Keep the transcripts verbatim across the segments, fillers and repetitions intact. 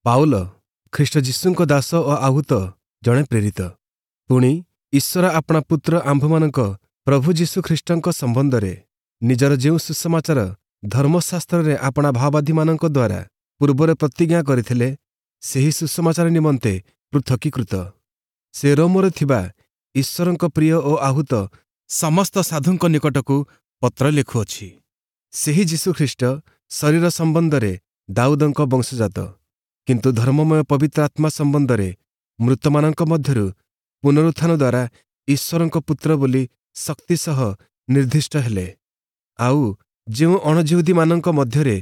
Paul ଖ୍ରୀଷ୍ଟ ଯୀଶୁଙ୍କ ଦାସ ଓ ଆହୁତ ଜଣେ ପ୍ରେରିତ ପୁଣି ଈଶ୍ୱର ଆପଣା ପୁତ୍ର ଆମ୍ଭମାନଙ୍କ ପ୍ରଭୁ ଯୀଶୁ ଖ୍ରୀଷ୍ଟଙ୍କ ସମ୍ବନ୍ଧରେ ନିଜର ଯେଉଁ ସୁସମାଚାର ଧର୍ମଶାସ୍ତ୍ରରେ ଆପଣା ଭାବବାଦୀମାନଙ୍କ ଦ୍ୱାରା ପୂର୍ବରେ ପ୍ରତିଜ୍ଞା କରିଥିଲେ ସେହି ସୁସମାଚାର ନିମନ୍ତେ ପୃଥକୀକୃତ ସେ ରୋମରେ ଥିବା ଈଶ୍ୱରଙ୍କ ପ୍ରିୟ ଓ ଆହୁତ ସମସ୍ତ ସାଧୁଙ୍କ ନିକଟକୁ ପତ୍ର ଲେଖୁଅଛି ସେହି ଯୀଶୁଖ୍ରୀଷ୍ଟ ଶରୀର ସମ୍ବନ୍ଧରେ ଦାଉଦଙ୍କ ବଂଶଜାତ କିନ୍ତୁ ଧର୍ମମୟ ପବିତ୍ର ଆତ୍ମା ସମ୍ବନ୍ଧରେ ମୃତମାନଙ୍କ ମଧ୍ୟରୁ ପୁନରୁତ୍ଥାନ ଦ୍ୱାରା ଈଶ୍ୱରଙ୍କ ପୁତ୍ର ବୋଲି ଶକ୍ତି ସହ ନିର୍ଦ୍ଦିଷ୍ଟ ହେଲେ ଆଉ ଯେଉଁ ଅଣଯିହୁଦୀମାନଙ୍କ ମଧ୍ୟରେ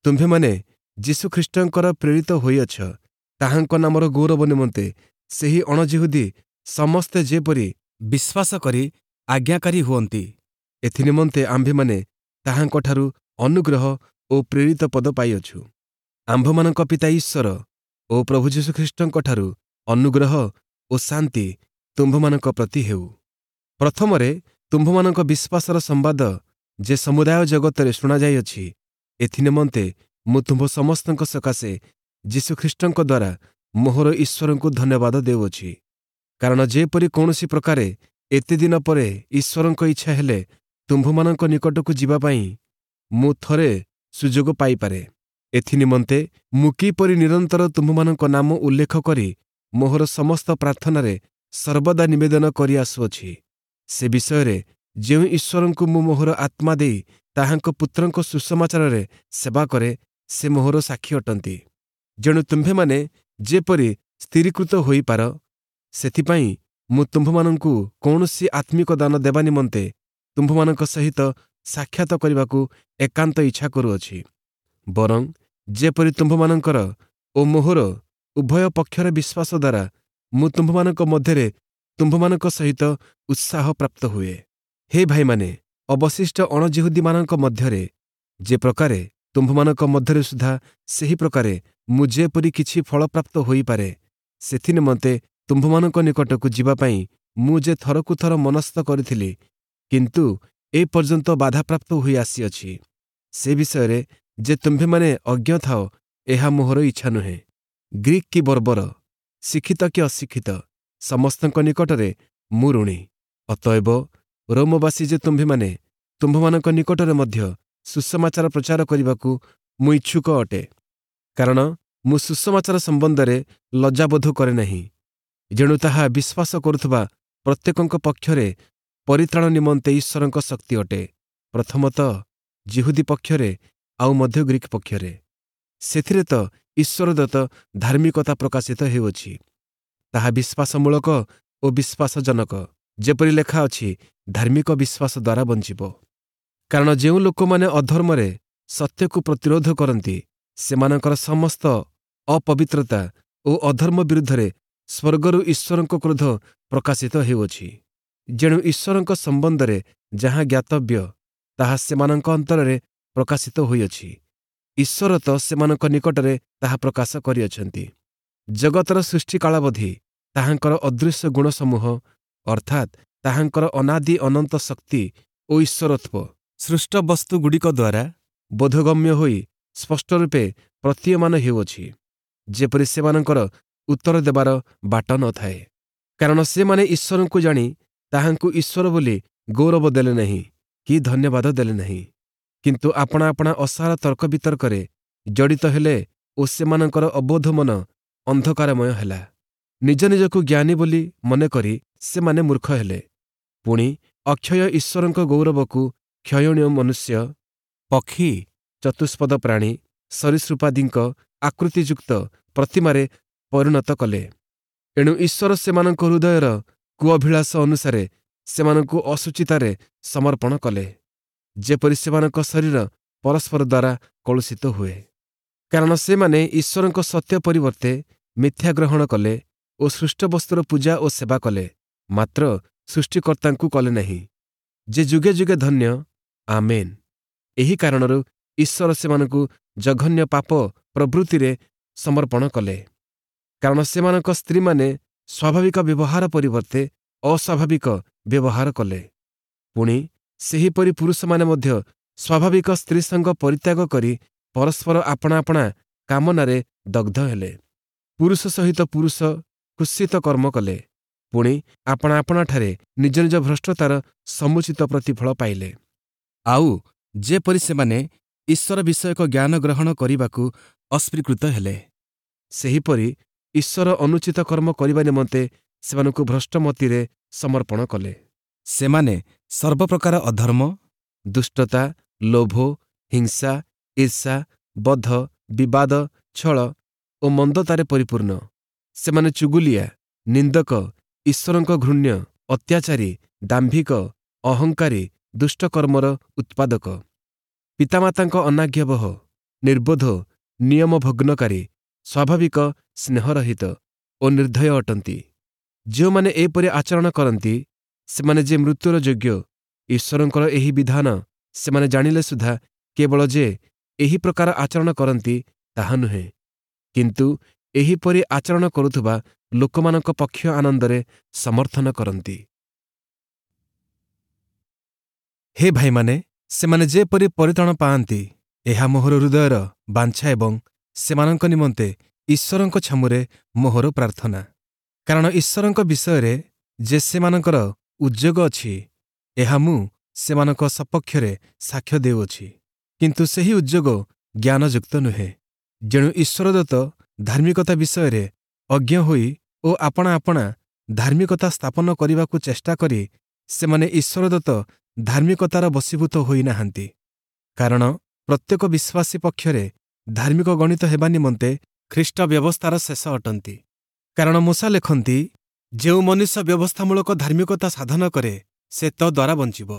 ତୁମ୍ଭେମାନେ ଯୀଶୁଖ୍ରୀଷ୍ଟଙ୍କର ପ୍ରେରିତ ହୋଇଅଛ ତାହାଙ୍କ ନାମର ଗୌରବ ନିମନ୍ତେ ସେହି ଅଣଯିହୁଦୀ ସମସ୍ତେ ଯେପରି ବିଶ୍ୱାସ କରି ଆଜ୍ଞାକାରୀ ହୁଅନ୍ତି ଏଥିନିମନ୍ତେ ଆମ୍ଭେମାନେ ତାହାଙ୍କଠାରୁ ଅନୁଗ୍ରହ ଓ ପ୍ରେରିତ ପଦ ପାଇଅଛୁ ଆମ୍ଭମାନଙ୍କ ପିତା ଈଶ୍ୱର ଓ ପ୍ରଭୁ ଯୀଶୁଖ୍ରୀଷ୍ଟଙ୍କଠାରୁ ଅନୁଗ୍ରହ ଓ ଶାନ୍ତି ତୁମ୍ଭମାନଙ୍କ ପ୍ରତି ହେଉ ପ୍ରଥମରେ ତୁମ୍ଭମାନଙ୍କ ବିଶ୍ୱାସର ସମ୍ବାଦ ଯେ ସମୁଦାୟ ଜଗତରେ ଶୁଣାଯାଇଅଛି ଏଥିନିମନ୍ତେ ମୁଁ ତୁମ୍ଭ ସମସ୍ତଙ୍କ ସକାଶେ ଯୀଶୁଖ୍ରୀଷ୍ଟଙ୍କ ଦ୍ୱାରା ମୋହର ଈଶ୍ୱରଙ୍କୁ ଧନ୍ୟବାଦ ଦେଉଅଛି କାରଣ ଯେପରି କୌଣସି ପ୍ରକାରେ ଏତେ ଦିନ ପରେ ଈଶ୍ୱରଙ୍କ ଇଚ୍ଛା ହେଲେ ତୁମ୍ଭମାନଙ୍କ ନିକଟକୁ ଯିବା ପାଇଁ ମୁଁ ଥରେ ସୁଯୋଗ ପାଇପାରେ ଏଥିନିମନ୍ତେ ମୁଁ କିପରି ନିରନ୍ତର ତୁମ୍ଭମାନଙ୍କ ନାମ ଉଲ୍ଲେଖ କରି ମୋହର ସମସ୍ତ ପ୍ରାର୍ଥନାରେ ସର୍ବଦା ନିବେଦନ କରିଆସୁଅଛି ସେ ବିଷୟରେ ଯେଉଁ ଈଶ୍ୱରଙ୍କୁ ମୁଁ ମୋହର ଆତ୍ମା ଦେଇ ତାହାଙ୍କ ପୁତ୍ରଙ୍କ ସୁସମାଚାରରେ ସେବା କରେ ସେ ମୋହର ସାକ୍ଷୀ ଅଟନ୍ତି ଯେଣୁ ତୁମ୍ଭେମାନେ ଯେପରି ସ୍ଥିରୀକୃତ ହୋଇପାର ସେଥିପାଇଁ ମୁଁ ତୁମ୍ଭମାନଙ୍କୁ କୌଣସି ଆତ୍ମିକ ଦାନ ଦେବା ନିମନ୍ତେ ତୁମ୍ଭମାନଙ୍କ ସହିତ ସାକ୍ଷାତ କରିବାକୁ ଏକାନ୍ତ ଇଚ୍ଛା କରୁଅଛି ବରଂ ଯେପରି ତୁମ୍ଭମାନଙ୍କର ଓ ମୋହର ଉଭୟ ପକ୍ଷର ବିଶ୍ୱାସ ଦ୍ୱାରା ମୁଁ ତୁମ୍ଭମାନଙ୍କ ମଧ୍ୟରେ ତୁମ୍ଭମାନଙ୍କ ସହିତ ଉତ୍ସାହ ପ୍ରାପ୍ତ ହୁଏ ହେ ଭାଇମାନେ ଅବଶିଷ୍ଟ ଅଣଯିହୁଦୀମାନଙ୍କ ମଧ୍ୟରେ ଯେ ପ୍ରକାରେ ତୁମ୍ଭମାନଙ୍କ ମଧ୍ୟରେ ସୁଦ୍ଧା ସେହି ପ୍ରକାରେ ମୁଁ ଯେପରି କିଛି ଫଳପ୍ରାପ୍ତ ହୋଇପାରେ ସେଥିନିମନ୍ତେ ତୁମ୍ଭମାନଙ୍କ ନିକଟକୁ ଯିବା ପାଇଁ ମୁଁ ଯେ ଥରକୁ ଥର ମନସ୍ଥ କରିଥିଲି କିନ୍ତୁ ଏ ପର୍ଯ୍ୟନ୍ତ ବାଧାପ୍ରାପ୍ତ ହୋଇ ଆସିଅଛି ସେ ବିଷୟରେ ଯେ ତୁମ୍ଭେମାନେ ଅଜ୍ଞ ଥାଅ ଏହା ମୋହର ଇଚ୍ଛା ନୁହେଁ ଗ୍ରୀକ୍ କି ବର୍ବର ଶିକ୍ଷିତ କି ଅଶିକ୍ଷିତ ସମସ୍ତଙ୍କ ନିକଟରେ ମୁଁ ଋଣୀ ଅତଏବ ରୋମବାସୀ ଯେ ତୁମ୍ଭେମାନେ ତୁମ୍ଭମାନଙ୍କ ନିକଟରେ ମଧ୍ୟ ସୁସମାଚାର ପ୍ରଚାର କରିବାକୁ ମୁଁ ଇଚ୍ଛୁକ ଅଟେ କାରଣ ମୁଁ ସୁସମାଚାର ସମ୍ବନ୍ଧରେ ଲଜ୍ଜାବୋଧ କରେ ନାହିଁ ଯେଣୁ ତାହା ବିଶ୍ୱାସ କରୁଥିବା ପ୍ରତ୍ୟେକଙ୍କ ପକ୍ଷରେ ପରିତ୍ରାଣ ନିମନ୍ତେ ଈଶ୍ୱରଙ୍କ ଶକ୍ତି ଅଟେ ପ୍ରଥମତଃ ଯିହୁଦୀ ପକ୍ଷରେ ଆଉ ମଧ୍ୟ ଗ୍ରୀକ୍ ପକ୍ଷରେ ସେଥିରେ ତ ଈଶ୍ୱରଦତ୍ତ ଧାର୍ମିକତା ପ୍ରକାଶିତ ହେଉଅଛି ତାହା ବିଶ୍ୱାସମୂଳକ ଓ ବିଶ୍ୱାସଜନକ ଯେପରି ଲେଖା ଅଛି ଧାର୍ମିକ ବିଶ୍ୱାସ ଦ୍ୱାରା ବଞ୍ଚିବ କାରଣ ଯେଉଁ ଲୋକମାନେ ଅଧର୍ମରେ ସତ୍ୟକୁ ପ୍ରତିରୋଧ କରନ୍ତି ସେମାନଙ୍କର ସମସ୍ତ ଅପବିତ୍ରତା ଓ ଅଧର୍ମ ବିରୁଦ୍ଧରେ ସ୍ୱର୍ଗରୁ ଈଶ୍ୱରଙ୍କ କ୍ରୋଧ ପ୍ରକାଶିତ ହେଉଅଛି ଯେଣୁ ଈଶ୍ୱରଙ୍କ ସମ୍ବନ୍ଧରେ ଯାହା ଜ୍ଞାତବ୍ୟ ତାହା ସେମାନଙ୍କ ଅନ୍ତରରେ ପ୍ରକାଶିତ ହୋଇଅଛି ଈଶ୍ୱର ତ ସେମାନଙ୍କ ନିକଟରେ ତାହା ପ୍ରକାଶ କରିଅଛନ୍ତି ଜଗତର ସୃଷ୍ଟିକାଳାବଧି ତାହାଙ୍କର ଅଦୃଶ୍ୟ ଗୁଣସମୂହ ଅର୍ଥାତ୍ ତାହାଙ୍କର ଅନାଦି ଅନନ୍ତ ଶକ୍ତି ଓ ଈଶ୍ୱରତ୍ୱ ସୃଷ୍ଟ ବସ୍ତୁଗୁଡ଼ିକ ଦ୍ୱାରା ବୋଧଗମ୍ୟ ହୋଇ ସ୍ପଷ୍ଟ ରୂପେ ପ୍ରତୀୟମାନ ହେଉଅଛି ଯେପରି ସେମାନଙ୍କର ଉତ୍ତର ଦେବାର ବାଟ ନଥାଏ କାରଣ ସେମାନେ ଈଶ୍ୱରଙ୍କୁ ଜାଣି ତାହାଙ୍କୁ ଈଶ୍ୱର ବୋଲି ଗୌରବ ଦେଲେ ନାହିଁ କି ଧନ୍ୟବାଦ ଦେଲେ ନାହିଁ କିନ୍ତୁ ଆପଣା ଆପଣା ଅସାର ତର୍କ ବିତର୍କରେ ଜଡ଼ିତ ହେଲେ ଓ ସେମାନଙ୍କର ଅବୋଧ ମନ ଅନ୍ଧକାରମୟ ହେଲା ନିଜ ନିଜକୁ ଜ୍ଞାନୀ ବୋଲି ମନେକରି ସେମାନେ ମୂର୍ଖ ହେଲେ ପୁଣି ଅକ୍ଷୟ ଈଶ୍ୱରଙ୍କ ଗୌରବକୁ କ୍ଷୟଣୀୟ ମନୁଷ୍ୟ ପକ୍ଷୀ ଚତୁଷ୍ପଦ ପ୍ରାଣୀ ସରୀସୃପାଦିଙ୍କ ଆକୃତିଯୁକ୍ତ ପ୍ରତିମାରେ ପରିଣତ କଲେ ଏଣୁ ଈଶ୍ୱର ସେମାନଙ୍କ ହୃଦୟର କୁଅଭିଳାଷ ଅନୁସାରେ ସେମାନଙ୍କୁ ଅଶୁଚିତାରେ ସମର୍ପଣ କଲେ ଯେପରି ସେମାନଙ୍କ ଶରୀର ପରସ୍ପର ଦ୍ୱାରା କଳୁଷିତ ହୁଏ କାରଣ ସେମାନେ ଈଶ୍ୱରଙ୍କ ସତ୍ୟ ପରିବର୍ତ୍ତେ ମିଥ୍ୟା ଗ୍ରହଣ କଲେ ଓ ସୃଷ୍ଟବସ୍ତୁର ପୂଜା ଓ ସେବା କଲେ ମାତ୍ର ସୃଷ୍ଟିକର୍ତ୍ତାଙ୍କୁ କଲେ ନାହିଁ ଯେ ଯୁଗେ ଯୁଗେ ଧନ୍ୟ ଆମେନ୍ ଏହି କାରଣରୁ ଈଶ୍ୱର ସେମାନଙ୍କୁ ଜଘନ୍ୟ ପାପ ପ୍ରବୃତ୍ତିରେ ସମର୍ପଣ କଲେ କାରଣ ସେମାନଙ୍କ ସ୍ତ୍ରୀମାନେ ସ୍ୱାଭାବିକ ବ୍ୟବହାର ପରିବର୍ତ୍ତେ ଅସ୍ୱାଭାବିକ ବ୍ୟବହାର କଲେ ପୁଣି ସେହିପରି ପୁରୁଷମାନେ ମଧ୍ୟ ସ୍ୱାଭାବିକ ସ୍ତ୍ରୀସଙ୍ଗ ପରିତ୍ୟାଗ କରି ପରସ୍ପର ଆପଣା ଆପଣା କାମନାରେ ଦଗ୍ଧ ହେଲେ। ପୁରୁଷ ସହିତ ପୁରୁଷ କୁତ୍ସିତ କର୍ମ କଲେ, ପୁଣି ଆପଣା ଆପଣାଠାରେ ନିଜ ନିଜ ଭ୍ରଷ୍ଟତାର ସମୁଚିତ ପ୍ରତିଫଳ ପାଇଲେ। ଆଉ ଯେପରି ସେମାନେ ଈଶ୍ୱର ବିଷୟକ ଜ୍ଞାନ ଗ୍ରହଣ କରିବାକୁ ଅସ୍ୱୀକୃତ ହେଲେ, ସେହିପରି ଈଶ୍ୱର ଅନୁଚିତ କର୍ମ କରିବା ନିମନ୍ତେ ସେମାନଙ୍କୁ ଭ୍ରଷ୍ଟମତିରେ ସମର୍ପଣ କଲେ। ସେମାନେ ସର୍ବପ୍ରକାର ଅଧର୍ମ, ଦୁଷ୍ଟତା, ଲୋଭ, ହିଂସା, ଈର୍ଷା, ବଧ, ବିବାଦ, ଛଳ ଓ ମନ୍ଦତାରେ ପରିପୂର୍ଣ୍ଣ। ସେମାନେ ଚୁଗୁଲିଆ, ନିନ୍ଦକ, ଈଶ୍ୱରଙ୍କ ଘୃଣ୍ୟ, ଅତ୍ୟାଚାରୀ, ଦାମ୍ଭିକ, ଅହଙ୍କାରୀ, ଦୁଷ୍ଟକର୍ମର ଉତ୍ପାଦକ, ପିତାମାତାଙ୍କ ଅନାଜ୍ଞାବହ, ନିର୍ବୋଧ, ନିୟମ ଭଗ୍ନକାରୀ, ସ୍ୱାଭାବିକ ସ୍ନେହରହିତ ଓ ନିର୍ଦ୍ଦୟ ଅଟନ୍ତି। ଯେଉଁମାନେ ଏପରି ଆଚରଣ କରନ୍ତି, ସେମାନେ ଯେ ମୃତ୍ୟୁର ଯୋଗ୍ୟ, ଈଶ୍ୱରଙ୍କର ଏହି ବିଧାନ ସେମାନେ ଜାଣିଲେ ସୁଦ୍ଧା କେବଳ ଯେ ଏହି ପ୍ରକାର ଆଚରଣ କରନ୍ତି ତାହା ନୁହେଁ, କିନ୍ତୁ ଏହିପରି ଆଚରଣ କରୁଥିବା ଲୋକମାନଙ୍କ ପକ୍ଷ ଆନନ୍ଦରେ ସମର୍ଥନ କରନ୍ତି। ହେ ଭାଇମାନେ, ସେମାନେ ଯେପରି ପରିତ୍ରାଣ ପାଆନ୍ତି, ଏହା ମୋହର ହୃଦୟର ବାଞ୍ଛା ଏବଂ ସେମାନଙ୍କ ନିମନ୍ତେ ଈଶ୍ୱରଙ୍କ ଛାମୁରେ ମୋହର ପ୍ରାର୍ଥନା। କାରଣ ଈଶ୍ୱରଙ୍କ ବିଷୟରେ ଯେ ସେମାନଙ୍କର ଉଦ୍ଯୋଗ ଅଛି, ଏହା ମୁଁ ସେମାନଙ୍କ ସପକ୍ଷରେ ସାକ୍ଷ୍ୟ ଦେଉଅଛି। କିନ୍ତୁ ସେହି ଉଦ୍ଯୋଗ ଜ୍ଞାନଯୁକ୍ତ ନୁହେଁ। ଯେଣୁ ଈଶ୍ୱରଦତ୍ତ ଧାର୍ମିକତା ବିଷୟରେ ଅଜ୍ଞ ହୋଇ ଓ ଆପଣା ଆପଣା ଧାର୍ମିକତା ସ୍ଥାପନ କରିବାକୁ ଚେଷ୍ଟା କରି ସେମାନେ ଈଶ୍ୱରଦତ୍ତ ଧାର୍ମିକତାର ବଶୀଭୂତ ହୋଇନାହାନ୍ତି। କାରଣ ପ୍ରତ୍ୟେକ ବିଶ୍ୱାସୀ ପକ୍ଷରେ ଧାର୍ମିକ ଗଣିତ ହେବା ନିମନ୍ତେ ଖ୍ରୀଷ୍ଟ ବ୍ୟବସ୍ଥାର ଶେଷ ଅଟନ୍ତି। କାରଣ ମୋଶା ଲେଖନ୍ତି, ଯେଉଁ ମନୁଷ୍ୟ ବ୍ୟବସ୍ଥାମୂଳକ ଧାର୍ମିକତା ସାଧନ କରେ, ସେ ତଦ୍ୱାରା ବଞ୍ଚିବ।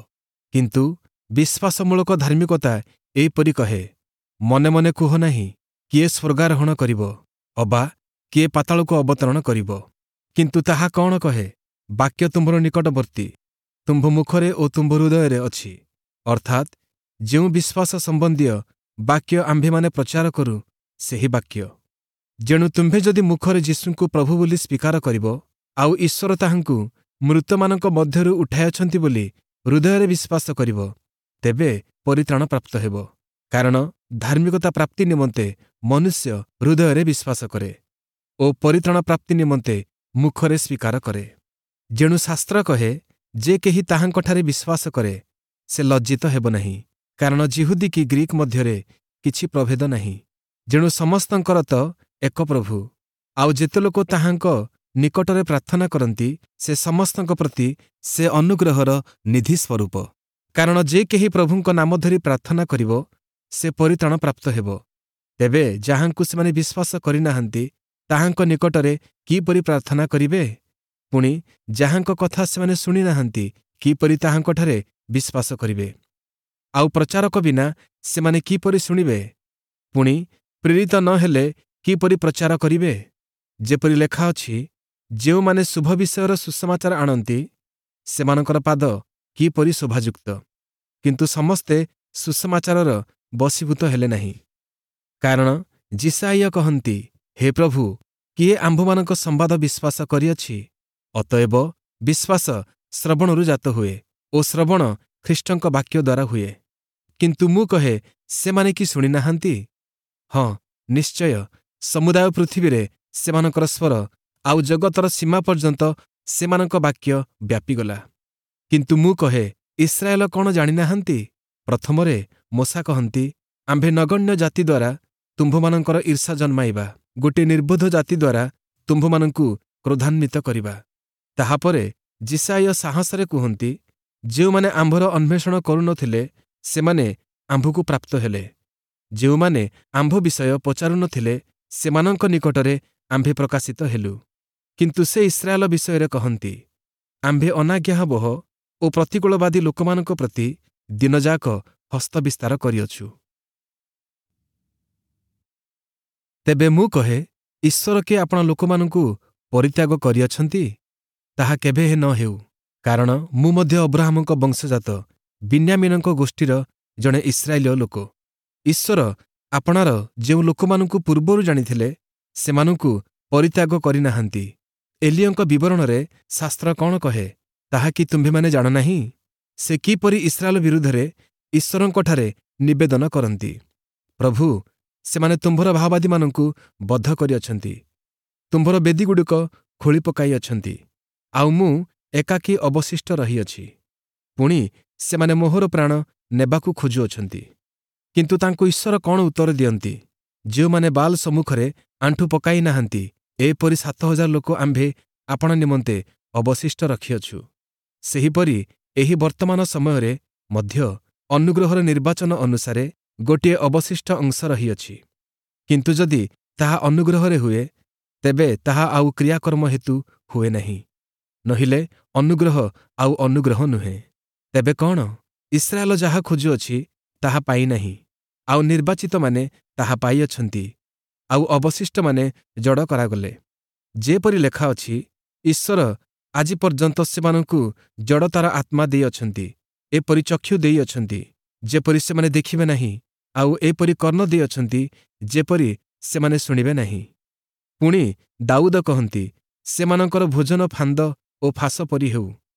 କିନ୍ତୁ ବିଶ୍ୱାସମୂଳକ ଧାର୍ମିକତା ଏହିପରି କହେ, ମନେ ମନେ କୁହ ନାହିଁ, କିଏ ସ୍ୱର୍ଗାରୋହଣ କରିବ, ଅବା କିଏ ପାତାଳକୁ ଅବତରଣ କରିବ। କିନ୍ତୁ ତାହା କଣ କହେ? ବାକ୍ୟ ତୁମ୍ଭର ନିକଟବର୍ତ୍ତୀ, ତୁମ୍ଭ ମୁଖରେ ଓ ତୁମ୍ଭ ହୃଦୟରେ ଅଛି, ଅର୍ଥାତ୍ ଯେଉଁ ବିଶ୍ୱାସ ସମ୍ବନ୍ଧୀୟ ବାକ୍ୟ ଆମ୍ଭେମାନେ ପ୍ରଚାର କରୁ, ସେହି ବାକ୍ୟ। ଯେଣୁ ତୁମ୍ଭେ ଯଦି ମୁଖରେ ଯୀଶୁଙ୍କୁ ପ୍ରଭୁ ବୋଲି ସ୍ୱୀକାର କରିବ, ଆଉ ଈଶ୍ୱର ତାହାଙ୍କୁ ମୃତମାନଙ୍କ ମଧ୍ୟରୁ ଉଠାଇଅଛନ୍ତି ବୋଲି ହୃଦୟରେ ବିଶ୍ୱାସ କରିବ, ତେବେ ପରିତ୍ରାଣ ପ୍ରାପ୍ତ ହେବ। କାରଣ ଧାର୍ମିକତା ପ୍ରାପ୍ତି ନିମନ୍ତେ ମନୁଷ୍ୟ ହୃଦୟରେ ବିଶ୍ୱାସ କରେ ଓ ପରିତ୍ରାଣ ପ୍ରାପ୍ତି ନିମନ୍ତେ ମୁଖରେ ସ୍ୱୀକାର କରେ। ଯେଣୁ ଶାସ୍ତ୍ର କହେ, ଯେ କେହି ତାହାଙ୍କଠାରେ ବିଶ୍ୱାସ କରେ, ସେ ଲଜ୍ଜିତ ହେବ ନାହିଁ। କାରଣ ଯିହୁଦୀ କି ଗ୍ରୀକ୍ ମଧ୍ୟରେ କିଛି ପ୍ରଭେଦ ନାହିଁ। ଯେଣୁ ସମସ୍ତଙ୍କର ତ ଏକ ପ୍ରଭୁ, ଆଉ ଯେତେ ଲୋକ ତାହାଙ୍କ ନିକଟରେ ପ୍ରାର୍ଥନା କରନ୍ତି, ସେ ସମସ୍ତଙ୍କ ପ୍ରତି ସେ ଅନୁଗ୍ରହର ନିଧି ସ୍ୱରୂପ। କାରଣ ଯେ କେହି ପ୍ରଭୁଙ୍କ ନାମ ଧରି ପ୍ରାର୍ଥନା କରିବ, ସେ ପରିତ୍ରାଣ ପ୍ରାପ୍ତ ହେବ। ତେବେ ଯାହାଙ୍କୁ ସେମାନେ ବିଶ୍ୱାସ କରିନାହାନ୍ତି, ତାହାଙ୍କ ନିକଟରେ କିପରି ପ୍ରାର୍ଥନା କରିବେ? ପୁଣି ଯାହାଙ୍କ କଥା ସେମାନେ ଶୁଣିନାହାନ୍ତି, କିପରି ତାହାଙ୍କଠାରେ ବିଶ୍ୱାସ କରିବେ? ଆଉ ପ୍ରଚାରକ ବିନା ସେମାନେ କିପରି ଶୁଣିବେ? ପୁଣି ପ୍ରେରିତ ନ ହେଲେ କିପରି ପ୍ରଚାର କରିବେ? ଯେପରି ଲେଖା ଅଛି, ଯେଉଁମାନେ ଶୁଭ ବିଷୟର ସୁସମାଚାର ଆଣନ୍ତି, ସେମାନଙ୍କର ପାଦ କିପରି ଶୋଭାଯୁକ୍ତ! କିନ୍ତୁ ସମସ୍ତେ ସୁସମାଚାରର ବଶୀଭୂତ ହେଲେ ନାହିଁ। କାରଣ ଯିଶାଇୟ କହନ୍ତି, ହେ ପ୍ରଭୁ, କିଏ ଆମ୍ଭମାନଙ୍କ ସମ୍ବାଦ ବିଶ୍ୱାସ କରିଅଛି? ଅତଏବ ବିଶ୍ୱାସ ଶ୍ରବଣରୁ ଜାତ ହୁଏ ଓ ଶ୍ରବଣ ଖ୍ରୀଷ୍ଟଙ୍କ ବାକ୍ୟ ଦ୍ୱାରା ହୁଏ। କିନ୍ତୁ ମୁଁ କହେ, ସେମାନେ କି ଶୁଣିନାହାନ୍ତି? ହଁ, ନିଶ୍ଚୟ ସମୁଦାୟ ପୃଥିବୀରେ ସେମାନଙ୍କର ସ୍ୱର ଆଉ ଜଗତର ସୀମା ପର୍ଯ୍ୟନ୍ତ ସେମାନଙ୍କ ବାକ୍ୟ ବ୍ୟାପିଗଲା। କିନ୍ତୁ ମୁଁ କହେ, ଇସ୍ରାଏଲ କଣ ଜାଣିନାହାନ୍ତି? ପ୍ରଥମରେ ମୋଶା କହନ୍ତି, ଆମ୍ଭେ ନଗଣ୍ୟ ଜାତି ଦ୍ୱାରା ତୁମ୍ଭମାନଙ୍କର ଈର୍ଷା ଜନ୍ମାଇବା, ଗୋଟିଏ ନିର୍ବୋଧ ଜାତି ଦ୍ୱାରା ତୁମ୍ଭମାନଙ୍କୁ କ୍ରୋଧାନ୍ୱିତ କରିବା। ତାହାପରେ ଯିଶାଇୟ ସାହସରେ କୁହନ୍ତି, ଯେଉଁମାନେ ଆମ୍ଭର ଅନ୍ୱେଷଣ କରୁନଥିଲେ, ସେମାନେ ଆମ୍ଭକୁ ପ୍ରାପ୍ତ ହେଲେ। ଯେଉଁମାନେ ଆମ୍ଭ ବିଷୟ ପଚାରୁନଥିଲେ, ସେମାନଙ୍କ ନିକଟରେ ଆମ୍ଭେ ପ୍ରକାଶିତ ହେଲୁ। କିନ୍ତୁ ସେ ଇସ୍ରାଏଲ ବିଷୟରେ କହନ୍ତି, ଆମ୍ଭେ ଅନାଜ୍ଞାବହ ଓ ପ୍ରତିକୂଳବାଦୀ ଲୋକମାନଙ୍କ ପ୍ରତି ଦିନଯାକ ହସ୍ତ ବିସ୍ତାର କରିଅଛୁ। ତେବେ ମୁଁ କହେ, ଈଶ୍ୱର କି ଆପଣା ଲୋକମାନଙ୍କୁ ପରିତ୍ୟାଗ କରିଅଛନ୍ତି? ତାହା କେବେ ନ ହେଉ। କାରଣ ମୁଁ ମଧ୍ୟ ଅବ୍ରାହାମଙ୍କ ବଂଶଜାତ, ବିନ୍ୟାମୀନଙ୍କ ଗୋଷ୍ଠୀର ଜଣେ ଇସ୍ରାଏଲୀୟ ଲୋକ। ଈଶ୍ୱର ଆପଣାର ଯେଉଁ ଲୋକମାନଙ୍କୁ ପୂର୍ବରୁ ଜାଣିଥିଲେ, ସେମାନଙ୍କୁ ପରିତ୍ୟାଗ କରିନାହାନ୍ତି। ଏଲିୟଙ୍କ ବିବରଣରେ ଶାସ୍ତ୍ର କଣ କହେ, ତାହା କି ତୁମ୍ଭେମାନେ ଜାଣ ନାହିଁ? ସେ କିପରି ଇସ୍ରାଏଲ ବିରୁଦ୍ଧରେ ଈଶ୍ୱରଙ୍କଠାରେ ନିବେଦନ କରନ୍ତି, ପ୍ରଭୁ, ସେମାନେ ତୁମ୍ଭର ଭାବବାଦୀମାନଙ୍କୁ ବଧ କରିଅଛନ୍ତି। ତୁମ୍ଭର ବେଦୀଗୁଡ଼ିକ ଖୋଳି ପକାଇଅଛନ୍ତି, ଆଉ ମୁଁ ଏକାକୀ ଅବଶିଷ୍ଟ ରହିଅଛି। ପୁଣି ସେମାନେ ମୋହର ପ୍ରାଣ ନେବାକୁ ଖୋଜୁଅଛନ୍ତି। କିନ୍ତୁ ତାଙ୍କୁ ଈଶ୍ୱର କ'ଣ ଉତ୍ତର ଦିଅନ୍ତି? ଯେଉଁମାନେ ବାଲ୍ ସମ୍ମୁଖରେ ଆଣ୍ଠୁ ପକାଇ ନାହାନ୍ତି, ଏପରି ସାତ ହଜାର ଲୋକ ଆମ୍ଭେ ଆପଣା ନିମନ୍ତେ ଅବଶିଷ୍ଟ ରଖିଅଛୁ। ସେହିପରି ଏହି ବର୍ତ୍ତମାନ ସମୟରେ ମଧ୍ୟ ଅନୁଗ୍ରହର ନିର୍ବାଚନ ଅନୁସାରେ ଗୋଟିଏ ଅବଶିଷ୍ଟ ଅଂଶ ରହିଅଛି। କିନ୍ତୁ ଯଦି ତାହା ଅନୁଗ୍ରହରେ ହୁଏ, ତେବେ ତାହା ଆଉ କ୍ରିୟାକର୍ମ ହେତୁ ହୁଏ ନାହିଁ, ନୋହିଲେ ଅନୁଗ୍ରହ ଆଉ ଅନୁଗ୍ରହ ନୁହେଁ। ତେବେ କ'ଣ? ଇସ୍ରାଏଲ ଯାହା ଖୋଜୁଅଛି ତାହା ପାଇନାହିଁ, ଆଉ ନିର୍ବାଚିତମାନେ ତାହା ପାଇଅଛନ୍ତି, ଆଉ ଅବଶିଷ୍ଟମାନେ ଜଡ଼ କରାଗଲେ। ଯେପରି ଲେଖା ଅଛି, ଈଶ୍ୱର ଆଜି ପର୍ଯ୍ୟନ୍ତ ସେମାନଙ୍କୁ ଜଡ଼ତାର ଆତ୍ମା ଦେଇଅଛନ୍ତି, ଏପରି ଚକ୍ଷୁ ଦେଇଅଛନ୍ତି, ଯେପରି ସେମାନେ ଦେଖିବେ ନାହିଁ, ଆଉ ଏପରି କର୍ଣ୍ଣ ଦେଇଅଛନ୍ତି, ଯେପରି ସେମାନେ ଶୁଣିବେ ନାହିଁ। ପୁଣି ଦାଉଦ କହନ୍ତି, ସେମାନଙ୍କର ଭୋଜନ ଫାନ୍ଦ ଓ ଫାଶ ପରି ହେଉ,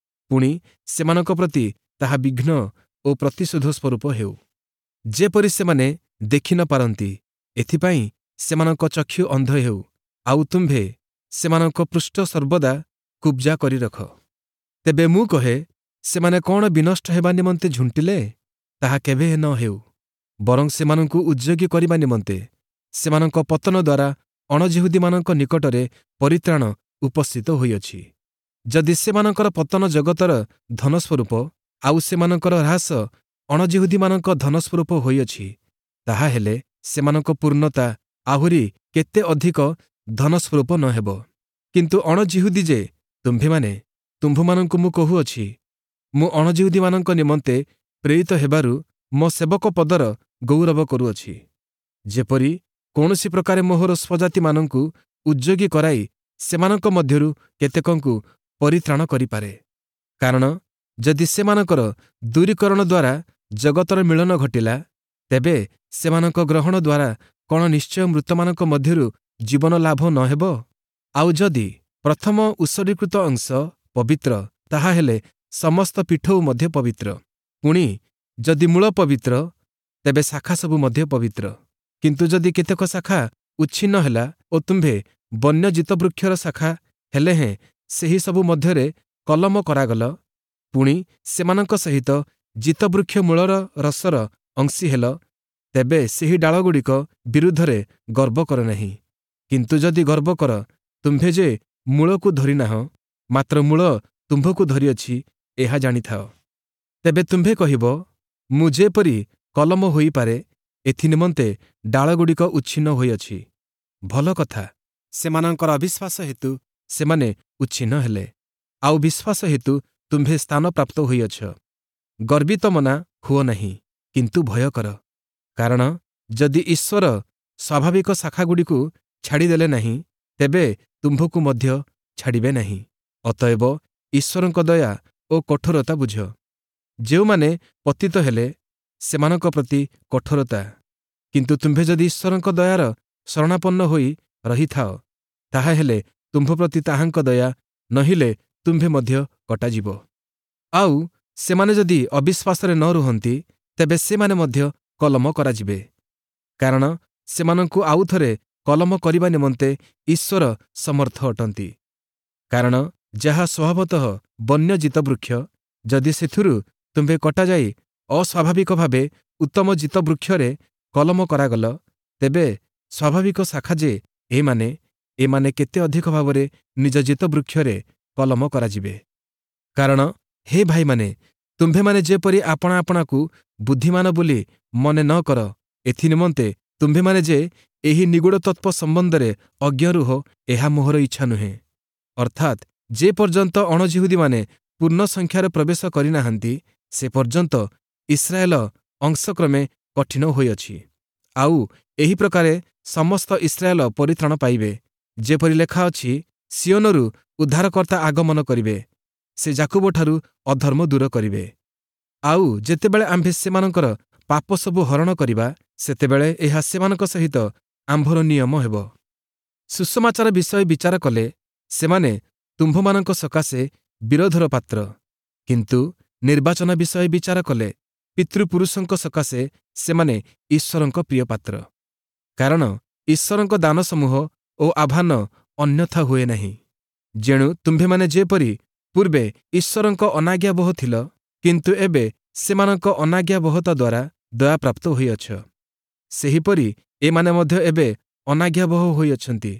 ପୁଣି ସେମାନଙ୍କ ପ୍ରତି ତାହା ବିଘ୍ନ ଓ ପ୍ରତିଶୋଧ ସ୍ୱରୂପ ହେଉ। ଯେପରି ସେମାନେ ଦେଖି ନ ପାରନ୍ତି, ଏଥିପାଇଁ ସେମାନଙ୍କ ଚକ୍ଷୁ ଅନ୍ଧ ହେଉ, ଆଉ ତୁମ୍ଭେ ସେମାନଙ୍କ ପୃଷ୍ଠ ସର୍ବଦା କୁବ୍ଜା କରି ରଖ। ତେବେ ମୁଁ କହେ, ସେମାନେ କ'ଣ ବିନଷ୍ଟ ହେବା ନିମନ୍ତେ ଝୁଣ୍ଟିଲେ? ତାହା କେବେ ନ ହେଉ। ବରଂ ସେମାନଙ୍କୁ ଉଦ୍ଯୋଗୀ କରିବା ନିମନ୍ତେ ସେମାନଙ୍କ ପତନ ଦ୍ୱାରା ଅଣଯିହୁଦୀମାନଙ୍କ ନିକଟରେ ପରିତ୍ରାଣ ଉପସ୍ଥିତ ହୋଇଅଛି। ଯଦି ସେମାନଙ୍କର ପତନ ଜଗତର ଧନସ୍ୱରୂପ, ଆଉ ସେମାନଙ୍କର ହ୍ରାସ ଅଣଯିହୁଦୀମାନଙ୍କ ଧନସ୍ୱରୂପ ହୋଇଅଛି, ତାହାହେଲେ ସେମାନଙ୍କ ପୂର୍ଣ୍ଣତା ଆହୁରି କେତେ ଅଧିକ ଧନସ୍ୱରୂପ ନ ହେବ। କିନ୍ତୁ ଅଣଯିହୁଦୀ ଯେ ତୁମ୍ଭେମାନେ, ତୁମ୍ଭମାନଙ୍କୁ ମୁଁ କହୁଅଛି, ମୁଁ ଅଣଯିହୁଦୀମାନଙ୍କ ନିମନ୍ତେ ପ୍ରେରିତ ହେବାରୁ ମୋ ସେବକ ପଦର ଗୌରବ କରୁଅଛି, ଯେପରି କୌଣସି ପ୍ରକାରେ ମୋହର ସ୍ୱଜାତିମାନଙ୍କୁ ଉଦ୍ଯୋଗୀ କରାଇ ସେମାନଙ୍କ ମଧ୍ୟରୁ କେତେକଙ୍କୁ ପରିତ୍ରାଣ କରିପାରେ। କାରଣ ଯଦି ସେମାନଙ୍କର ଦୂରୀକରଣ ଦ୍ୱାରା ଜଗତର ମିଳନ ଘଟିଲା, ତେବେ ସେମାନଙ୍କ ଗ୍ରହଣ ଦ୍ୱାରା କ'ଣ ନିଶ୍ଚୟ ମୃତମାନଙ୍କ ମଧ୍ୟରୁ ଜୀବନ ଲାଭ ନ ହେବ? ଆଉ ଯଦି ପ୍ରଥମ ଉତ୍ସର୍ଗୀକୃତ ଅଂଶ ପବିତ୍ର, ତାହାହେଲେ ସମସ୍ତ ପିଠଉ ମଧ୍ୟ ପବିତ୍ର। ପୁଣି ଯଦି ମୂଳ ପବିତ୍ର, ତେବେ ଶାଖା ସବୁ ମଧ୍ୟ ପବିତ୍ର। କିନ୍ତୁ ଯଦି କେତେକ ଶାଖା ଉଚ୍ଛିନ୍ନ ହେଲା ଓ ତୁମ୍ଭେ ବନ୍ୟ ଜୀତବୃକ୍ଷର ଶାଖା ହେଲେ ହେଁ ସେହି ସବୁ ମଧ୍ୟରେ କଲମ କରାଗଲ, ପୁଣି ସେମାନଙ୍କ ସହିତ ଜୀତବୃକ୍ଷ ମୂଳର ରସର ଅଂଶୀ ହେଲ, ତେବେ ସେହି ଡାଳଗୁଡ଼ିକ ବିରୁଦ୍ଧରେ ଗର୍ବ କର ନାହିଁ। କିନ୍ତୁ ଯଦି ଗର୍ବ କର, ତୁମ୍ଭେ ଯେ ମୂଳକୁ ଧରିନାହଁ, ମାତ୍ର ମୂଳ ତୁମ୍ଭକୁ ଧରିଅଛି, ଏହା ଜାଣିଥାଅ। ତେବେ ତୁମ୍ଭେ କହିବ, ମୁଁ ଯେପରି କଲମ ହୋଇପାରେ, ଏଥିନିମନ୍ତେ ଡାଳଗୁଡ଼ିକ ଉଚ୍ଛିନ୍ନ ହୋଇଅଛି। ଭଲ କଥା, ସେମାନଙ୍କର ଅବିଶ୍ୱାସ ହେତୁ ସେମାନେ ଉଚ୍ଛିନ୍ନ ହେଲେ, ଆଉ ବିଶ୍ୱାସ ହେତୁ ତୁମ୍ଭେ ସ୍ଥାନ ପ୍ରାପ୍ତ ହୋଇଅଛ। ଗର୍ବିତମନା ହୁଅ ନାହିଁ, କିନ୍ତୁ ଭୟ କର। କାରଣ ଯଦି ଈଶ୍ୱର ସ୍ୱାଭାବିକ ଶାଖାଗୁଡ଼ିକୁ ଛାଡ଼ିଦେଲେ ନାହିଁ, ତେବେ ତୁମ୍ଭକୁ ମଧ୍ୟ ଛାଡ଼ିବେ ନାହିଁ। ଅତଏବ ଈଶ୍ୱରଙ୍କ ଦୟା ଓ କଠୋରତା ବୁଝ। ଯେଉଁମାନେ ପତିତ ହେଲେ, ସେମାନଙ୍କ ପ୍ରତି କଠୋରତା, କିନ୍ତୁ ତୁମ୍ଭେ ଯଦି ଈଶ୍ୱରଙ୍କ ଦୟାର ଶରଣାପନ୍ନ ହୋଇ ରହିଥାଅ, ତାହାହେଲେ ତୁମ୍ଭ ପ୍ରତି ତାହାଙ୍କ ଦୟା, ନୋହିଲେ ତୁମ୍ଭେ ମଧ୍ୟ କଟାଯିବ। ଆଉ ସେମାନେ ଯଦି ଅବିଶ୍ୱାସରେ ନ ରୁହନ୍ତି, ତେବେ ସେମାନେ ମଧ୍ୟ କଲମ କରାଯିବେ, କାରଣ ସେମାନଙ୍କୁ ଆଉଥରେ କଲମ କରିବା ନିମନ୍ତେ ଈଶ୍ୱର ସମର୍ଥ ଅଟନ୍ତି। କାରଣ ଯାହା ସ୍ୱଭାବତଃ ବନ୍ୟ ଜୀତବୃକ୍ଷ, ଯଦି ସେଥିରୁ ତୁମ୍ଭେ କଟାଯାଇ ଅସ୍ୱାଭାବିକ ଭାବେ ଉତ୍ତମ ଜୀତବୃକ୍ଷରେ କଲମ କରାଗଲ, ତେବେ ସ୍ୱାଭାବିକ ଶାଖା ଯେ ଏମାନେ, ଏମାନେ କେତେ ଅଧିକ ଭାବରେ ନିଜ ଜୀତବୃକ୍ଷରେ କଲମ କରାଯିବେ। କାରଣ ହେ ଭାଇମାନେ, ତୁମ୍ଭେମାନେ ଯେପରି ଆପଣା ଆପଣାକୁ ବୁଦ୍ଧିମାନ ବୋଲି ମନେ ନ କର, ଏଥିନିମନ୍ତେ ତୁମ୍ଭେମାନେ ଯେ ଏହି ନିଗୂଢ଼ ତତ୍ତ୍ୱ ସମ୍ବନ୍ଧରେ ଅଜ୍ଞ ରୁହ, ଏହା ମୋହର ଇଚ୍ଛା ନୁହେଁ। ଅର୍ଥାତ୍ ଯେ ପର୍ଯ୍ୟନ୍ତ ଅଣଯିହୁଦୀମାନେ ପୂର୍ଣ୍ଣ ସଂଖ୍ୟାରେ ପ୍ରବେଶ କରିନାହାନ୍ତି, ସେ ପର୍ଯ୍ୟନ୍ତ ଇସ୍ରାଏଲ ଅଂଶକ୍ରମେ କଠିନ ହୋଇଅଛି। ଆଉ ଏହି ପ୍ରକାରେ ସମସ୍ତ ଇସ୍ରାଏଲ ପରିତ୍ରାଣ ପାଇବେ। ଯେପରି ଲେଖା ଅଛି, ସିୟୋନରୁ ଉଦ୍ଧାରକର୍ତ୍ତା ଆଗମନ କରିବେ, ସେ ଯାକୁବଠାରୁ ଅଧର୍ମ ଦୂର କରିବେ। ଆଉ ଯେତେବେଳେ ଆମ୍ଭେ ସେମାନଙ୍କର ପାପ ସବୁ ହରଣ କରିବା, ସେତେବେଳେ ଏହା ସେମାନଙ୍କ ସହିତ ଆମ୍ଭର ନିୟମ ହେବ। ସୁସମାଚାର ବିଷୟ ବିଚାର କଲେ ସେମାନେ ତୁମ୍ଭମାନଙ୍କ ସକାଶେ ବିରୋଧର ପାତ୍ର, କିନ୍ତୁ ନିର୍ବାଚନ ବିଷୟ ବିଚାର କଲେ ପିତୃପୁରୁଷଙ୍କ ସକାଶେ ସେମାନେ ଈଶ୍ୱରଙ୍କ ପ୍ରିୟ ପାତ୍ର। କାରଣ ଈଶ୍ୱରଙ୍କ ଦାନସମୂହ ଓ ଆହ୍ୱାନ ଅନ୍ୟଥା ହୁଏ ନାହିଁ। ଯେଣୁ ତୁମ୍ଭେମାନେ ଯେପରି ପୂର୍ବେ ଈଶ୍ୱରଙ୍କ ଅନାଜ୍ଞାବହ ଥିଲ, କିନ୍ତୁ ଏବେ ସେମାନଙ୍କ ଅନାଜ୍ଞାବହତା ଦ୍ୱାରା ଦୟାପ୍ରାପ୍ତ ହୋଇଅଛ, ସେହିପରି ଏମାନେ ମଧ୍ୟ ଏବେ ଅନାଜ୍ଞାବହ ହୋଇଅଛନ୍ତି,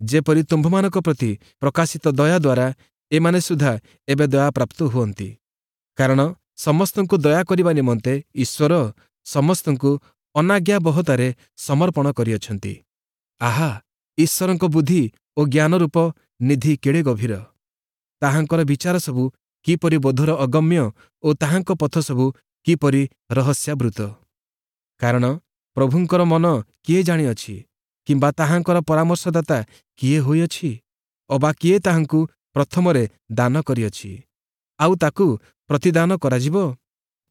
ଯେପରି ତୁମ୍ଭମାନଙ୍କ ପ୍ରତି ପ୍ରକାଶିତ ଦୟା ଦ୍ୱାରା ଏମାନେ ସୁଦ୍ଧା ଏବେ ଦୟାପ୍ରାପ୍ତ ହୁଅନ୍ତି। କାରଣ ସମସ୍ତଙ୍କୁ ଦୟା କରିବା ନିମନ୍ତେ ଈଶ୍ୱର ସମସ୍ତଙ୍କୁ ଅନାଜ୍ଞାବହତାରେ ସମର୍ପଣ କରିଅଛନ୍ତି। ଆହା, ଈଶ୍ୱରଙ୍କ ବୁଦ୍ଧି ଓ ଜ୍ଞାନରୂପ ନିଧି କେଡ଼େ ଗଭୀର! ତାହାଙ୍କର ବିଚାର ସବୁ କିପରି ବୋଧର ଅଗମ୍ୟ ଓ ତାହାଙ୍କ ପଥ ସବୁ କିପରି ରହସ୍ୟାବୃତ! କାରଣ ପ୍ରଭୁଙ୍କର ମନ କିଏ ଜାଣିଅଛି, କିମ୍ବା ତାହାଙ୍କର ପରାମର୍ଶଦାତା କିଏ ହୋଇଅଛି? ଅବା କିଏ ତାହାଙ୍କୁ ପ୍ରଥମରେ ଦାନ କରିଅଛି, ଆଉ ତାକୁ ପ୍ରତିଦାନ କରାଯିବ?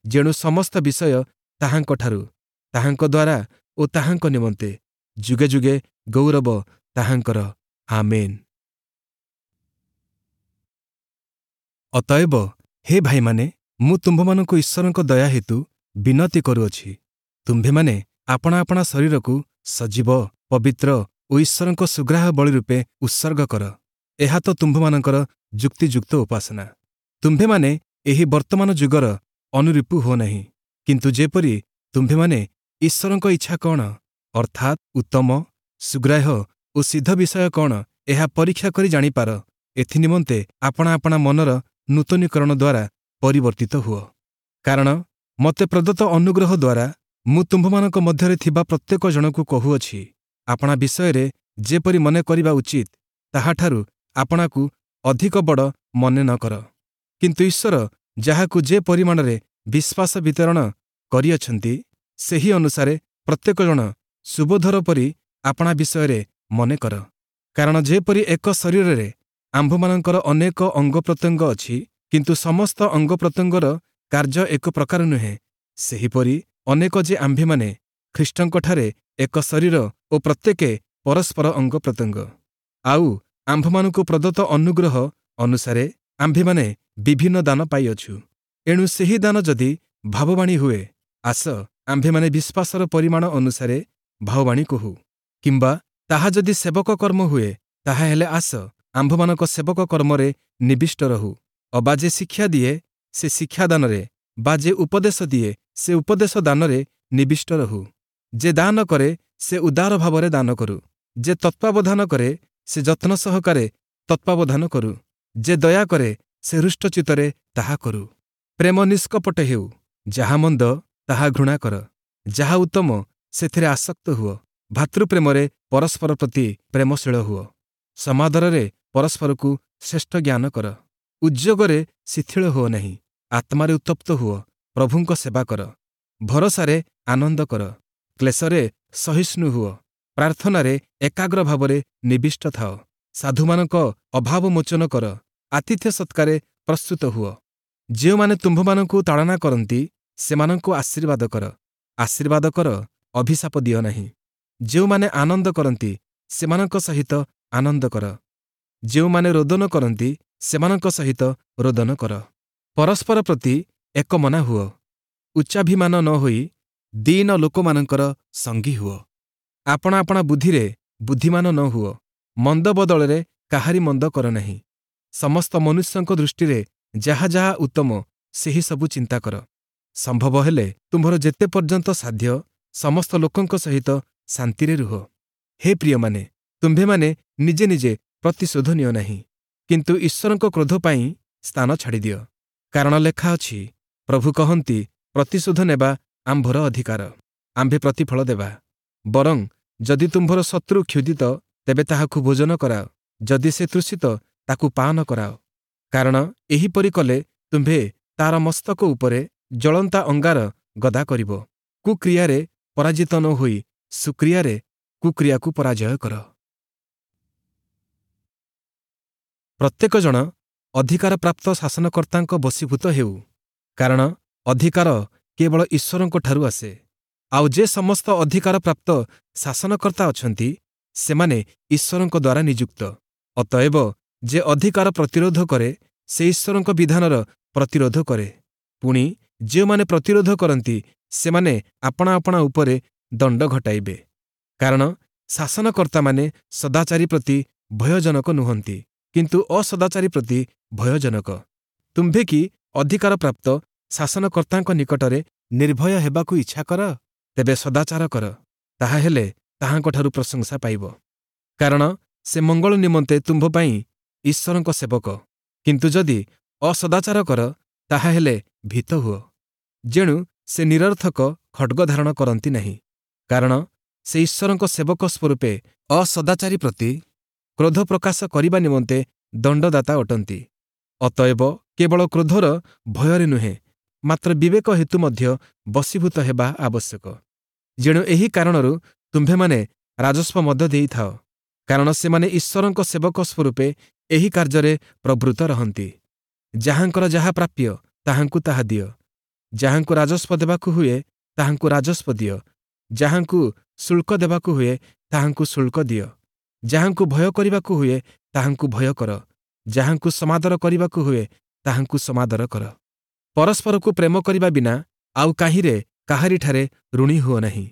ଯେଣୁ ସମସ୍ତ ବିଷୟ ତାହାଙ୍କଠାରୁ, ତାହାଙ୍କ ଦ୍ୱାରା ଓ ତାହାଙ୍କ ନିମନ୍ତେ। ଯୁଗେ ଯୁଗେ ଗୌରବ ତାହାଙ୍କର। ଆମେନ୍। ଅତଏବ ହେ ଭାଇମାନେ, ମୁଁ ତୁମ୍ଭମାନଙ୍କୁ ଈଶ୍ୱରଙ୍କ ଦୟା ହେତୁ ବିନତି କରୁଅଛି, ତୁମ୍ଭେମାନେ ଆପଣା ଆପଣା ଶରୀରକୁ ସଜୀବ, ପବିତ୍ର ଓ ଈଶ୍ୱରଙ୍କ ସୁଗ୍ରାହ୍ୟ ବଳି ରୂପେ ଉତ୍ସର୍ଗ କର। ଏହା ତ ତୁମ୍ଭମାନଙ୍କର ଯୁକ୍ତିଯୁକ୍ତ ଉପାସନା। ତୁମ୍ଭେମାନେ ଏହି ବର୍ତ୍ତମାନ ଯୁଗର ଅନୁରୂପ ହୁଅ ନାହିଁ, କିନ୍ତୁ ଯେପରି ତୁମ୍ଭେମାନେ ଈଶ୍ୱରଙ୍କ ଇଚ୍ଛା କଣ, ଅର୍ଥାତ୍ ଉତ୍ତମ, ସୁଗ୍ରାହ୍ୟ ଓ ସିଦ୍ଧ ବିଷୟ କଣ, ଏହା ପରୀକ୍ଷା କରି ଜାଣିପାର, ଏଥିନିମନ୍ତେ ଆପଣା ଆପଣା ମନର ନୂତନୀକରଣ ଦ୍ୱାରା ପରିବର୍ତ୍ତିତ ହୁଅ। କାରଣ ମୋତେ ପ୍ରଦତ୍ତ ଅନୁଗ୍ରହ ଦ୍ୱାରା ମୁଁ ତୁମ୍ଭମାନଙ୍କ ମଧ୍ୟରେ ଥିବା ପ୍ରତ୍ୟେକ ଜଣକୁ କହୁଅଛି, ଆପଣା ବିଷୟରେ ଯେପରି ମନେ କରିବା ଉଚିତ, ତାହାଠାରୁ ଆପଣାକୁ ଅଧିକ ବଡ଼ ମନେ ନ କର। କିନ୍ତୁ ଈଶ୍ୱର ଯାହାକୁ ଯେ ପରିମାଣରେ ବିଶ୍ୱାସ ବିତରଣ କରିଅଛନ୍ତି, ସେହି ଅନୁସାରେ ପ୍ରତ୍ୟେକ ଜଣ ସୁବୋଧର ପରି ଆପଣା ବିଷୟରେ ମନେ କର। କାରଣ ଯେପରି ଏକ ଶରୀରରେ ଆମ୍ଭମାନଙ୍କର ଅନେକ ଅଙ୍ଗପ୍ରତ୍ୟଙ୍ଗ ଅଛି, କିନ୍ତୁ ସମସ୍ତ ଅଙ୍ଗପ୍ରତ୍ୟଙ୍ଗର କାର୍ଯ୍ୟ ଏକ ପ୍ରକାର ନୁହେଁ, ସେହିପରି ଅନେକ ଯେ ଆମ୍ଭେମାନେ ଖ୍ରୀଷ୍ଟଙ୍କଠାରେ ଏକ ଶରୀର ଓ ପ୍ରତ୍ୟେକେ ପରସ୍ପର ଅଙ୍ଗପ୍ରତ୍ୟଙ୍ଗ। ଆଉ ଆମ୍ଭମାନଙ୍କୁ ପ୍ରଦତ୍ତ ଅନୁଗ୍ରହ ଅନୁସାରେ ଆମ୍ଭେମାନେ ବିଭିନ୍ନ ଦାନ ପାଇଅଛୁ। ଏଣୁ ସେହି ଦାନ ଯଦି ଭାବବାଣୀ ହୁଏ, ଆସ ଆମ୍ଭେମାନେ ବିଶ୍ୱାସର ପରିମାଣ ଅନୁସାରେ ଭାବବାଣୀ କହୁ; କିମ୍ବା ତାହା ଯଦି ସେବକ କର୍ମ ହୁଏ, ତାହାହେଲେ ଆସ ଆମ୍ଭମାନଙ୍କ ସେବକ କର୍ମରେ ନିବିଷ୍ଟ ରହୁ। ଅବା ଯେ ଶିକ୍ଷା ଦିଏ, ସେ ଶିକ୍ଷାଦାନରେ, ବା ଯେ ଉପଦେଶ ଦିଏ, ସେ ଉପଦେଶ ଦାନରେ ନିବିଷ୍ଟ ରହୁ। ଯେ ଦାନ କରେ, ସେ ଉଦାର ଭାବରେ ଦାନ କରୁ। ଯେ ତତ୍ତ୍ୱାବଧାନ କରେ, ସେ ଯତ୍ନ ସହକାରେ ତତ୍ତ୍ୱାବଧାନ କରୁ। ଯେ ଦୟା କରେ, ସେ ହୃଷ୍ଟଚିତ୍ତରେ ତାହା କରୁ। ପ୍ରେମ ନିଷ୍କପଟ ହେଉ। ଯାହା ମନ୍ଦ, ତାହା ଘୃଣା କର। ଯାହା ଉତ୍ତମ, ସେଥିରେ ଆସକ୍ତ ହୁଅ। ଭାତୃପ୍ରେମରେ ପରସ୍ପର ପ୍ରତି ପ୍ରେମଶୀଳ ହୁଅ। ସମାଦରରେ ପରସ୍ପରକୁ ଶ୍ରେଷ୍ଠ ଜ୍ଞାନ କର। ଉଦ୍ଯୋଗରେ ଶିଥିଳ ହୁଅ ନାହିଁ। ଆତ୍ମାରେ ଉତ୍ତପ୍ତ ହୁଅ। ପ୍ରଭୁଙ୍କ ସେବା କର। ଭରସାରେ ଆନନ୍ଦ କର। କ୍ଲେଶରେ ସହିଷ୍ଣୁ ହୁଅ। ପ୍ରାର୍ଥନାରେ ଏକାଗ୍ର ଭାବରେ ନିବିଷ୍ଟ ଥାଅ। ସାଧୁମାନଙ୍କ ଅଭାବ ମୋଚନ କର। ଆତିଥ୍ୟ ସତ୍କାରେ ପ୍ରସ୍ତୁତ ହୁଅ। ଯେଉଁମାନେ ତୁମ୍ଭମାନଙ୍କୁ ତାଡ଼ନା କରନ୍ତି, ସେମାନଙ୍କୁ ଆଶୀର୍ବାଦ କର। ଆଶୀର୍ବାଦ କର, ଅଭିଶାପ ଦିଅ ନାହିଁ। ଯେଉଁମାନେ ଆନନ୍ଦ କରନ୍ତି, ସେମାନଙ୍କ ସହିତ ଆନନ୍ଦ କର। ଯେଉଁମାନେ ରୋଦନ କରନ୍ତି, ସେମାନଙ୍କ ସହିତ ରୋଦନ କର। ପରସ୍ପର ପ୍ରତି ଏକମନା ହୁଅ। ଉଚ୍ଚାଭିମାନ ନ ହୋଇ ଦୀନ ଲୋକମାନଙ୍କର ସଙ୍ଗୀ ହୁଅ। ଆପଣା ଆପଣା ବୁଦ୍ଧିରେ ବୁଦ୍ଧିମାନ ନ ହୁଅ। ମନ୍ଦ ବଦଳରେ କାହାରି ମନ୍ଦ କର ନାହିଁ। ସମସ୍ତ ମନୁଷ୍ୟଙ୍କ ଦୃଷ୍ଟିରେ ଯାହା ଯାହା ଉତ୍ତମ, ସେହି ସବୁ ଚିନ୍ତା କର। ସମ୍ଭବ ହେଲେ ତୁମ୍ଭର ଯେତେ ପର୍ଯ୍ୟନ୍ତ ସାଧ୍ୟ, ସମସ୍ତ ଲୋକଙ୍କ ସହିତ ଶାନ୍ତିରେ ରୁହ। ହେ ପ୍ରିୟମାନେ, ତୁମ୍ଭେମାନେ ନିଜେ ନିଜେ ପ୍ରତିଶୋଧ ନିଅ ନାହିଁ, କିନ୍ତୁ ଈଶ୍ୱରଙ୍କ କ୍ରୋଧ ପାଇଁ ସ୍ଥାନ ଛାଡ଼ିଦିଅ। କାରଣ ଲେଖା ଅଛି, ପ୍ରଭୁ କହନ୍ତି, ପ୍ରତିଶୋଧ ନେବା ଆମ୍ଭର ଅଧିକାର, ଆମ୍ଭେ ପ୍ରତିଫଳ ଦେବା। ବରଂ ଯଦି ତୁମ୍ଭର ଶତ୍ରୁ କ୍ଷୁଧିତ, ତେବେ ତାହାକୁ ଭୋଜନ କରାଅ; ଯଦି ସେ ତୃଷିତ, ତାକୁ ପାନ କରାଅ। କାରଣ ଏହିପରି କଲେ ତୁମ୍ଭେ ତାର ମସ୍ତକ ଉପରେ ଜଳନ୍ତା ଅଙ୍ଗାର ଗଦା କରିବ। କୁକ୍ରିୟାରେ ପରାଜିତ ନ ହୋଇ ସୁକ୍ରିୟାରେ କୁକ୍ରିୟାକୁ ପରାଜୟ କର। ପ୍ରତ୍ୟେକ ଜଣ ଅଧିକାରପ୍ରାପ୍ତ ଶାସନକର୍ତ୍ତାଙ୍କ ବଶୀଭୂତ ହେଉ, କାରଣ ଅଧିକାର କେବଳ ଈଶ୍ୱରଙ୍କଠାରୁ ଆସେ। ଆଉ ଯେ ସମସ୍ତ ଅଧିକାରପ୍ରାପ୍ତ ଶାସନକର୍ତ୍ତା ଅଛନ୍ତି, ସେମାନେ ଈଶ୍ୱରଙ୍କ ଦ୍ୱାରା ନିଯୁକ୍ତ। ଅତଏବ ଯେ ଅଧିକାର ପ୍ରତିରୋଧ କରେ, ସେ ଈଶ୍ୱରଙ୍କ ବିଧାନର ପ୍ରତିରୋଧ କରେ। ପୁଣି ଯେଉଁମାନେ ପ୍ରତିରୋଧ କରନ୍ତି, ସେମାନେ ଆପଣା ଆପଣା ଉପରେ ଦଣ୍ଡ ଘଟାଇବେ। କାରଣ ଶାସନକର୍ତ୍ତାମାନେ ସଦାଚାରୀ ପ୍ରତି ଭୟଜନକ ନୁହନ୍ତି, କିନ୍ତୁ ଅସଦାଚାରୀ ପ୍ରତି ଭୟଜନକ। ତୁମ୍ଭେ କି ଅଧିକାରପ୍ରାପ୍ତ ଶାସନକର୍ତ୍ତାଙ୍କ ନିକଟରେ ନିର୍ଭୟ ହେବାକୁ ଇଚ୍ଛା କର? ତେବେ ସଦାଚାର କର, ତାହାହେଲେ ତାହାଙ୍କଠାରୁ ପ୍ରଶଂସା ପାଇବ। କାରଣ ସେ ମଙ୍ଗଳ ନିମନ୍ତେ ତୁମ୍ଭ ପାଇଁ ଈଶ୍ୱରଙ୍କ ସେବକ। କିନ୍ତୁ ଯଦି ଅସଦାଚାର କର, ତାହାହେଲେ ଭୀତ ହୁଅ, ଯେଣୁ ସେ ନିରର୍ଥକ ଖଡ଼୍ଗ ଧାରଣ କରନ୍ତି ନାହିଁ। କାରଣ ସେ ଈଶ୍ୱରଙ୍କ ସେବକ ସ୍ୱରୂପେ ଅସଦାଚାରୀ ପ୍ରତି କ୍ରୋଧ ପ୍ରକାଶ କରିବା ନିମନ୍ତେ ଦଣ୍ଡଦାତା ଅଟନ୍ତି। ଅତଏବ କେବଳ କ୍ରୋଧର ଭୟରେ ନୁହେଁ, ମାତ୍ର ବିବେକ ହେତୁ ମଧ୍ୟ ବଶୀଭୂତ ହେବା ଆବଶ୍ୟକ। ଯେଣୁ ଏହି କାରଣରୁ ତୁମ୍ଭେମାନେ ରାଜସ୍ୱ ମଧ୍ୟ ଦେଇଥାଅ, କାରଣ ସେମାନେ ଈଶ୍ୱରଙ୍କ ସେବକ ସ୍ୱରୂପେ ଏହି କାର୍ଯ୍ୟରେ ପ୍ରବୃତ୍ତ ରହନ୍ତି। ଯାହାଙ୍କର ଯାହା ପ୍ରାପ୍ୟ, ତାହାଙ୍କୁ ତାହା ଦିଅ। ଯାହାଙ୍କୁ ରାଜସ୍ୱ ଦେବାକୁ ହୁଏ, ତାହାଙ୍କୁ ରାଜସ୍ୱ ଦିଅ। ଯାହାଙ୍କୁ ଶୁଳ୍କ ଦେବାକୁ ହୁଏ, ତାହାଙ୍କୁ ଶୁଳ୍କ ଦିଅ। ଯାହାଙ୍କୁ ଭୟ କରିବାକୁ ହୁଏ, ତାହାଙ୍କୁ ଭୟ କର। ଯାହାଙ୍କୁ ସମାଦର କରିବାକୁ ହୁଏ, ତାହାଙ୍କୁ ସମାଦର କର। ପରସ୍ପରକୁ ପ୍ରେମ କରିବା ବିନା ଆଉ କାହିଁରେ କାହାରିଠାରେ ଋଣୀ ହୁଅ ନାହିଁ।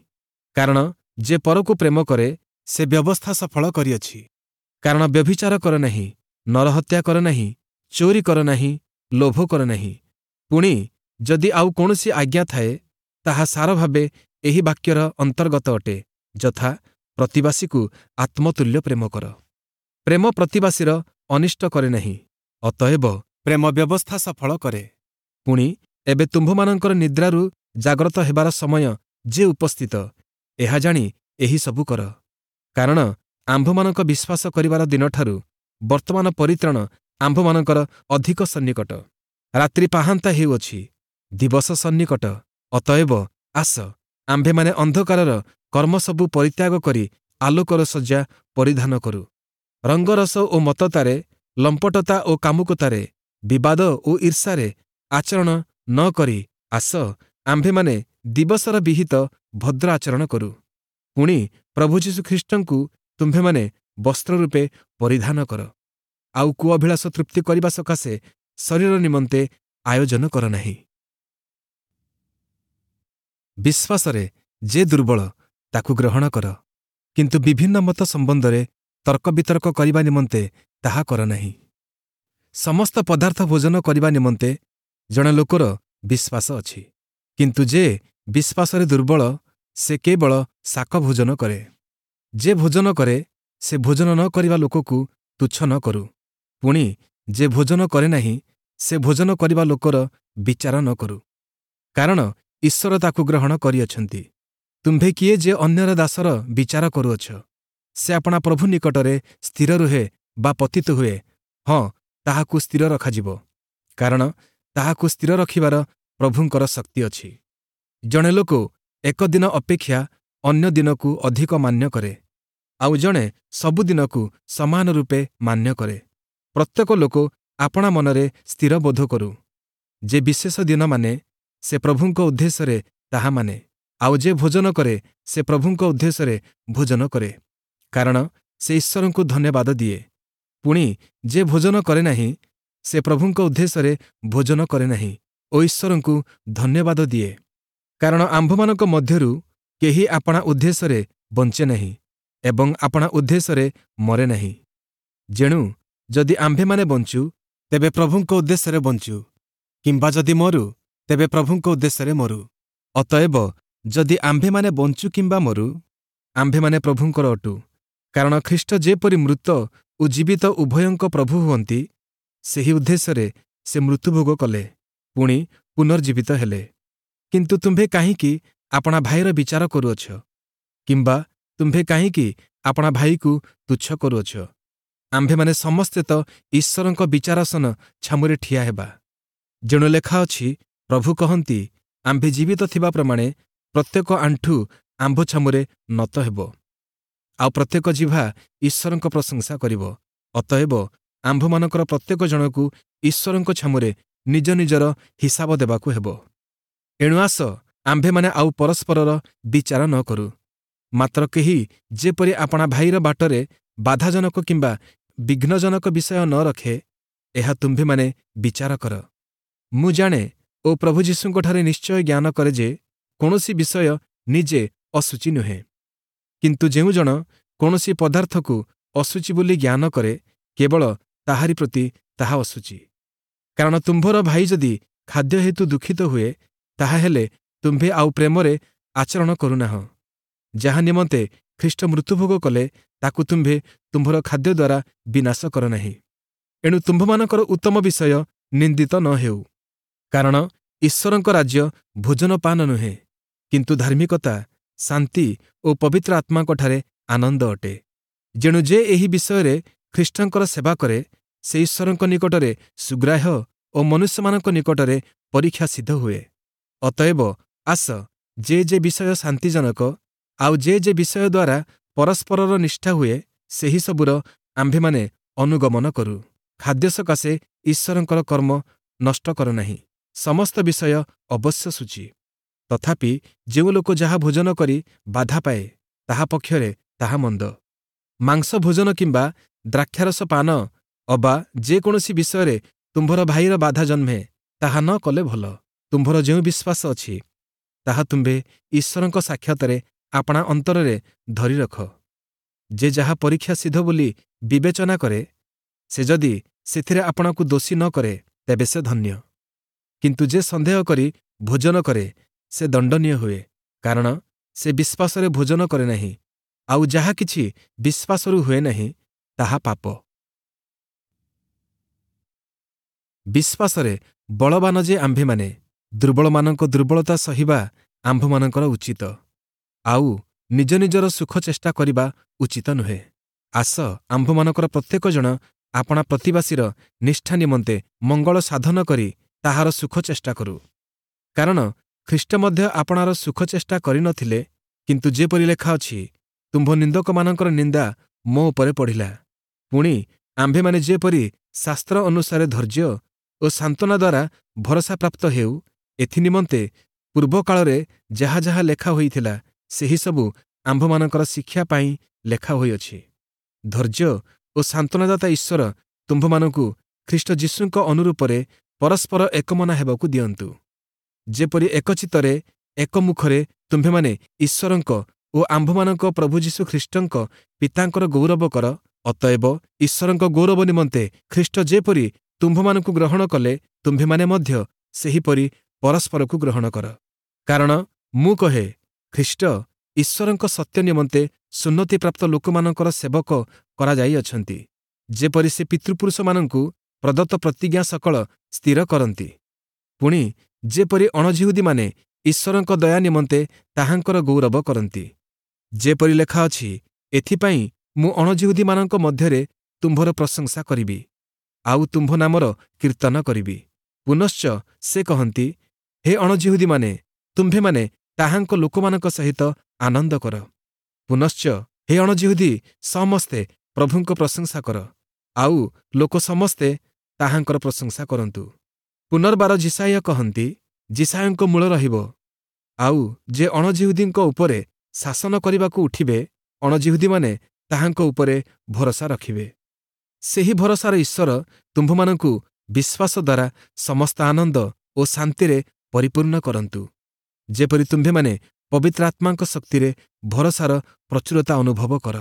କାରଣ ଯେ ପରକୁ ପ୍ରେମ କରେ, ସେ ବ୍ୟବସ୍ଥା ସଫଳ କରିଅଛି। କାରଣ ବ୍ୟଭିଚାର କର ନାହିଁ, ନରହତ୍ୟା କର ନାହିଁ, ଚୋରି କର ନାହିଁ, ଲୋଭ କର ନାହିଁ। ପୁଣି ଯଦି ଆଉ କୌଣସି ଆଜ୍ଞା ଥାଏ, ତାହା ସାରଭାବେ ଏହି ବାକ୍ୟର ଅନ୍ତର୍ଗତ ଅଟେ, ଯଥା, ପ୍ରତିବାସୀକୁ ଆତ୍ମତୁଲ୍ୟ ପ୍ରେମ କର। ପ୍ରେମ ପ୍ରତିବାସୀର ଅନିଷ୍ଟ କରେ ନାହିଁ, ଅତଏବ ପ୍ରେମ ବ୍ୟବସ୍ଥା ସଫଳ କରେ। ପୁଣି ଏବେ ତୁମ୍ଭମାନଙ୍କର ନିଦ୍ରାରୁ ଜାଗ୍ରତ ହେବାର ସମୟ ଯେ ଉପସ୍ଥିତ, ଏହା ଜାଣି ଏହି ସବୁ କର। କାରଣ ଆମ୍ଭମାନଙ୍କ ବିଶ୍ୱାସ କରିବାର ଦିନଠାରୁ ବର୍ତ୍ତମାନ ପରିତ୍ରାଣ ଆମ୍ଭମାନଙ୍କର ଅଧିକ ସନ୍ନିକଟ। ରାତ୍ରି ପାହାନ୍ତା ହେଉଅଛି, ଦିବସ ସନ୍ନିକଟ। ଅତଏବ ଆସ, ଆମ୍ଭେମାନେ ଅନ୍ଧକାରର କର୍ମସବୁ ପରିତ୍ୟାଗ କରି ଆଲୋକର ଶଯ୍ୟା ପରିଧାନ କରୁ। ରଙ୍ଗରସ ଓ ମତ୍ତତାରେ, ଲମ୍ପଟତା ଓ କାମୁକତାରେ, ବିବାଦ ଓ ଈର୍ଷାରେ ଆଚରଣ ନ କରି ଆସ, ଆମ୍ଭେମାନେ ଦିବସର ବିହିତ ଭଦ୍ର ଆଚରଣ କରୁ। ପୁଣି ପ୍ରଭୁ ଯୀଶୁଖ୍ରୀଷ୍ଟଙ୍କୁ ତୁମ୍ଭେମାନେ ବସ୍ତ୍ର ରୂପେ ପରିଧାନ କର, ଆଉ କୁଅଭିଳାଷ ତୃପ୍ତି କରିବା ସକାଶେ ଶରୀର ନିମନ୍ତେ ଆୟୋଜନ କର ନାହିଁ। ବିଶ୍ୱାସରେ ଯେ ଦୁର୍ବଳ, ତାକୁ ଗ୍ରହଣ କର, କିନ୍ତୁ ବିଭିନ୍ନ ମତ ସମ୍ବନ୍ଧରେ ତର୍କ ବିତର୍କ କରିବା ନିମନ୍ତେ ତାହା କର ନାହିଁ। ସମସ୍ତ ପଦାର୍ଥ ଭୋଜନ କରିବା ନିମନ୍ତେ ଜଣେ ଲୋକର ବିଶ୍ୱାସ ଅଛି, କିନ୍ତୁ ଯେ ବିଶ୍ୱାସରେ ଦୁର୍ବଳ, ସେ କେବଳ ଶାକ ଭୋଜନ କରେ। ଯେ ଭୋଜନ କରେ, ସେ ଭୋଜନ ନ କରିବା ଲୋକକୁ ତୁଚ୍ଛ ନ କରୁ। ପୁଣି ଯେ ଭୋଜନ କରେ ନାହିଁ, ସେ ଭୋଜନ କରିବା ଲୋକର ବିଚାର ନ କରୁ, କାରଣ ଈଶ୍ୱର ତାକୁ ଗ୍ରହଣ କରିଅଛନ୍ତି। ତୁମ୍ଭେ କିଏ ଯେ ଅନ୍ୟର ଦାସର ବିଚାର କରୁଅଛ? ସେ ଆପଣା ପ୍ରଭୁ ନିକଟରେ ସ୍ଥିର ରୁହେ ବା ପତିତ ହୁଏ, ହଁ, ତାହାକୁ ସ୍ଥିର ରଖାଯିବ, କାରଣ ତାହାକୁ ସ୍ଥିର ରଖିବାର ପ୍ରଭୁଙ୍କର ଶକ୍ତି ଅଛି। ଜଣେ ଲୋକ ଏକ ଦିନ ଅପେକ୍ଷା ଅନ୍ୟ ଦିନକୁ ଅଧିକ ମାନ୍ୟ କରେ, ଆଉ ଜଣେ ସବୁଦିନକୁ ସମାନ ରୂପେ ମାନ୍ୟ କରେ। ପ୍ରତ୍ୟେକ ଲୋକ ଆପଣା ମନରେ ସ୍ଥିର ବୋଧ କରୁ। ଯେ ବିଶେଷ ଦିନ ମାନେ, ସେ ପ୍ରଭୁଙ୍କ ଉଦ୍ଦେଶ୍ୟରେ ତାହା ମାନେ, ଆଉ ଯେ ଭୋଜନ କରେ, ସେ ପ୍ରଭୁଙ୍କ ଉଦ୍ଦେଶ୍ୟରେ ଭୋଜନ କରେ, କାରଣ ସେ ଈଶ୍ୱରଙ୍କୁ ଧନ୍ୟବାଦ ଦିଏ। ପୁଣି ଯେ ଭୋଜନ କରେ ନାହିଁ, ସେ ପ୍ରଭୁଙ୍କ ଉଦ୍ଦେଶ୍ୟରେ ଭୋଜନ କରେ ନାହିଁ ଓ ଈଶ୍ୱରଙ୍କୁ ଧନ୍ୟବାଦ ଦିଏ। କାରଣ ଆମ୍ଭମାନଙ୍କ ମଧ୍ୟରୁ କେହି ଆପଣା ଉଦ୍ଦେଶ୍ୟରେ ବଞ୍ଚେ ନାହିଁ ଏବଂ ଆପଣା ଉଦ୍ଦେଶ୍ୟରେ ମରେ ନାହିଁ। ଯେଣୁ ଯଦି ଆମ୍ଭେମାନେ ବଞ୍ଚୁ, ତେବେ ପ୍ରଭୁଙ୍କ ଉଦ୍ଦେଶ୍ୟରେ ବଞ୍ଚୁ, କିମ୍ବା ଯଦି ମରୁ, ତେବେ ପ୍ରଭୁଙ୍କ ଉଦ୍ଦେଶ୍ୟରେ ମରୁ। ଅତଏବ ଯଦି ଆମ୍ଭେମାନେ ବଞ୍ଚୁ କିମ୍ବା ମରୁ, ଆମ୍ଭେମାନେ ପ୍ରଭୁଙ୍କର ଅଟୁ। କାରଣ ଖ୍ରୀଷ୍ଟ ଯେପରି ମୃତ ଓ ଜୀବିତ ଉଭୟଙ୍କ ପ୍ରଭୁ ହୁଅନ୍ତି, ସେହି ଉଦ୍ଦେଶ୍ୟରେ ସେ ମୃତ୍ୟୁଭୋଗ କଲେ, ପୁଣି ପୁନର୍ଜୀବିତ ହେଲେ। କିନ୍ତୁ ତୁମ୍ଭେ କାହିଁକି ଆପଣା ଭାଇର ବିଚାର କରୁଅଛ? କିମ୍ବା ତୁମ୍ଭେ କାହିଁକି ଆପଣା ଭାଇକୁ ତୁଚ୍ଛ କରୁଅଛ? ଆମ୍ଭେମାନେ ସମସ୍ତେ ତ ଈଶ୍ୱରଙ୍କ ବିଚାରାସନ ଛାମୁରେ ଠିଆ ହେବା। ଯେଣୁ ଲେଖା ଅଛି, ପ୍ରଭୁ କହନ୍ତି, ଆମ୍ଭେ ଜୀବିତ ଥିବା ପ୍ରମାଣେ ପ୍ରତ୍ୟେକ ଆଣ୍ଠୁ ଆମ୍ଭ ଛାମୁରେ ନତ ହେବ, ଆଉ ପ୍ରତ୍ୟେକ ଜିହ୍ବା ଈଶ୍ୱରଙ୍କ ପ୍ରଶଂସା କରିବ। ଅତଏବ ଆମ୍ଭମାନଙ୍କର ପ୍ରତ୍ୟେକ ଜଣକୁ ଈଶ୍ୱରଙ୍କ ଛାମୁରେ ନିଜ ନିଜର ହିସାବ ଦେବାକୁ ହେବ। ଏଣୁ ଆସ, ଆମ୍ଭେମାନେ ଆଉ ପରସ୍ପରର ବିଚାର ନ କରୁ, ମାତ୍ର କେହି ଯେପରି ଆପଣା ଭାଇର ବାଟରେ ବାଧାଜନକ କିମ୍ବା ବିଘ୍ନଜନକ ବିଷୟ ନ ରଖେ, ଏହା ତୁମ୍ଭେମାନେ ବିଚାର କର। ମୁଁ ଜାଣେ ଓ ପ୍ରଭୁ ଯୀଶୁଙ୍କଠାରେ ନିଶ୍ଚୟ ଜ୍ଞାନ କରେ ଯେ କୌଣସି ବିଷୟ ନିଜେ ଅଶୁଚି ନୁହେଁ, କିନ୍ତୁ ଯେଉଁ ଜଣ କୌଣସି ପଦାର୍ଥକୁ ଅଶୁଚି ବୋଲି ଜ୍ଞାନ କରେ, କେବଳ ତାହାରି ପ୍ରତି ତାହା ଅଶୁଚି। କାରଣ ତୁମ୍ଭର ଭାଇ ଯଦି ଖାଦ୍ୟ ହେତୁ ଦୁଃଖିତ ହୁଏ, ତାହାହେଲେ ତୁମ୍ଭେ ଆଉ ପ୍ରେମରେ ଆଚରଣ କରୁନାହଁ। ଯାହା ନିମନ୍ତେ ଖ୍ରୀଷ୍ଟ ମୃତ୍ୟୁଭୋଗ କଲେ, ତାକୁ ତୁମ୍ଭେ ତୁମ୍ଭର ଖାଦ୍ୟ ଦ୍ୱାରା ବିନାଶ କର ନାହିଁ। ଏଣୁ ତୁମ୍ଭମାନଙ୍କର ଉତ୍ତମ ବିଷୟ ନିନ୍ଦିତ ନ ହେଉ। କାରଣ ଈଶ୍ୱରଙ୍କ ରାଜ୍ୟ ଭୋଜନପାନ ନୁହେଁ, କିନ୍ତୁ ଧାର୍ମିକତା, ଶାନ୍ତି ଓ ପବିତ୍ର ଆତ୍ମାଙ୍କଠାରେ ଆନନ୍ଦ ଅଟେ। ଯେଣୁ ଯେ ଏହି ବିଷୟରେ ଖ୍ରୀଷ୍ଟଙ୍କର ସେବା କରେ, ସେ ଈଶ୍ୱରଙ୍କ ନିକଟରେ ସୁଗ୍ରାହ୍ୟ ଓ ମନୁଷ୍ୟମାନଙ୍କ ନିକଟରେ ପରୀକ୍ଷା ସିଦ୍ଧ ହୁଏ। ଅତଏବ ଆସ, ଯେ ଯେ ବିଷୟ ଶାନ୍ତିଜନକ, ଆଉ ଯେ ଯେ ବିଷୟ ଦ୍ୱାରା ପରସ୍ପରର ନିଷ୍ଠା ହୁଏ, ସେହି ସବୁର ଆମ୍ଭେମାନେ ଅନୁଗମନ କରୁ। ଖାଦ୍ୟ ସକାଶେ ଈଶ୍ୱରଙ୍କର କର୍ମ ନଷ୍ଟ କର ନାହିଁ। ସମସ୍ତ ବିଷୟ ଅବଶ୍ୟ ଶୁଚି, ତଥାପି ଯେଉଁ ଲୋକ ଯାହା ଭୋଜନ କରି ବାଧା ପାଏ, ତାହା ପକ୍ଷରେ ତାହା ମନ୍ଦ। ମାଂସ ଭୋଜନ କିମ୍ବା ଦ୍ରାକ୍ଷାରସ ପାନ ଅବା ଯେକୌଣସି ବିଷୟରେ ତୁମ୍ଭର ଭାଇର ବାଧା ଜନ୍ମେ, ତାହା ନ କଲେ ଭଲ। ତୁମ୍ଭର ଯେଉଁ ବିଶ୍ୱାସ ଅଛି, ତାହା ତୁମ୍ଭେ ଈଶ୍ୱରଙ୍କ ସାକ୍ଷାତରେ ଆପଣା ଅନ୍ତରରେ ଧରି ରଖ। ଯେ ଯାହା ପରୀକ୍ଷା ସିଦ୍ଧ ବୋଲି ବିବେଚନା କରେ, ସେ ଯଦି ସେଥିରେ ଆପଣାକୁ ଦୋଷୀ ନ କରେ, ତେବେ ସେ ଧନ୍ୟ। କିନ୍ତୁ ଯେ ସନ୍ଦେହ କରି ଭୋଜନ କରେ, ସେ ଦଣ୍ଡନୀୟ ହୁଏ, କାରଣ ସେ ବିଶ୍ୱାସରେ ଭୋଜନ କରେ ନାହିଁ। ଆଉ ଯାହା କିଛି ବିଶ୍ୱାସରୁ ହୁଏ ନାହିଁ, ତାହା ପାପ। ବିଶ୍ୱାସରେ ବଳବାନ ଯେ ଆମ୍ଭେମାନେ, ଦୁର୍ବଳମାନଙ୍କ ଦୁର୍ବଳତା ସହିବା ଆମ୍ଭମାନଙ୍କର ଉଚିତ, ଆଉ ନିଜ ନିଜର ସୁଖ ଚେଷ୍ଟା କରିବା ଉଚିତ ନୁହେଁ। ଆସ, ଆମ୍ଭମାନଙ୍କର ପ୍ରତ୍ୟେକ ଜଣ ଆପଣା ପ୍ରତିବାସୀର ନିଷ୍ଠା ନିମନ୍ତେ ମଙ୍ଗଳ ସାଧନ କରି ତାହାର ସୁଖ ଚେଷ୍ଟା କରୁ। କାରଣ ଖ୍ରୀଷ୍ଟ ମଧ୍ୟ ଆପଣାର ସୁଖ ଚେଷ୍ଟା କରିନଥିଲେ, କିନ୍ତୁ ଯେପରି ଲେଖା ଅଛି, ତୁମ୍ଭ ନିନ୍ଦକମାନଙ୍କର ନିନ୍ଦା ମୋ ଉପରେ ପଡ଼ିଲା। ପୁଣି ଆମ୍ଭେମାନେ ଯେପରି ଶାସ୍ତ୍ର ଅନୁସାରେ ଧୈର୍ଯ୍ୟ ଓ ସାନ୍ତ୍ୱନା ଦ୍ୱାରା ଭରସାପ୍ରାପ୍ତ ହେଉ, ଏଥିନିମନ୍ତେ ପୂର୍ବକାଳରେ ଯାହା ଯାହା ଲେଖା ହୋଇଥିଲା, ସେହିସବୁ ଆମ୍ଭମାନଙ୍କର ଶିକ୍ଷା ପାଇଁ ଲେଖା ହୋଇଅଛି। ଧୈର୍ଯ୍ୟ ଓ ସାନ୍ତ୍ୱନାଦାତା ଈଶ୍ୱର ତୁମ୍ଭମାନଙ୍କୁ ଖ୍ରୀଷ୍ଟ ଯୀଶୁଙ୍କ ଅନୁରୂପରେ ପରସ୍ପର ଏକମନା ହେବାକୁ ଦିଅନ୍ତୁ, ଯେପରି ଏକଚିତ୍ତରେ ଏକମୁଖରେ ତୁମ୍ଭେମାନେ ଈଶ୍ୱରଙ୍କ ଓ ଆମ୍ଭମାନଙ୍କ ପ୍ରଭୁ ଯୀଶୁ ଖ୍ରୀଷ୍ଟଙ୍କ ପିତାଙ୍କର ଗୌରବ କର। ଅତଏବ ଈଶ୍ୱରଙ୍କ ଗୌରବ ନିମନ୍ତେ ଖ୍ରୀଷ୍ଟ ଯେପରି ତୁମ୍ଭମାନଙ୍କୁ ଗ୍ରହଣ କଲେ, ତୁମ୍ଭେମାନେ ମଧ୍ୟ ସେହିପରି ପରସ୍ପରକୁ ଗ୍ରହଣ କର। କାରଣ ମୁଁ କହେ, ଖ୍ରୀଷ୍ଟ ଈଶ୍ୱରଙ୍କ ସତ୍ୟ ନିମନ୍ତେ ସୁନ୍ନତିପ୍ରାପ୍ତ ଲୋକମାନଙ୍କର ସେବକ କରାଯାଇଅଛନ୍ତି, ଯେପରି ସେ ପିତୃପୁରୁଷମାନଙ୍କୁ ପ୍ରଦତ୍ତ ପ୍ରତିଜ୍ଞା ସକଳ ସ୍ଥିର କରନ୍ତି, ପୁଣି ଯେପରି ଅଣଯିହୁଦୀମାନେ ଈଶ୍ୱରଙ୍କ ଦୟା ନିମନ୍ତେ ତାହାଙ୍କର ଗୌରବ କରନ୍ତି। ଯେପରି ଲେଖା ଅଛି, ଏଥିପାଇଁ ମୁଁ ଅଣଯିହୁଦୀମାନଙ୍କ ମଧ୍ୟରେ ତୁମ୍ଭର ପ୍ରଶଂସା କରିବି, ଆଉ ତୁମ୍ଭ ନାମର କୀର୍ତ୍ତନ କରିବି। ପୁନଶ୍ଚ ସେ କହନ୍ତି, ହେ ଅଣଯିହୁଦୀମାନେ, ତୁମ୍ଭେମାନେ ତାହାଙ୍କ ଲୋକମାନଙ୍କ ସହିତ ଆନନ୍ଦ କର। ପୁନଶ୍ଚ ହେ ଅଣଯିହୁଦୀ ସମସ୍ତେ, ପ୍ରଭୁଙ୍କ ପ୍ରଶଂସା କର, ଆଉ ଲୋକ ସମସ୍ତେ ତାହାଙ୍କର ପ୍ରଶଂସା କରନ୍ତୁ। ପୁନର୍ବାର ଯିଶାଇୟ କହନ୍ତି, ଯିଶାଇୟଙ୍କ ମୂଳ ରହିବ, ଆଉ ଯେ ଅଣଯିହୁଦୀଙ୍କ ଉପରେ ଶାସନ କରିବାକୁ ଉଠିବେ, ଅଣଯିହୁଦୀମାନେ ତାହାଙ୍କ ଉପରେ ଭରସା ରଖିବେ। ସେହି ଭରସାର ଈଶ୍ୱର ତୁମ୍ଭମାନଙ୍କୁ ବିଶ୍ୱାସ ଦ୍ୱାରା ସମସ୍ତ ଆନନ୍ଦ ଓ ଶାନ୍ତିରେ ପରିପୂର୍ଣ୍ଣ କରନ୍ତୁ, ଯେପରି ତୁମ୍ଭେମାନେ ପବିତ୍ର ଆତ୍ମାଙ୍କ ଶକ୍ତିରେ ଭରସାର ପ୍ରଚୁରତା ଅନୁଭବ କର।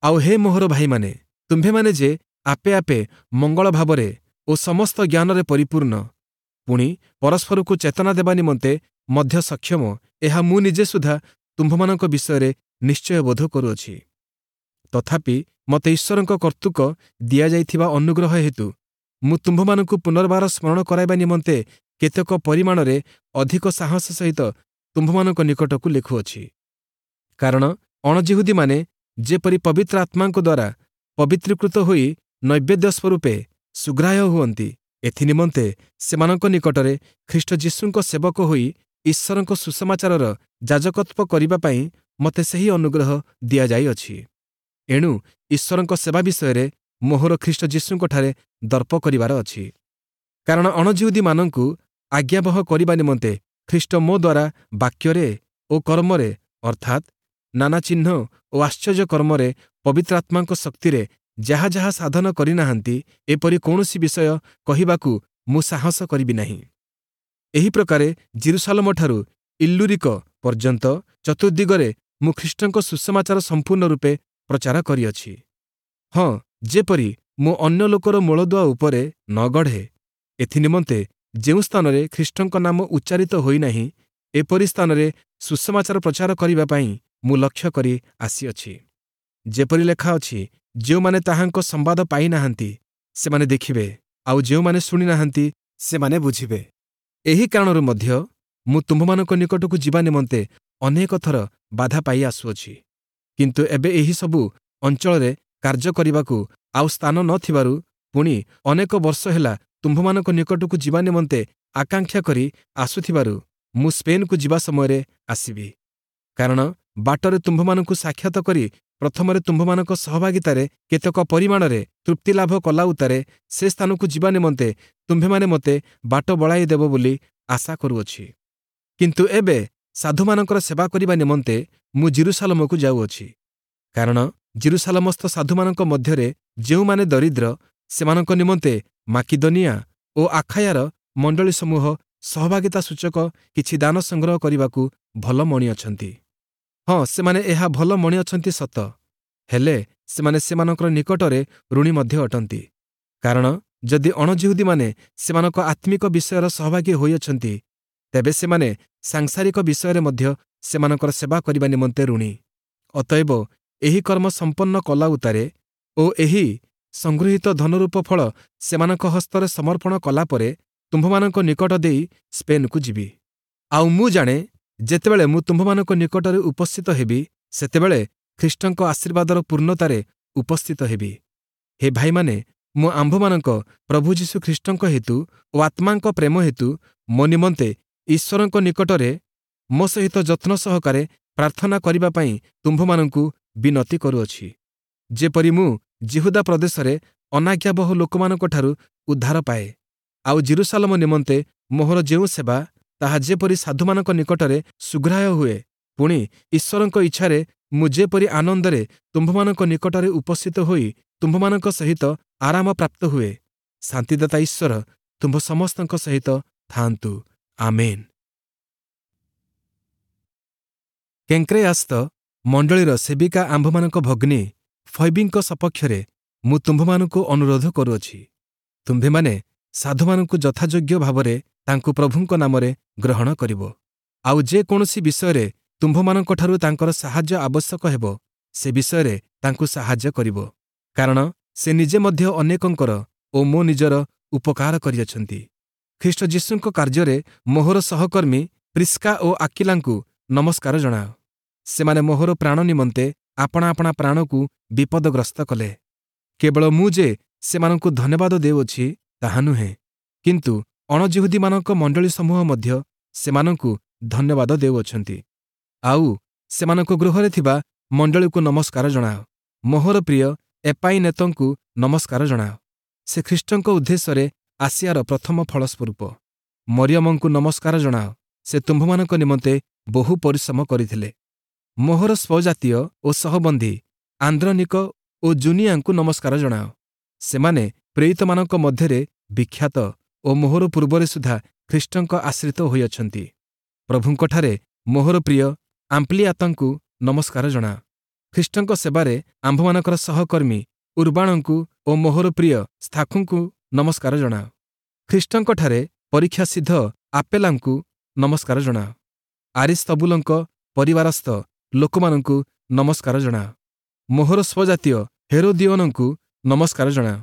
ଆଉ ହେ ମୋହର ଭାଇମାନେ, ତୁମ୍ଭେମାନେ ଯେ ଆପେ ଆପେ ମଙ୍ଗଳ ଭାବରେ ଓ ସମସ୍ତ ଜ୍ଞାନରେ ପରିପୂର୍ଣ୍ଣ, ପୁଣି ପରସ୍ପରକୁ ଚେତନା ଦେବା ନିମନ୍ତେ ମଧ୍ୟ ସକ୍ଷମ, ଏହା ମୁଁ ନିଜେ ସୁଦ୍ଧା ତୁମ୍ଭମାନଙ୍କ ବିଷୟରେ ନିଶ୍ଚୟ ବୋଧ କରୁଅଛି। ତଥାପି ମୋତେ ଈଶ୍ୱରଙ୍କ କର୍ତ୍ତୃକ ଦିଆଯାଇଥିବା ଅନୁଗ୍ରହ ହେତୁ ମୁଁ ତୁମ୍ଭମାନଙ୍କୁ ପୁନର୍ବାର ସ୍ମରଣ କରାଇବା ନିମନ୍ତେ କେତେକ ପରିମାଣରେ ଅଧିକ ସାହସ ସହିତ ତୁମ୍ଭମାନଙ୍କ ନିକଟକୁ ଲେଖୁଅଛି। କାରଣ ଅଣଯିହୁଦୀମାନେ ଯେପରି ପବିତ୍ର ଆତ୍ମାଙ୍କ ଦ୍ୱାରା ପବିତ୍ରୀକୃତ ହୋଇ ନୈବେଦ୍ୟ ସ୍ୱରୂପେ ସୁଗ୍ରାହ୍ୟ ହୁଅନ୍ତି, ଏଥିନିମନ୍ତେ ସେମାନଙ୍କ ନିକଟରେ ଖ୍ରୀଷ୍ଟ ଯୀଶୁଙ୍କ ସେବକ ହୋଇ ଈଶ୍ୱରଙ୍କ ସୁସମାଚାରର ଯାଜକତ୍ୱ କରିବା ପାଇଁ ମୋତେ ସେହି ଅନୁଗ୍ରହ ଦିଆଯାଇଅଛି। ଏଣୁ ଈଶ୍ୱରଙ୍କ ସେବା ବିଷୟରେ ମୋହର ଖ୍ରୀଷ୍ଟ ଯୀଶୁଙ୍କଠାରେ ଦର୍ପ କରିବାର ଅଛି। କାରଣ ଅଣଯିହୁଦୀମାନଙ୍କୁ ଆଜ୍ଞାବହ କରିବା ନିମନ୍ତେ ଖ୍ରୀଷ୍ଟ ମୋ ଦ୍ୱାରା ବାକ୍ୟରେ ଓ କର୍ମରେ, ଅର୍ଥାତ୍ ନାନା ଚିହ୍ନ ଓ ଆଶ୍ଚର୍ଯ୍ୟ କର୍ମରେ ପବିତ୍ର ଆତ୍ମାଙ୍କ ଶକ୍ତିରେ ଯାହା ଯାହା ସାଧନ କରିନାହାନ୍ତି, ଏପରି କୌଣସି ବିଷୟ କହିବାକୁ ମୁଁ ସାହସ କରିବି ନାହିଁ। ଏହି ପ୍ରକାରେ ଯିରୂଶାଲମଠାରୁ ଇଲ୍ଲୁରିକ ପର୍ଯ୍ୟନ୍ତ ଚତୁର୍ଦ୍ଦିଗରେ ମୁଁ ଖ୍ରୀଷ୍ଟଙ୍କ ସୁସମାଚାର ସମ୍ପୂର୍ଣ୍ଣ ରୂପେ ପ୍ରଚାର କରିଅଛି। ହଁ, ଯେପରି ମୁଁ ଅନ୍ୟ ଲୋକର ମୂଳଦୁଆ ଉପରେ ନ ଗଢ଼େ, ଏଥିନିମନ୍ତେ ଯେଉଁ ସ୍ଥାନରେ ଖ୍ରୀଷ୍ଟଙ୍କ ନାମ ଉଚ୍ଚାରିତ ହୋଇନାହିଁ, ଏପରି ସ୍ଥାନରେ ସୁସମାଚାର ପ୍ରଚାର କରିବା ପାଇଁ ମୁଁ ଲକ୍ଷ୍ୟ କରି ଆସିଅଛି। ଯେପରି ଲେଖା ଅଛି, ଯେଉଁମାନେ ତାହାଙ୍କ ସମ୍ବାଦ ପାଇନାହାନ୍ତି, ସେମାନେ ଦେଖିବେ, ଆଉ ଯେଉଁମାନେ ଶୁଣିନାହାନ୍ତି, ସେମାନେ ବୁଝିବେ। ଏହି କାରଣରୁ ମଧ୍ୟ ମୁଁ ତୁମ୍ଭମାନଙ୍କ ନିକଟକୁ ଯିବା ନିମନ୍ତେ ଅନେକ ଥର ବାଧା ପାଇ ଆସୁଅଛି। କିନ୍ତୁ ଏବେ ଏହି ସବୁ ଅଞ୍ଚଳରେ କାର୍ଯ୍ୟ କରିବାକୁ ଆଉ ସ୍ଥାନ ନ ଥିବାରୁ, ପୁଣି ଅନେକ ବର୍ଷ ହେଲା ତୁମ୍ଭମାନଙ୍କ ନିକଟକୁ ଯିବା ନିମନ୍ତେ ଆକାଂକ୍ଷା କରି ଆସୁଥିବାରୁ, ମୁଁ ସ୍ପେନ୍କୁ ଯିବା ସମୟରେ ଆସିବି। କାରଣ ବାଟରେ ତୁମ୍ଭମାନଙ୍କୁ ସାକ୍ଷାତ କରି ପ୍ରଥମରେ ତୁମ୍ଭମାନଙ୍କ ସହଭାଗିତାରେ କେତେକ ପରିମାଣରେ ତୃପ୍ତି ଲାଭ କଲା ଉତ୍ତାରେ ସେ ସ୍ଥାନକୁ ଯିବା ନିମନ୍ତେ ତୁମ୍ଭେମାନେ ମୋତେ ବାଟ ବଳାଇ ଦେବ ବୋଲି ଆଶା କରୁଅଛି। କିନ୍ତୁ ଏବେ ସାଧୁମାନଙ୍କର ସେବା କରିବା ନିମନ୍ତେ ମୁଁ ଯିରୂଶାଲମକୁ ଯାଉଅଛି। କାରଣ ଯିରୂଶାଲମସ୍ଥ ସାଧୁମାନଙ୍କ ମଧ୍ୟରେ ଯେଉଁମାନେ ଦରିଦ୍ର, ସେମାନଙ୍କ ନିମନ୍ତେ ମାକିଦନିଆ ଓ ଆଖାୟାର ମଣ୍ଡଳୀ ସମୂହ ସହଭାଗିତା ସୂଚକ କିଛି ଦାନ ସଂଗ୍ରହ କରିବାକୁ ଭଲ ମଣିଅଛନ୍ତି। ହଁ, ସେମାନେ ଏହା ଭଲ ମଣିଅଛନ୍ତି ସତ, ହେଲେ ସେମାନେ ସେମାନଙ୍କର ନିକଟରେ ଋଣୀ ମଧ୍ୟ ଅଟନ୍ତି। କାରଣ ଯଦି ଅଣଯିହୁଦୀମାନେ ସେମାନଙ୍କ ଆତ୍ମିକ ବିଷୟର ସହଭାଗୀ ହୋଇଅଛନ୍ତି, ତେବେ ସେମାନେ ସାଂସାରିକ ବିଷୟରେ ମଧ୍ୟ ସେମାନଙ୍କର ସେବା କରିବା ନିମନ୍ତେ ଋଣୀ। ଅତଏବ ଏହି କର୍ମ ସମ୍ପନ୍ନ କଲା ଉତ୍ତାରେ ଓ ଏହି ସଂଗୃହୀତ ଧନରୂପ ଫଳ ସେମାନଙ୍କ ହସ୍ତରେ ସମର୍ପଣ କଲା ପରେ ତୁମ୍ଭମାନଙ୍କ ନିକଟ ଦେଇ ସ୍ପେନ୍କୁ ଯିବି। ଆଉ ମୁଁ ଜାଣେ, ଯେତେବେଳେ ମୁଁ ତୁମ୍ଭମାନଙ୍କ ନିକଟରେ ଉପସ୍ଥିତ ହେବି, ସେତେବେଳେ ଖ୍ରୀଷ୍ଟଙ୍କ ଆଶୀର୍ବାଦର ପୂର୍ଣ୍ଣତାରେ ଉପସ୍ଥିତ ହେବି। ହେ ଭାଇମାନେ, ମୁଁ ଆମ୍ଭମାନଙ୍କ ପ୍ରଭୁ ଯୀଶୁ ଖ୍ରୀଷ୍ଟଙ୍କ ହେତୁ ଓ ଆତ୍ମାଙ୍କ ପ୍ରେମ ହେତୁ ମୋ ନିମନ୍ତେ ଈଶ୍ୱରଙ୍କ ନିକଟରେ ମୋ ସହିତ ଯତ୍ନ ସହକାରେ ପ୍ରାର୍ଥନା କରିବା ପାଇଁ ତୁମ୍ଭମାନଙ୍କୁ ବିନତି କରୁଅଛି, ଯେପରି ମୁଁ ଯିହୁଦା ପ୍ରଦେଶରେ ଅନାଜ୍ଞାବହ ଲୋକମାନଙ୍କଠାରୁ ଉଦ୍ଧାର ପାଏ, ଆଉ ଯିରୂଶାଲମ ନିମନ୍ତେ ମୋହର ଯେଉଁ ସେବା, ତାହା ଯେପରି ସାଧୁମାନଙ୍କ ନିକଟରେ ସୁଗ୍ରାହ୍ୟ ହୁଏ, ପୁଣି ଈଶ୍ୱରଙ୍କ ଇଚ୍ଛାରେ ମୁଁ ଯେପରି ଆନନ୍ଦରେ ତୁମ୍ଭମାନଙ୍କ ନିକଟରେ ଉପସ୍ଥିତ ହୋଇ ତୁମ୍ଭମାନଙ୍କ ସହିତ ଆରାମ ପ୍ରାପ୍ତ ହୁଏ। ଶାନ୍ତିଦାତା ଈଶ୍ୱର ତୁମ୍ଭ ସମସ୍ତଙ୍କ ସହିତ ଥାଆନ୍ତୁ। ଆମେନ୍। କେଙ୍କ୍ରେୟାସ୍ଥ ମଣ୍ଡଳୀର ସେବିକା ଆମ୍ଭମାନଙ୍କ ଭଗ୍ନୀ ଫୈବିଙ୍କ ସପକ୍ଷରେ ମୁଁ ତୁମ୍ଭମାନଙ୍କୁ ଅନୁରୋଧ କରୁଅଛି, ତୁମ୍ଭେମାନେ ସାଧୁମାନଙ୍କୁ ଯଥାଯୋଗ୍ୟ ଭାବରେ ତାଙ୍କୁ ପ୍ରଭୁଙ୍କ ନାମରେ ଗ୍ରହଣ କରିବ। ଆଉ ଯେ କୌଣସି ବିଷୟରେ ତୁମ୍ଭମାନଙ୍କଠାରୁ ତାଙ୍କର ସାହାଯ୍ୟ ଆବଶ୍ୟକ ହେବ, ସେ ବିଷୟରେ ତାଙ୍କୁ ସାହାଯ୍ୟ କରିବ। କାରଣ ସେ ନିଜେ ମଧ୍ୟ ଅନେକଙ୍କର ଓ ମୋ ନିଜର ଉପକାର କରିଅଛନ୍ତି। ଖ୍ରୀଷ୍ଟ ଯୀଶୁଙ୍କ କାର୍ଯ୍ୟରେ ମୋହର ସହକର୍ମୀ ପ୍ରିସ୍କା ଓ ଆକିଲାଙ୍କୁ ନମସ୍କାର ଜଣାଅ। ସେମାନେ ମୋହର ପ୍ରାଣ ନିମନ୍ତେ ଆପଣା ଆପଣା ପ୍ରାଣକୁ ବିପଦଗ୍ରସ୍ତ କଲେ। କେବଳ ମୁଁ ଯେ ସେମାନଙ୍କୁ ଧନ୍ୟବାଦ ଦେଉଅଛି ତାହା ନୁହେଁ, କିନ୍ତୁ ଅଣଯିହୁଦୀମାନଙ୍କ ମଣ୍ଡଳୀ ସମୂହ ମଧ୍ୟ ସେମାନଙ୍କୁ ଧନ୍ୟବାଦ ଦେଉଅଛନ୍ତି। ଆଉ ସେମାନଙ୍କ ଗୃହରେ ଥିବା ମଣ୍ଡଳୀକୁ ନମସ୍କାର ଜଣାଅ। ମୋହର ପ୍ରିୟ ଏପାଇନେତଙ୍କୁ ନମସ୍କାର ଜଣାଅ। ସେ ଖ୍ରୀଷ୍ଟଙ୍କ ଉଦ୍ଦେଶ୍ୟରେ ଆସିଆର ପ୍ରଥମ ଫଳସ୍ୱରୂପ। ମରିୟମଙ୍କୁ ନମସ୍କାର ଜଣାଅ। ସେ ତୁମ୍ଭମାନଙ୍କ ନିମନ୍ତେ ବହୁ ପରିଶ୍ରମ କରିଥିଲେ। ମୋହର ସ୍ୱଜାତୀୟ ଓ ସହବନ୍ଧୀ ଆନ୍ଦ୍ରନିକ ଓ ଜୁନିଆଙ୍କୁ ନମସ୍କାର ଜଣାଅ। ସେମାନେ ପ୍ରେରିତମାନଙ୍କ ମଧ୍ୟରେ ବିଖ୍ୟାତ ଓ ମୋହର ପୂର୍ବରେ ସୁଦ୍ଧା ଖ୍ରୀଷ୍ଟଙ୍କ ଆଶ୍ରିତ ହୋଇଅଛନ୍ତି। ପ୍ରଭୁଙ୍କଠାରେ ମୋହର ପ୍ରିୟ ଆମ୍ପ୍ଲିଆତଙ୍କୁ ନମସ୍କାର ଜଣାଅ। ଖ୍ରୀଷ୍ଟଙ୍କ ସେବାରେ ଆମ୍ଭମାନଙ୍କର ସହକର୍ମୀ ଉର୍ବାଣଙ୍କୁ ଓ ମୋହର ପ୍ରିୟ ସ୍ଥାଖୁଙ୍କୁ ନମସ୍କାର ଜଣାଅ। ଖ୍ରୀଷ୍ଟଙ୍କଠାରେ ପରୀକ୍ଷା ସିଦ୍ଧ ଆପେଲାଙ୍କୁ ନମସ୍କାର ଜଣାଅ। ଆରିସ୍ତବୁଲଙ୍କ ପରିବାରସ୍ଥ ଲୋକମାନଙ୍କୁ ନମସ୍କାର ଜଣାଅ। ମୋହର ସ୍ୱଜାତୀୟ ହେରୋଦିଓନଙ୍କୁ ନମସ୍କାର ଜଣାଅ।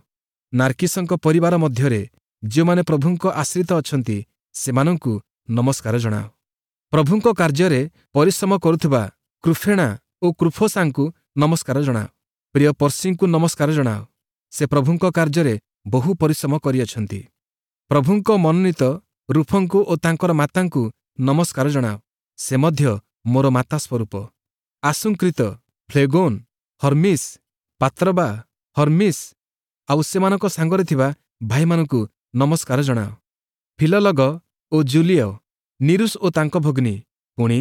ନାର୍କିସଙ୍କ ପରିବାର ମଧ୍ୟରେ ଯେଉଁମାନେ ପ୍ରଭୁଙ୍କ ଆଶ୍ରିତ ଅଛନ୍ତି, ସେମାନଙ୍କୁ ନମସ୍କାର ଜଣାଅ। ପ୍ରଭୁଙ୍କ କାର୍ଯ୍ୟରେ ପରିଶ୍ରମ କରୁଥିବା କୃଫେଣା ଓ କୃଫୋସାଙ୍କୁ ନମସ୍କାର ଜଣାଅ। ପ୍ରିୟ ପର୍ସିଙ୍କୁ ନମସ୍କାର ଜଣାଅ। ସେ ପ୍ରଭୁଙ୍କ କାର୍ଯ୍ୟରେ ବହୁ ପରିଶ୍ରମ କରିଅଛନ୍ତି। ପ୍ରଭୁଙ୍କ ମନୋନୀତ ରୁଫଙ୍କୁ ଓ ତାଙ୍କର ମାତାଙ୍କୁ ନମସ୍କାର ଜଣାଅ। ସେ ମଧ୍ୟ ମୋର ମାତା ସ୍ୱରୂପ। ଆସୁଂକ୍ରିତ, ଫ୍ଲେଗୋନ୍, ହର୍ମିସ୍, ପାତ୍ରବା, ହର୍ମିସ୍ ଆଉ ସେମାନଙ୍କ ସାଙ୍ଗରେ ଥିବା ଭାଇମାନଙ୍କୁ ନମସ୍କାର ଜଣାଅ। ଫିଲଲଗ ଓ ଜୁଲିୟ, ନିରୁସ୍ ଓ ତାଙ୍କ ଭଗ୍ନୀ, ପୁଣି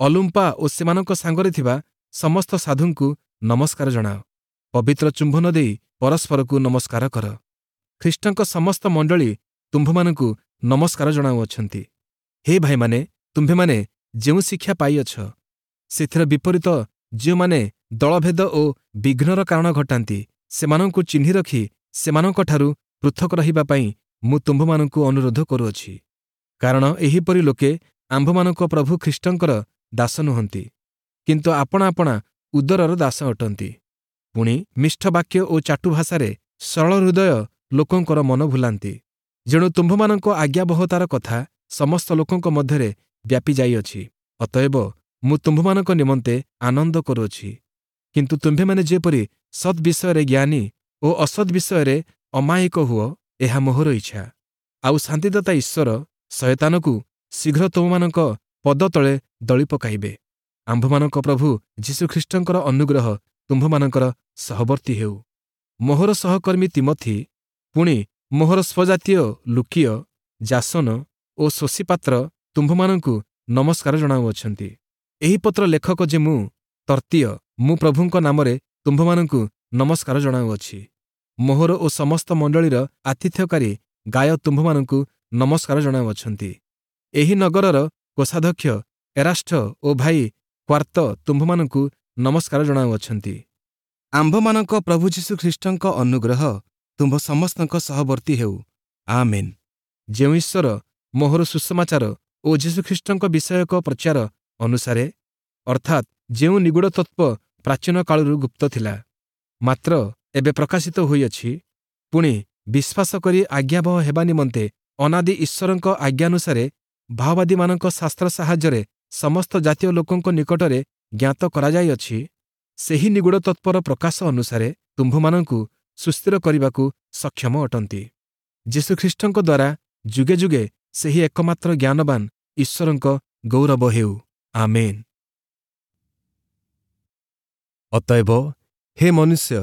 ଅଲୁମ୍ପା ଓ ସେମାନଙ୍କ ସାଙ୍ଗରେ ଥିବା ସମସ୍ତ ସାଧୁଙ୍କୁ ନମସ୍କାର ଜଣାଅ। ପବିତ୍ର ଚୁମ୍ବନ ଦେଇ ପରସ୍ପରକୁ ନମସ୍କାର କର। ଖ୍ରୀଷ୍ଟଙ୍କ ସମସ୍ତ ମଣ୍ଡଳୀ ତୁମ୍ଭମାନଙ୍କୁ ନମସ୍କାର ଜଣାଉଅଛନ୍ତି। ହେ ଭାଇମାନେ, ତୁମ୍ଭେମାନେ ଯେଉଁ ଶିକ୍ଷା ପାଇଅଛ, ସେଥିର ବିପରୀତ ଯେଉଁମାନେ ଦଳଭେଦ ଓ ବିଘ୍ନର କାରଣ ଘଟାନ୍ତି, ସେମାନଙ୍କୁ ଚିହ୍ନି ରଖି ସେମାନଙ୍କଠାରୁ ପୃଥକ ରହିବା ପାଇଁ ମୁଁ ତୁମ୍ଭମାନଙ୍କୁ ଅନୁରୋଧ କରୁଅଛି। କାରଣ ଏହିପରି ଲୋକେ ଆମ୍ଭମାନଙ୍କ ପ୍ରଭୁ ଖ୍ରୀଷ୍ଟଙ୍କର ଦାସ ନୁହନ୍ତି, କିନ୍ତୁ ଆପଣା ଆପଣା ଉଦରର ଦାସ ଅଟନ୍ତି। ପୁଣି ମିଷ୍ଟ ବାକ୍ୟ ଓ ଚାଟୁ ଭାଷାରେ ସରଳ ହୃଦୟ ଲୋକଙ୍କର ମନ ଭୁଲାନ୍ତି। ଯେଣୁ ତୁମ୍ଭମାନଙ୍କ ଆଜ୍ଞାବହତାର କଥା ସମସ୍ତ ଲୋକଙ୍କ ମଧ୍ୟରେ ବ୍ୟାପି ଯାଇଅଛି। ଅତଏବ ମୁଁ ତୁମ୍ଭମାନଙ୍କ ନିମନ୍ତେ ଆନନ୍ଦ କରୁଅଛି। କିନ୍ତୁ ତୁମ୍ଭେମାନେ ଯେପରି ସତ୍ ବିଷୟରେ ଜ୍ଞାନୀ ଓ ଅସତ୍ ବିଷୟରେ ଅମାୟିକ ହୁଅ, ଏହା ମୋହର ଇଚ୍ଛା। ଆଉ ଶାନ୍ତିଦାତା ଈଶ୍ୱର ଶୟତାନକୁ ଶୀଘ୍ର ତୁମମାନଙ୍କ ପଦତଳେ ଦଳି ପକାଇବେ। ଆମ୍ଭମାନଙ୍କ ପ୍ରଭୁ ଯୀଶୁଖ୍ରୀଷ୍ଟଙ୍କର ଅନୁଗ୍ରହ ତୁମ୍ଭମାନଙ୍କର ସହବର୍ତ୍ତୀ ହେଉ। ମୋହର ସହକର୍ମୀ ତିମୋଥି, ପୁଣି ମୋହର ସ୍ୱଜାତୀୟ ଲୁକିୟ, ଯାସନ ଓ ସୋସିପାତ୍ର ତୁମ୍ଭମାନଙ୍କୁ ନମସ୍କାର ଜଣାଉଅଛନ୍ତି। ଏହି ପତ୍ର ଲେଖକ ଯେ ମୁଁ ତର୍ତ୍ତୀୟ, ମୁଁ ପ୍ରଭୁଙ୍କ ନାମରେ ତୁମ୍ଭମାନଙ୍କୁ ନମସ୍କାର ଜଣାଉଅଛି। ମୋହର ଓ ସମସ୍ତ ମଣ୍ଡଳୀର ଆତିଥ୍ୟକାରୀ ଗାୟ ତୁମ୍ଭମାନଙ୍କୁ ନମସ୍କାର ଜଣାଉଅଛନ୍ତି। ଏହି ନଗରର କୋଷାଧ୍ୟକ୍ଷ ଏରାଷ୍ଠ ଓ ଭାଇ କ୍ୱାର୍ତ୍ତ ତୁମ୍ଭମାନଙ୍କୁ ନମସ୍କାର ଜଣାଉଅଛନ୍ତି। ଆମ୍ଭମାନଙ୍କ ପ୍ରଭୁ ଯୀଶୁଖ୍ରୀଷ୍ଟଙ୍କ ଅନୁଗ୍ରହ ତୁମ୍ଭ ସମସ୍ତଙ୍କ ସହବର୍ତ୍ତୀ ହେଉ। ଆମେନ୍। ଯେଉଁ ଈଶ୍ୱର ମୋହର ସୁସମାଚାର ଓ ଯୀଶୁଖ୍ରୀଷ୍ଟଙ୍କ ବିଷୟକ ପ୍ରଚାର ଅନୁସାରେ, ଅର୍ଥାତ୍ ଯେଉଁ ନିଗୂଢ଼ ତତ୍ତ୍ୱ ପ୍ରାଚୀନ କାଳରୁ ଗୁପ୍ତ ଥିଲା, ମାତ୍ର ଏବେ ପ୍ରକାଶିତ ହୋଇଅଛି, ପୁଣି ବିଶ୍ୱାସ କରି ଆଜ୍ଞାବହ ହେବା ନିମନ୍ତେ ଅନାଦି ଈଶ୍ୱରଙ୍କ ଆଜ୍ଞାନୁସାରେ ଭାବବାଦୀମାନଙ୍କ ଶାସ୍ତ୍ର ସାହାଯ୍ୟରେ ସମସ୍ତ ଜାତୀୟ ଲୋକଙ୍କ ନିକଟରେ ଜ୍ଞାତ କରାଯାଇଅଛି, ସେହି ନିଗୂଢ଼ ତତ୍ତ୍ୱର ପ୍ରକାଶ ଅନୁସାରେ ତୁମ୍ଭମାନଙ୍କୁ ସୁସ୍ଥିର କରିବାକୁ ସକ୍ଷମ ଅଟନ୍ତି। ଯୀଶୁଖ୍ରୀଷ୍ଟଙ୍କ ଦ୍ୱାରା ଯୁଗେ ଯୁଗେ ସେହି ଏକମାତ୍ର ଜ୍ଞାନବାନ ଈଶ୍ୱରଙ୍କ ଗୌରବ ହେଉ। ଆମେନ୍। ଅତଏବ ହେ ମନୁଷ୍ୟ,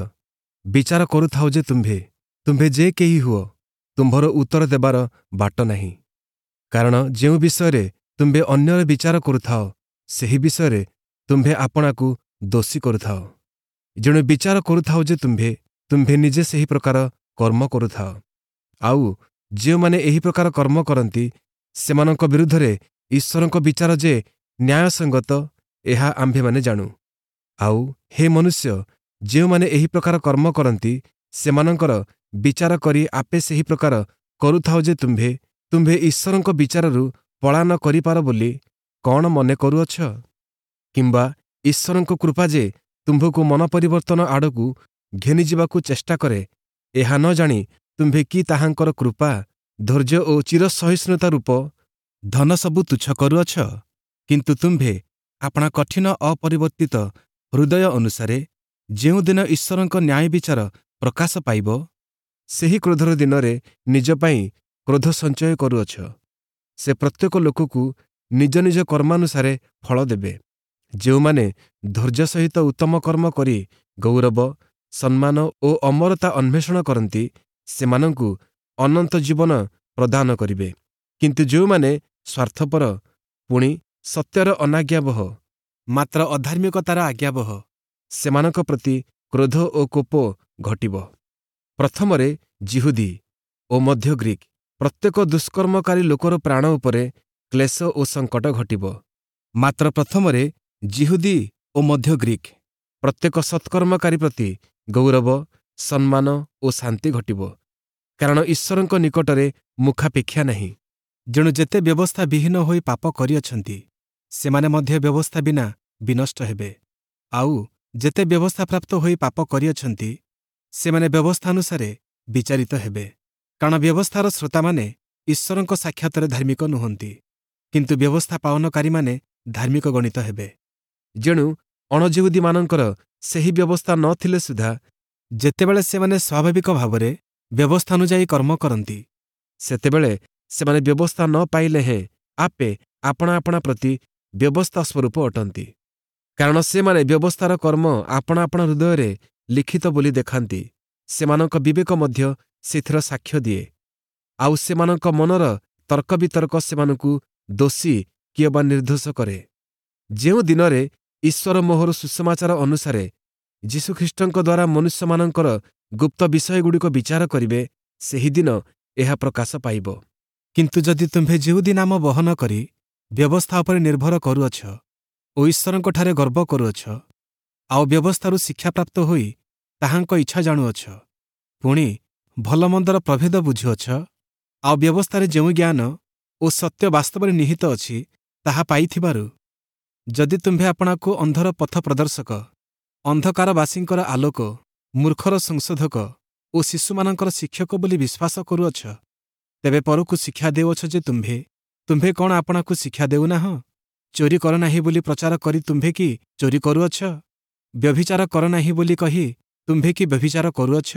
ବିଚାର କରୁଥାଅ ଯେ ତୁମ୍ଭେ ତୁମ୍ଭେ ଯେ କେହି ହୁଅ, ତୁମ୍ଭର ଉତ୍ତର ଦେବାର ବାଟ ନାହିଁ। କାରଣ ଯେଉଁ ବିଷୟରେ ତୁମ୍ଭେ ଅନ୍ୟର ବିଚାର କରୁଥାଅ, ସେହି ବିଷୟରେ ତୁମ୍ଭେ ଆପଣାକୁ ଦୋଷୀ କରୁଥାଅ। ଯେଣୁ ବିଚାର କରୁଥାଅ ଯେ ତୁମ୍ଭେ ତୁମ୍ଭେ ନିଜେ ସେହି ପ୍ରକାର କର୍ମ କରୁଥାଅ। ଆଉ ଯେଉଁମାନେ ଏହି ପ୍ରକାର କର୍ମ କରନ୍ତି, ସେମାନଙ୍କ ବିରୁଦ୍ଧରେ ଈଶ୍ୱରଙ୍କ ବିଚାର ଯେ ନ୍ୟାୟସଙ୍ଗତ, ଏହା ଆମ୍ଭେମାନେ ଜାଣୁ। ଆଉ ହେ ମନୁଷ୍ୟ, ଯେଉଁମାନେ ଏହି ପ୍ରକାର କର୍ମ କରନ୍ତି, ସେମାନଙ୍କର ବିଚାର କରି ଆପେ ସେହି ପ୍ରକାର କରୁଥାଅ ଯେ ତୁମ୍ଭେ ତୁମ୍ଭେ ଈଶ୍ୱରଙ୍କ ବିଚାରରୁ ପଳାୟନ କରିପାର ବୋଲି କ'ଣ ମନେ କରୁଅଛ? କିମ୍ବା ଈଶ୍ୱରଙ୍କ କୃପା ଯେ ତୁମ୍ଭକୁ ମନ ପରିବର୍ତ୍ତନ ଆଡ଼କୁ ଘେନିଯିବାକୁ ଚେଷ୍ଟା କରେ, ଏହା ନ ଜାଣି ତୁମ୍ଭେ କି ତାହାଙ୍କର କୃପା, ଧୈର୍ଯ୍ୟ ଓ ଚିରସହିଷ୍ଣୁତା ରୂପ ଧନ ସବୁ ତୁଚ୍ଛ କରୁଅଛ? କିନ୍ତୁ ତୁମ୍ଭେ ଆପଣା କଠିନ ଅପରିବର୍ତ୍ତିତ ହୃଦୟ ଅନୁସାରେ ଯେଉଁଦିନ ଈଶ୍ୱରଙ୍କ ନ୍ୟାୟ ବିଚାର ପ୍ରକାଶ ପାଇବ, ସେହି କ୍ରୋଧର ଦିନରେ ନିଜ ପାଇଁ କ୍ରୋଧ ସଞ୍ଚୟ କରୁଅଛ। ସେ ପ୍ରତ୍ୟେକ ଲୋକକୁ ନିଜ ନିଜ କର୍ମାନୁସାରେ ଫଳ ଦେବେ। ଯେଉଁମାନେ ଧୈର୍ଯ୍ୟ ସହିତ ଉତ୍ତମ କର୍ମ କରି ଗୌରବ, ସମ୍ମାନ ଓ ଅମରତା ଅନ୍ୱେଷଣ କରନ୍ତି, ସେମାନଙ୍କୁ ଅନନ୍ତ ଜୀବନ ପ୍ରଦାନ କରିବେ। କିନ୍ତୁ ଯେଉଁମାନେ ସ୍ୱାର୍ଥପର, ପୁଣି ସତ୍ୟର ଅନାଜ୍ଞାବହ, ମାତ୍ର ଅଧାର୍ମିକତାର ଆଜ୍ଞାବହ, ସେମାନଙ୍କ ପ୍ରତି କ୍ରୋଧ ଓ କୋପ ଘଟିବ। ପ୍ରଥମରେ ଯିହୁଦୀ ଓ ମଧ୍ୟ ଗ୍ରୀକ୍ ପ୍ରତ୍ୟେକ ଦୁଷ୍କର୍ମକାରୀ ଲୋକର ପ୍ରାଣ ଉପରେ କ୍ଲେଶ ଓ ସଙ୍କଟ ଘଟିବ। ମାତ୍ର ପ୍ରଥମରେ ଯିହୁଦୀ ଓ ମଧ୍ୟ ଗ୍ରୀକ୍ ପ୍ରତ୍ୟେକ ସତ୍କର୍ମକାରୀ ପ୍ରତି ଗୌରବ, ସମ୍ମାନ ଓ ଶାନ୍ତି ଘଟିବ। କାରଣ ଈଶ୍ୱରଙ୍କ ନିକଟରେ ମୁଖାପେକ୍ଷା ନାହିଁ। ଯେଣୁ ଯେତେ ବ୍ୟବସ୍ଥା ବିହୀନ ହୋଇ ପାପ କରିଅଛନ୍ତି, ସେମାନେ ମଧ୍ୟ ବ୍ୟବସ୍ଥା ବିନା ବିନଷ୍ଟ ହେବେ। ଆଉ ଯେତେ ବ୍ୟବସ୍ଥାପ୍ରାପ୍ତ ହୋଇ ପାପ କରିଅଛନ୍ତି, ସେମାନେ ବ୍ୟବସ୍ଥାନୁସାରେ ବିଚାରିତ ହେବେ। କାରଣ ବ୍ୟବସ୍ଥାର ଶ୍ରୋତାମାନେ ଈଶ୍ୱରଙ୍କ ସାକ୍ଷାତରେ ଧାର୍ମିକ ନୁହନ୍ତି, କିନ୍ତୁ ବ୍ୟବସ୍ଥା ପାଳନକାରୀମାନେ ଧାର୍ମିକ ଗଣିତ ହେବେ। ଯେଣୁ ଅଣଯିହୁଦୀମାନଙ୍କର ସେହି ବ୍ୟବସ୍ଥା ନ ଥିଲେ ସୁଦ୍ଧା ଯେତେବେଳେ ସେମାନେ ସ୍ୱାଭାବିକ ଭାବରେ ବ୍ୟବସ୍ଥାନୁଯାୟୀ କର୍ମ କରନ୍ତି, ସେତେବେଳେ ସେମାନେ ବ୍ୟବସ୍ଥା ନ ପାଇଲେ ହେଁ ଆପେ ଆପଣା ଆପଣା ପ୍ରତି ବ୍ୟବସ୍ଥା ସ୍ୱରୂପ ଅଟନ୍ତି। କାରଣ ସେମାନେ ବ୍ୟବସ୍ଥାର କର୍ମ ଆପଣା ଆପଣା ହୃଦୟରେ ଲିଖିତ ବୋଲି ଦେଖାନ୍ତି। ସେମାନଙ୍କ ବିବେକ ମଧ୍ୟ ସେଥିର ସାକ୍ଷ୍ୟ ଦିଏ, ଆଉ ସେମାନଙ୍କ ମନର ତର୍କ ବିତର୍କ ସେମାନଙ୍କୁ ଦୋଷୀ କିଅବା ନିର୍ଦ୍ଦୋଷ କରେ। ଯେଉଁ ଦିନରେ ଈଶ୍ୱର ମୋହର ସୁସମାଚାର ଅନୁସାରେ ଯୀଶୁଖ୍ରୀଷ୍ଟଙ୍କ ଦ୍ୱାରା ମନୁଷ୍ୟମାନଙ୍କର ଗୁପ୍ତ ବିଷୟଗୁଡ଼ିକ ବିଚାର କରିବେ, ସେହିଦିନ ଏହା ପ୍ରକାଶ ପାଇବ। କିନ୍ତୁ ଯଦି ତୁମ୍ଭେ ଯିହୁଦୀ ନାମ ବହନ କରି ବ୍ୟବସ୍ଥା ଉପରେ ନିର୍ଭର କରୁଅଛ ଓ ଈଶ୍ୱରଙ୍କଠାରେ ଗର୍ବ କରୁଅଛ, ଆଉ ବ୍ୟବସ୍ଥାରୁ ଶିକ୍ଷାପ୍ରାପ୍ତ ହୋଇ ତାହାଙ୍କ ଇଚ୍ଛା ଜାଣୁଅଛ, ପୁଣି ଭଲମନ୍ଦର ପ୍ରଭେଦ ବୁଝୁଅଛ, ଆଉ ବ୍ୟବସ୍ଥାରେ ଯେଉଁ ଜ୍ଞାନ ଓ ସତ୍ୟ ବାସ୍ତବରେ ନିହିତ ଅଛି ତାହା ପାଇଥିବାରୁ ଯଦି ତୁମ୍ଭେ ଆପଣାକୁ ଅନ୍ଧର ପଥ ପ୍ରଦର୍ଶକ, ଅନ୍ଧକାରବାସୀଙ୍କର ଆଲୋକ, ମୂର୍ଖର ସଂଶୋଧକ ଓ ଶିଶୁମାନଙ୍କର ଶିକ୍ଷକ ବୋଲି ବିଶ୍ୱାସ କରୁଅଛ, ତେବେ ପରକୁ ଶିକ୍ଷା ଦେଉଅଛ ଯେ ତୁମ୍ଭେ ତୁମ୍ଭେ କ'ଣ ଆପଣାକୁ ଶିକ୍ଷା ଦେଉନାହଁ? ଚୋରି କର ନାହିଁ ବୋଲି ପ୍ରଚାର କରି ତୁମ୍ଭେ କି ଚୋରି କରୁଅଛ? ବ୍ୟଭିଚାର କର ନାହିଁ ବୋଲି କହି ତୁମ୍ଭେ କି ବ୍ୟଭିଚାର କରୁଅଛ?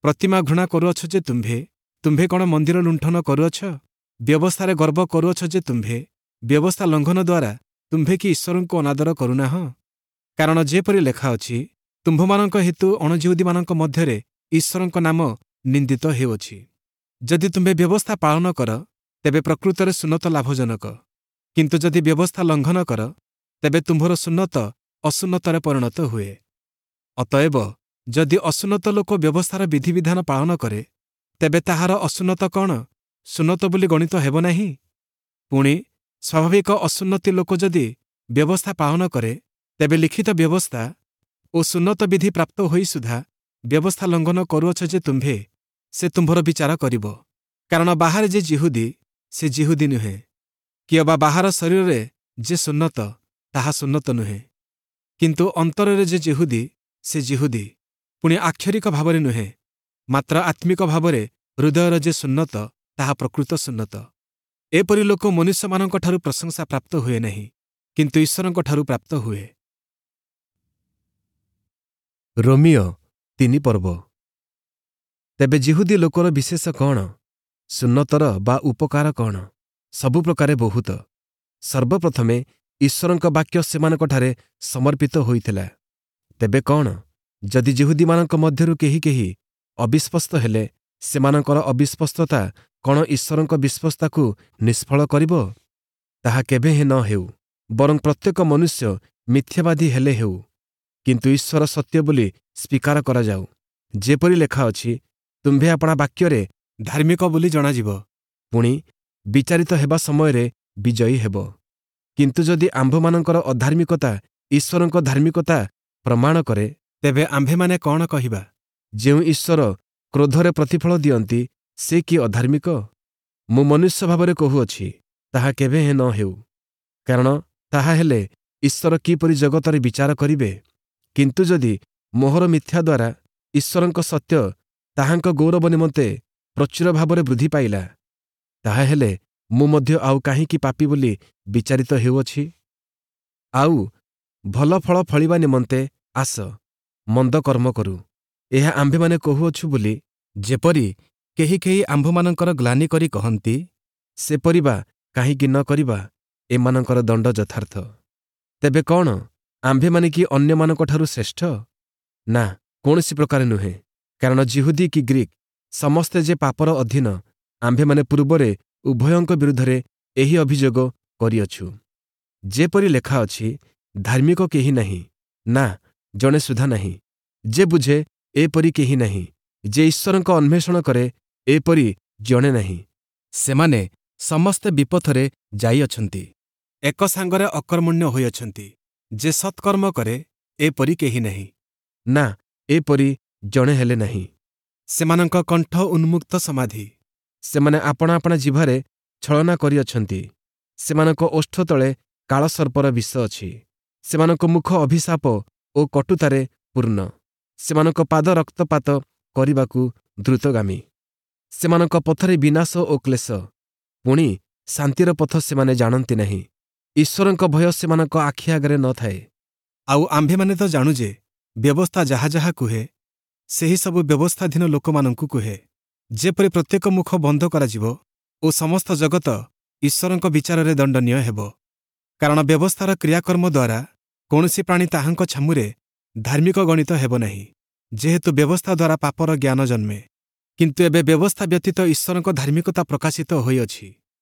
ପ୍ରତିମା ଘୃଣା କରୁଅଛ ଯେ ତୁମ୍ଭେ ତୁମ୍ଭେ କ'ଣ ମନ୍ଦିର ଲୁଣ୍ଠନ କରୁଅଛ? ବ୍ୟବସ୍ଥାରେ ଗର୍ବ କରୁଅଛ ଯେ ତୁମ୍ଭେ ବ୍ୟବସ୍ଥା ଲଙ୍ଘନ ଦ୍ୱାରା ତୁମ୍ଭେ କି ଈଶ୍ୱରଙ୍କୁ ଅନାଦର କରୁନାହଁ? କାରଣ ଯେପରି ଲେଖା ଅଛି, ତୁମ୍ଭମାନଙ୍କ ହେତୁ ଅଣଯିହୁଦୀମାନଙ୍କ ମଧ୍ୟରେ ଈଶ୍ୱରଙ୍କ ନାମ ନିନ୍ଦିତ ହେଉଅଛି। ଯଦି ତୁମ୍ଭେ ବ୍ୟବସ୍ଥା ପାଳନ କର, ତେବେ ପ୍ରକୃତରେ ସୁନ୍ନତ ଲାଭଜନକ। କିନ୍ତୁ ଯଦି ବ୍ୟବସ୍ଥା ଲଙ୍ଘନ କର, ତେବେ ତୁମ୍ଭର ସୁନ୍ନତ ଅସୁନ୍ନତରେ ପରିଣତ ହୁଏ। ଅତଏବ ଯଦି ଅସୁନ୍ନତ ଲୋକ ବ୍ୟବସ୍ଥାର ବିଧିବିଧାନ ପାଳନ କରେ, ତେବେ ତାହାର ଅସୁନ୍ନତ କ'ଣ ସୁନ୍ନତ ବୋଲି ଗଣିତ ହେବ ନାହିଁ? ପୁଣି ସ୍ୱାଭାବିକ ଅସୁନ୍ନତି ଲୋକ ଯଦି ବ୍ୟବସ୍ଥା ପାଳନ କରେ, ତେବେ ଲିଖିତ ବ୍ୟବସ୍ଥା ଓ ସୁନ୍ନତ ବିଧି ପ୍ରାପ୍ତ ହୋଇ ସୁଦ୍ଧା ବ୍ୟବସ୍ଥା ଲଙ୍ଘନ କରୁଅଛ ଯେ ତୁମ୍ଭେ, ସେ ତୁମ୍ଭର ବିଚାର କରିବ। କାରଣ ବାହାରେ ଯେ ଯିହୁଦୀ, ସେ ଯିହୁଦୀ ନୁହେଁ, କିଅବା ବାହାର ଶରୀରରେ ଯେ ସୁନ୍ନତ, ତାହା ସୁନ୍ନତ ନୁହେଁ। କିନ୍ତୁ ଅନ୍ତରରେ ଯେ ଯିହୁଦୀ, ସେ ଯିହୁଦୀ, ପୁଣି ଆକ୍ଷରିକ ଭାବରେ ନୁହେଁ, ମାତ୍ର ଆତ୍ମିକ ଭାବରେ ହୃଦୟର ଯେ ସୁନ୍ନତ, ତାହା ପ୍ରକୃତ ସୁନ୍ନତ। ଏପରି ଲୋକ ମନୁଷ୍ୟମାନଙ୍କଠାରୁ ପ୍ରଶଂସା ପ୍ରାପ୍ତ ହୁଏ ନାହିଁ, କିନ୍ତୁ ଈଶ୍ୱରଙ୍କଠାରୁ ପ୍ରାପ୍ତ ହୁଏ। ରୋମିଅ ତିନି ପର୍ବ। ତେବେ ଯିହୁଦୀ ଲୋକର ବିଶେଷ କ'ଣ? ସୁନ୍ନତର ବା ଉପକାର କ'ଣ? ସବୁ ପ୍ରକାରେ ବହୁତ। ସର୍ବପ୍ରଥମେ ଈଶ୍ୱରଙ୍କ ବାକ୍ୟ ସେମାନଙ୍କଠାରେ ସମର୍ପିତ ହୋଇଥିଲା। ତେବେ କ'ଣ? ଯଦି ଯିହୁଦୀମାନଙ୍କ ମଧ୍ୟରୁ କେହି କେହି ଅବିଶ୍ୱସ୍ତ ହେଲେ, ସେମାନଙ୍କର ଅବିଶ୍ୱସ୍ତତା କ'ଣ ଈଶ୍ୱରଙ୍କ ବିଶ୍ୱସ୍ତତାକୁ ନିଷ୍ଫଳ କରିବ? ତାହା କେବେ ହେଁ ନ ହେଉ। ବରଂ ପ୍ରତ୍ୟେକ ମନୁଷ୍ୟ ମିଥ୍ୟାବାଦୀ ହେଲେ ହେଉ, କିନ୍ତୁ ଈଶ୍ୱର ସତ୍ୟ ବୋଲି ସ୍ୱୀକାର କରାଯାଉ। ଯେପରି ଲେଖା ଅଛି, ତୁମ୍ଭେ ଆପଣା ବାକ୍ୟରେ ଧାର୍ମିକ ବୋଲି ଜଣାଯିବ, ପୁଣି ବିଚାରିତ ହେବା ସମୟରେ ବିଜୟୀ ହେବ। କିନ୍ତୁ ଯଦି ଆମ୍ଭମାନଙ୍କର ଅଧାର୍ମିକତା ଈଶ୍ୱରଙ୍କ ଧାର୍ମିକତା ପ୍ରମାଣ କରେ, ତେବେ ଆମ୍ଭେମାନେ କ'ଣ କହିବା? ଯେଉଁ ଈଶ୍ୱର କ୍ରୋଧରେ ପ୍ରତିଫଳ ଦିଅନ୍ତି, ସେ କି ଅଧାର୍ମିକ? ମୁଁ ମନୁଷ୍ୟ ଭାବରେ କହୁଅଛି, ତାହା କେବେ ହେଁ ନ ହେଉ। କାରଣ ତାହା ହେଲେ ଈଶ୍ୱର କିପରି ଜଗତରେ ବିଚାର କରିବେ? କିନ୍ତୁ ଯଦି ମୋହର ମିଥ୍ୟା ଦ୍ୱାରା ଈଶ୍ୱରଙ୍କ ସତ୍ୟ ତାହାଙ୍କ ଗୌରବ ନିମନ୍ତେ ପ୍ରଚୁର ଭାବରେ ବୃଦ୍ଧି ପାଇଲା, ତାହାହେଲେ ମୁଁ ମଧ୍ୟ ଆଉ କାହିଁକି ପାପୀ ବୋଲି ବିଚାରିତ ହେଉଅଛି? ଆଉ ଭଲ ଫଳ ଫଳିବା ନିମନ୍ତେ ଆସ, ମନ୍ଦ କର୍ମ କରୁ, ଏହା ଆମ୍ଭେମାନେ କହୁଅଛୁ ବୋଲି ଯେପରି କେହି କେହି ଆମ୍ଭମାନଙ୍କର ଗ୍ଲାନି କରି କହନ୍ତି, ସେପରି ବା କାହିଁକି ନ କରିବା? ଏମାନଙ୍କର ଦଣ୍ଡ ଯଥାର୍ଥ। ତେବେ କ'ଣ ଆମ୍ଭେମାନେ କି ଅନ୍ୟମାନଙ୍କଠାରୁ ଶ୍ରେଷ୍ଠ? ନା, କୌଣସି ପ୍ରକାରେ ନୁହେଁ। କାରଣ ଯିହୁଦୀ କି ଗ୍ରୀକ୍ ସମସ୍ତେ ଯେ ପାପର ଅଧୀନ, ଆମ୍ଭେମାନେ ପୂର୍ବରେ ଉଭୟଙ୍କ ବିରୁଦ୍ଧରେ ଏହି ଅଭିଯୋଗ କରିଅଛୁ। ଯେପରି ଲେଖା ଅଛି, ଧାର୍ମିକ କେହି ନାହିଁ, ନା ଜଣେ ସୁଦ୍ଧା ନାହିଁ। ଯେ ବୁଝେ, ଏପରି କେହି ନାହିଁ; ଯେ ଈଶ୍ୱରଙ୍କ ଅନ୍ୱେଷଣ କରେ, ଏପରି ଜଣେ ନାହିଁ। ସେମାନେ ସମସ୍ତେ ବିପଥରେ ଯାଇଅଛନ୍ତି, ଏକ ସାଙ୍ଗରେ ଅକର୍ମଣ୍ୟ ହୋଇଅଛନ୍ତି। ଯେ ସତ୍କର୍ମ କରେ, ଏପରି କେହି ନାହିଁ, ନା ଏପରି ଜଣେ ହେଲେ ନାହିଁ। ସେମାନଙ୍କ କଣ୍ଠ ଉନ୍ମୁକ୍ତ ସମାଧି, ସେମାନେ ଆପଣା ଆପଣା ଜିଭରେ ଛଳନା କରିଅଛନ୍ତି। ସେମାନଙ୍କ ଓଷ୍ଠ ତଳେ କାଳସର୍ପର ବିଷ ଅଛି। ସେମାନଙ୍କ ମୁଖ ଅଭିଶାପ ଓ କଟୁତାରେ ପୂର୍ଣ୍ଣ। ସେମାନଙ୍କ ପାଦ ରକ୍ତପାତ କରିବାକୁ ଦ୍ରୁତଗାମୀ। ସେମାନଙ୍କ ପଥରେ ବିନାଶ ଓ କ୍ଲେଶ, ପୁଣି ଶାନ୍ତିର ପଥ ସେମାନେ ଜାଣନ୍ତି ନାହିଁ। ଈଶ୍ୱରଙ୍କ ଭୟ ସେମାନଙ୍କ ଆଖି ଆଗରେ ନ ଥାଏ। ଆଉ ଆମ୍ଭେମାନେ ତ ଜାଣୁ ଯେ ବ୍ୟବସ୍ଥା ଯାହା ଯାହା କୁହେ, ସେହି ସବୁ ବ୍ୟବସ୍ଥାଧୀନ ଲୋକମାନଙ୍କୁ କୁହେ, ଯେପରି ପ୍ରତ୍ୟେକ ମୁଖ ବନ୍ଦ କରାଯିବ ଓ ସମସ୍ତ ଜଗତ ଈଶ୍ୱରଙ୍କ ବିଚାରରେ ଦଣ୍ଡନୀୟ ହେବ। କାରଣ ବ୍ୟବସ୍ଥାର କ୍ରିୟାକର୍ମ ଦ୍ୱାରା କୌଣସି ପ୍ରାଣୀ ତାହାଙ୍କ ଛାମୁରେ ଧାର୍ମିକ ଗଣିତ ହେବ ନାହିଁ, ଯେହେତୁ ବ୍ୟବସ୍ଥା ଦ୍ୱାରା ପାପର ଜ୍ଞାନ ଜନ୍ମେ। କିନ୍ତୁ ଏବେ ବ୍ୟବସ୍ଥା ବ୍ୟତୀତ ଈଶ୍ୱରଙ୍କ ଧାର୍ମିକତା ପ୍ରକାଶିତ ହୋଇଅଛି,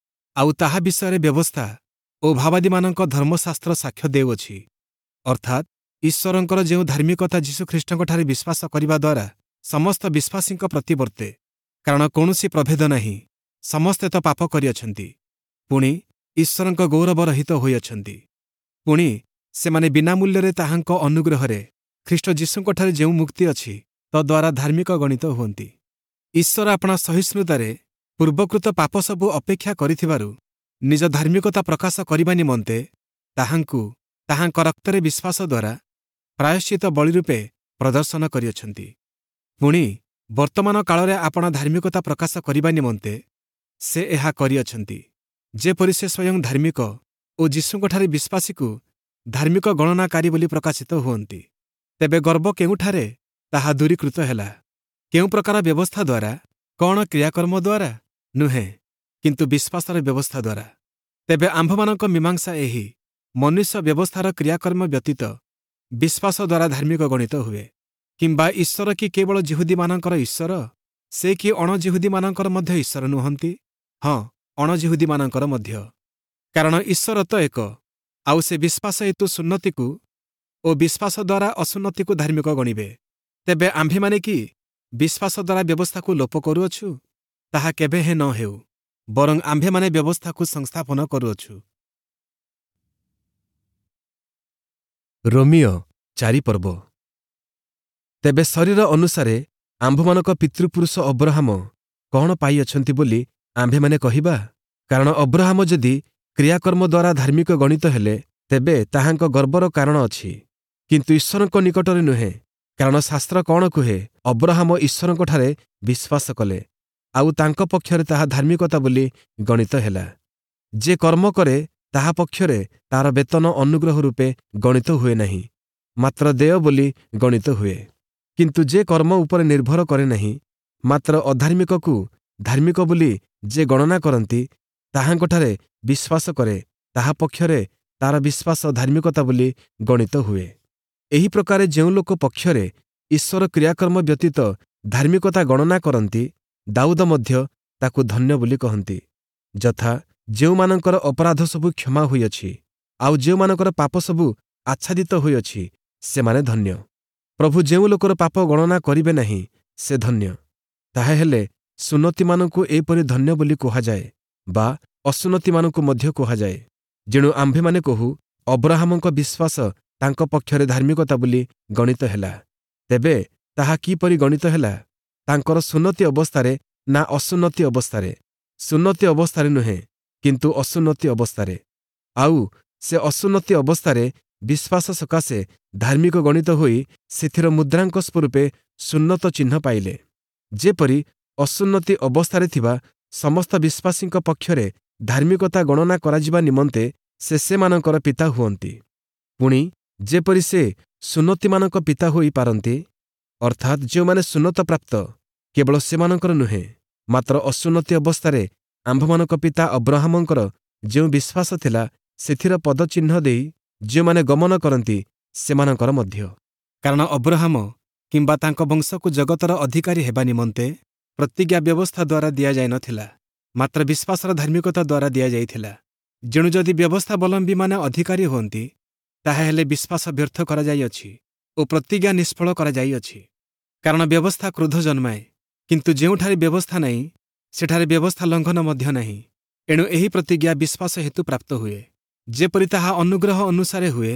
ଆଉ ତାହା ବିଷୟରେ ବ୍ୟବସ୍ଥା ଓ ଭାବାଦୀମାନଙ୍କ ଧର୍ମଶାସ୍ତ୍ର ସାକ୍ଷ୍ୟ ଦେଉଅଛି, ଅର୍ଥାତ୍ ଈଶ୍ୱରଙ୍କର ଯେଉଁ ଧାର୍ମିକତା ଯୀଶୁଖ୍ରୀଷ୍ଟଙ୍କଠାରେ ବିଶ୍ୱାସ କରିବା ଦ୍ୱାରା ସମସ୍ତ ବିଶ୍ୱାସୀଙ୍କ ପ୍ରତି ବର୍ତ୍ତେ। କାରଣ କୌଣସି ପ୍ରଭେଦ ନାହିଁ, ସମସ୍ତେ ତ ପାପ କରିଅଛନ୍ତି, ପୁଣି ଈଶ୍ୱରଙ୍କ ଗୌରବ ରହିତ ହୋଇଅଛନ୍ତି। ପୁଣି ସେମାନେ ବିନା ମୂଲ୍ୟରେ ତାହାଙ୍କ ଅନୁଗ୍ରହରେ ଖ୍ରୀଷ୍ଟ ଯୀଶୁଙ୍କଠାରେ ଯେଉଁ ମୁକ୍ତି ଅଛି ତଦ୍ୱାରା ଧାର୍ମିକ ଗଣିତ ହୁଅନ୍ତି। ଈଶ୍ୱର ଆପଣା ସହିଷ୍ଣୁତାରେ ପୂର୍ବକୃତ ପାପ ସବୁ ଅପେକ୍ଷା କରିଥିବାରୁ ନିଜ ଧାର୍ମିକତା ପ୍ରକାଶ କରିବା ନିମନ୍ତେ ତାହାଙ୍କୁ ତାହାଙ୍କ ରକ୍ତରେ ବିଶ୍ୱାସ ଦ୍ୱାରା ପ୍ରାୟଶ୍ଚିତ ବଳି ରୂପେ ପ୍ରଦର୍ଶନ କରିଅଛନ୍ତି। ପୁଣି ବର୍ତ୍ତମାନ କାଳରେ ଆପଣା ଧାର୍ମିକତା ପ୍ରକାଶ କରିବା ନିମନ୍ତେ ସେ ଏହା କରିଅଛନ୍ତି, ଯେପରି ସେ ସ୍ୱୟଂ ଧାର୍ମିକ ଓ ଯୀଶୁଙ୍କଠାରେ ବିଶ୍ୱାସୀକୁ ଧାର୍ମିକ ଗଣନାକାରୀ ବୋଲି ପ୍ରକାଶିତ ହୁଅନ୍ତି। ତେବେ ଗର୍ବ କେଉଁଠାରେ? ତାହା ଦୂରୀକୃତ ହେଲା। କେଉଁ ପ୍ରକାର ବ୍ୟବସ୍ଥା ଦ୍ୱାରା? କ'ଣ କ୍ରିୟାକର୍ମ ଦ୍ୱାରା? ନୁହେଁ, କିନ୍ତୁ ବିଶ୍ୱାସର ବ୍ୟବସ୍ଥା ଦ୍ୱାରା। ତେବେ ଆମ୍ଭମାନଙ୍କ ମୀମାଂସା ଏହି, ମନୁଷ୍ୟ ବ୍ୟବସ୍ଥାର କ୍ରିୟାକର୍ମ ବ୍ୟତୀତ ବିଶ୍ୱାସ ଦ୍ୱାରା ଧାର୍ମିକ ଗଣିତ ହୁଏ। କିମ୍ବା ଈଶ୍ୱର କି କେବଳ ଯିହୁଦୀମାନଙ୍କର ଈଶ୍ୱର? ସେ କି ଅଣଯିହୁଦୀମାନଙ୍କର ମଧ୍ୟ ଈଶ୍ୱର ନୁହନ୍ତି? ହଁ, ଅଣଯିହୁଦୀମାନଙ୍କର ମଧ୍ୟ। କାରଣ ଈଶ୍ୱର ତ ଏକ, ଆଉ ସେ ବିଶ୍ୱାସ ହେତୁ ସୁନ୍ନତିକୁ ଓ ବିଶ୍ୱାସ ଦ୍ୱାରା ଅସୁନ୍ନତିକୁ ଧାର୍ମିକ ଗଣିବେ। ତେବେ ଆମ୍ଭେମାନେ କି ବିଶ୍ୱାସ ଦ୍ୱାରା ବ୍ୟବସ୍ଥାକୁ ଲୋପ କରୁଅଛୁ? ତାହା କେବେ ହେଁ ନ ହେଉ, ବରଂ ଆମ୍ଭେମାନେ ବ୍ୟବସ୍ଥାକୁ ସଂସ୍ଥାପନ କରୁଅଛୁ। ରୋମୀୟ ଚାରି ପର୍ବ। ତେବେ ଶରୀର ଅନୁସାରେ ଆମ୍ଭମାନଙ୍କ ପିତୃପୁରୁଷ ଅବ୍ରହାମ କ'ଣ ପାଇଅଛନ୍ତି ବୋଲି ଆମ୍ଭେମାନେ କହିବା? କାରଣ ଅବ୍ରହାମ ଯଦି କ୍ରିୟାକର୍ମ ଦ୍ୱାରା ଧାର୍ମିକ ଗଣିତ ହେଲେ, ତେବେ ତାହାଙ୍କ ଗର୍ବର କାରଣ ଅଛି, କିନ୍ତୁ ଈଶ୍ୱରଙ୍କ ନିକଟରେ ନୁହେଁ। କାରଣ ଶାସ୍ତ୍ର କ'ଣ କୁହେ? ଅବ୍ରହାମ ଈଶ୍ୱରଙ୍କଠାରେ ବିଶ୍ୱାସ କଲେ, ଆଉ ତାଙ୍କ ପକ୍ଷରେ ତାହା ଧାର୍ମିକତା ବୋଲି ଗଣିତ ହେଲା। ଯେ କର୍ମ କରେ, ତାହା ପକ୍ଷରେ ତାର ବେତନ ଅନୁଗ୍ରହ ରୂପେ ଗଣିତ ହୁଏ ନାହିଁ, ମାତ୍ର ଦେୟ ବୋଲି ଗଣିତ ହୁଏ। କିନ୍ତୁ ଯେ କର୍ମ ଉପରେ ନିର୍ଭର କରେ ନାହିଁ, ମାତ୍ର ଅଧାର୍ମିକକୁ ଧାର୍ମିକ ବୋଲି ଯେ ଗଣନା କରନ୍ତି, ତାହାଙ୍କଠାରେ ବିଶ୍ୱାସ କରେ, ତାହା ପକ୍ଷରେ ତାର ବିଶ୍ୱାସ ଧାର୍ମିକତା ବୋଲି ଗଣିତ ହୁଏ। ଏହି ପ୍ରକାରେ ଯେଉଁ ଲୋକ ପକ୍ଷରେ ଈଶ୍ୱର କ୍ରିୟାକର୍ମ ବ୍ୟତୀତ ଧାର୍ମିକତା ଗଣନା କରନ୍ତି, ଦାଉଦ ମଧ୍ୟ ତାକୁ ଧନ୍ୟ ବୋଲି କହନ୍ତି। ଯଥା, ଯେଉଁମାନଙ୍କର ଅପରାଧ ସବୁ କ୍ଷମା ହୋଇଅଛି, ଆଉ ଯେଉଁମାନଙ୍କର ପାପ ସବୁ ଆଚ୍ଛାଦିତ ହୋଇଅଛି, ସେମାନେ ଧନ୍ୟ। ପ୍ରଭୁ ଯେଉଁ ଲୋକର ପାପ ଗଣନା କରିବେ ନାହିଁ, ସେ ଧନ୍ୟ। ତାହାହେଲେ ସୁନ୍ନତିମାନଙ୍କୁ ଏପରି ଧନ୍ୟ ବୋଲି କୁହାଯାଏ ବା ଅସୁନ୍ନତିମାନଙ୍କୁ ମଧ୍ୟ କୁହାଯାଏ। ଯେଣୁ ଆମ୍ଭେମାନେ କହୁ, ଅବ୍ରହାମଙ୍କ ବିଶ୍ୱାସ ତାଙ୍କ ପକ୍ଷରେ ଧାର୍ମିକତା ବୋଲି ଗଣିତ ହେଲା। ତେବେ ତାହା କିପରି ଗଣିତ ହେଲା? ତାଙ୍କର ସୁନ୍ନତି ଅବସ୍ଥାରେ ନା ଅସୁନ୍ନତି ଅବସ୍ଥାରେ? ସୁନ୍ନତି ଅବସ୍ଥାରେ ନୁହେଁ, କିନ୍ତୁ ଅସୁନ୍ନତି ଅବସ୍ଥାରେ। ଆଉ ସେ ଅସୁନ୍ନତି ଅବସ୍ଥାରେ ବିଶ୍ୱାସ ସକାଶେ ଧାର୍ମିକ ଗଣିତ ହୋଇ ସେଥିର ମୁଦ୍ରାଙ୍କ ସ୍ୱରୂପେ ସୁନ୍ନତ ଚିହ୍ନ ପାଇଲେ, ଯେପରି ଅସୁନ୍ନତି ଅବସ୍ଥାରେ ଥିବା ସମସ୍ତ ବିଶ୍ୱାସୀଙ୍କ ପକ୍ଷରେ ଧାର୍ମିକତା ଗଣନା କରାଯିବା ନିମନ୍ତେ ସେ ସେମାନଙ୍କର ପିତା ହୁଅନ୍ତି। ପୁଣି ଯେପରି ସେ ସୁନ୍ନତିମାନଙ୍କ ପିତା ହୋଇପାରନ୍ତି, ଅର୍ଥାତ୍ ଯେଉଁମାନେ ସୁନ୍ନତ ପ୍ରାପ୍ତ, କେବଳ ସେମାନଙ୍କର ନୁହେଁ, ମାତ୍ର ଅସୁନ୍ନତି ଅବସ୍ଥାରେ ଆମ୍ଭମାନଙ୍କ ପିତା ଅବ୍ରହାମଙ୍କର ଯେଉଁ ବିଶ୍ୱାସ ଥିଲା, ସେଥିର ପଦଚିହ୍ନ ଦେଇ ଯେଉଁମାନେ ଗମନ କରନ୍ତି, ସେମାନଙ୍କର ମଧ୍ୟ। କାରଣ ଅବ୍ରହାମ କିମ୍ବା ତାଙ୍କ ବଂଶକୁ ଜଗତର ଅଧିକାରୀ ହେବା ନିମନ୍ତେ ପ୍ରତିଜ୍ଞା ବ୍ୟବସ୍ଥା ଦ୍ୱାରା ଦିଆଯାଇନଥିଲା, ମାତ୍ର ବିଶ୍ୱାସର ଧାର୍ମିକତା ଦ୍ୱାରା ଦିଆଯାଇଥିଲା। ଯେଣୁ ଯଦି ବ୍ୟବସ୍ଥାବଲମ୍ବୀମାନେ ଅଧିକାରୀ ହୁଅନ୍ତି, ତାହାହେଲେ ବିଶ୍ୱାସ ବ୍ୟର୍ଥ କରାଯାଇଅଛି ଓ ପ୍ରତିଜ୍ଞା ନିଷ୍ଫଳ କରାଯାଇଅଛି। କାରଣ ବ୍ୟବସ୍ଥା କ୍ରୋଧ ଜନ୍ମାଏ, କିନ୍ତୁ ଯେଉଁଠାରେ ବ୍ୟବସ୍ଥା ନାହିଁ, ସେଠାରେ ବ୍ୟବସ୍ଥା ଲଙ୍ଘନ ମଧ୍ୟ ନାହିଁ। ଏଣୁ ଏହି ପ୍ରତିଜ୍ଞା ବିଶ୍ୱାସ ହେତୁ ପ୍ରାପ୍ତ ହୁଏ, ଯେପରି ତାହା ଅନୁଗ୍ରହ ଅନୁସାରେ ହୁଏ,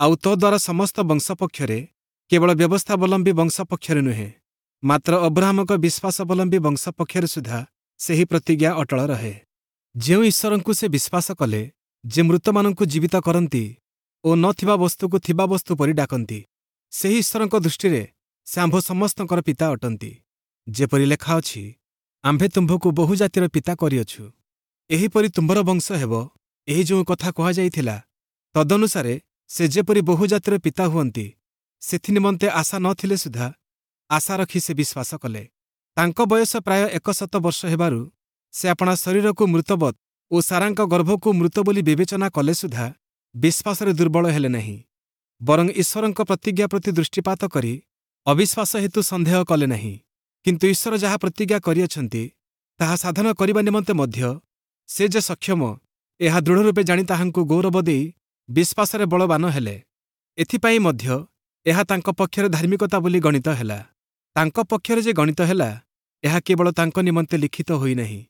ଆଉ ତଦ୍ୱାରା ସମସ୍ତ ବଂଶ ପକ୍ଷରେ, କେବଳ ବ୍ୟବସ୍ଥାବଲମ୍ବୀ ବଂଶ ପକ୍ଷରେ ନୁହେଁ, ମାତ୍ର ଅବ୍ରହାମଙ୍କ ବିଶ୍ୱାସାବଲମ୍ବୀ ବଂଶ ପକ୍ଷରେ ସୁଦ୍ଧା ସେହି ପ୍ରତିଜ୍ଞା ଅଟଳ ରହେ। ଯେଉଁ ଈଶ୍ୱରଙ୍କୁ ସେ ବିଶ୍ୱାସ କଲେ, ଯେ ମୃତମାନଙ୍କୁ ଜୀବିତ କରନ୍ତି ଓ ନଥିବା ବସ୍ତୁକୁ ଥିବା ବସ୍ତୁ ପରି ଡାକନ୍ତି, ସେହି ଈଶ୍ୱରଙ୍କ ଦୃଷ୍ଟିରେ ସେ ଆମ୍ଭ ସମସ୍ତଙ୍କର ପିତା ଅଟନ୍ତି। ଯେପରି ଲେଖା ଅଛି, ଆମ୍ଭେ ତୁମ୍ଭକୁ ବହୁ ଜାତିର ପିତା କରିଅଛୁ, ଏହିପରି ତୁମ୍ଭର ବଂଶ ହେବ। ଏହି ଯେଉଁ କଥା କୁହାଯାଇଥିଲା, ତଦନୁସାରେ ସେ ଯେପରି ବହୁ ଜାତିର ପିତା ହୁଅନ୍ତି, ସେଥିନିମନ୍ତେ ଆଶା ନଥିଲେ ସୁଦ୍ଧା ଆଶା ରଖି ସେ ବିଶ୍ୱାସ କଲେ। ତାଙ୍କ ବୟସ ପ୍ରାୟ ଏକଶତ ବର୍ଷ ହେବାରୁ ସେ ଆପଣା ଶରୀରକୁ ମୃତବତ୍ ଓ ସାରାଙ୍କ ଗର୍ଭକୁ ମୃତ ବୋଲି ବିବେଚନା କଲେ ସୁଦ୍ଧା ବିଶ୍ୱାସରେ ଦୁର୍ବଳ ହେଲେ ନାହିଁ, ବରଂ ଈଶ୍ୱରଙ୍କ ପ୍ରତିଜ୍ଞା ପ୍ରତି ଦୃଷ୍ଟିପାତ କରି ଅବିଶ୍ୱାସ ହେତୁ ସନ୍ଦେହ କଲେ ନାହିଁ। କିନ୍ତୁ ଈଶ୍ୱର ଯାହା ପ୍ରତିଜ୍ଞା କରିଅଛନ୍ତି, ତାହା ସାଧନ କରିବା ନିମନ୍ତେ ମଧ୍ୟ ସେ ଯେ ସକ୍ଷମ, ଏହା ଦୃଢ଼ ରୂପେ ଜାଣି ତାହାଙ୍କୁ ଗୌରବ ଦେଇ ବିଶ୍ୱାସରେ ବଳବାନ ହେଲେ। ଏଥିପାଇଁ ମଧ୍ୟ ଏହା ତାଙ୍କ ପକ୍ଷରେ ଧାର୍ମିକତା ବୋଲି ଗଣିତ ହେଲା। ତାଙ୍କ ପକ୍ଷରେ ଯେ ଗଣିତ ହେଲା, ଏହା କେବଳ ତାଙ୍କ ନିମନ୍ତେ ଲିଖିତ ହୋଇନାହିଁ,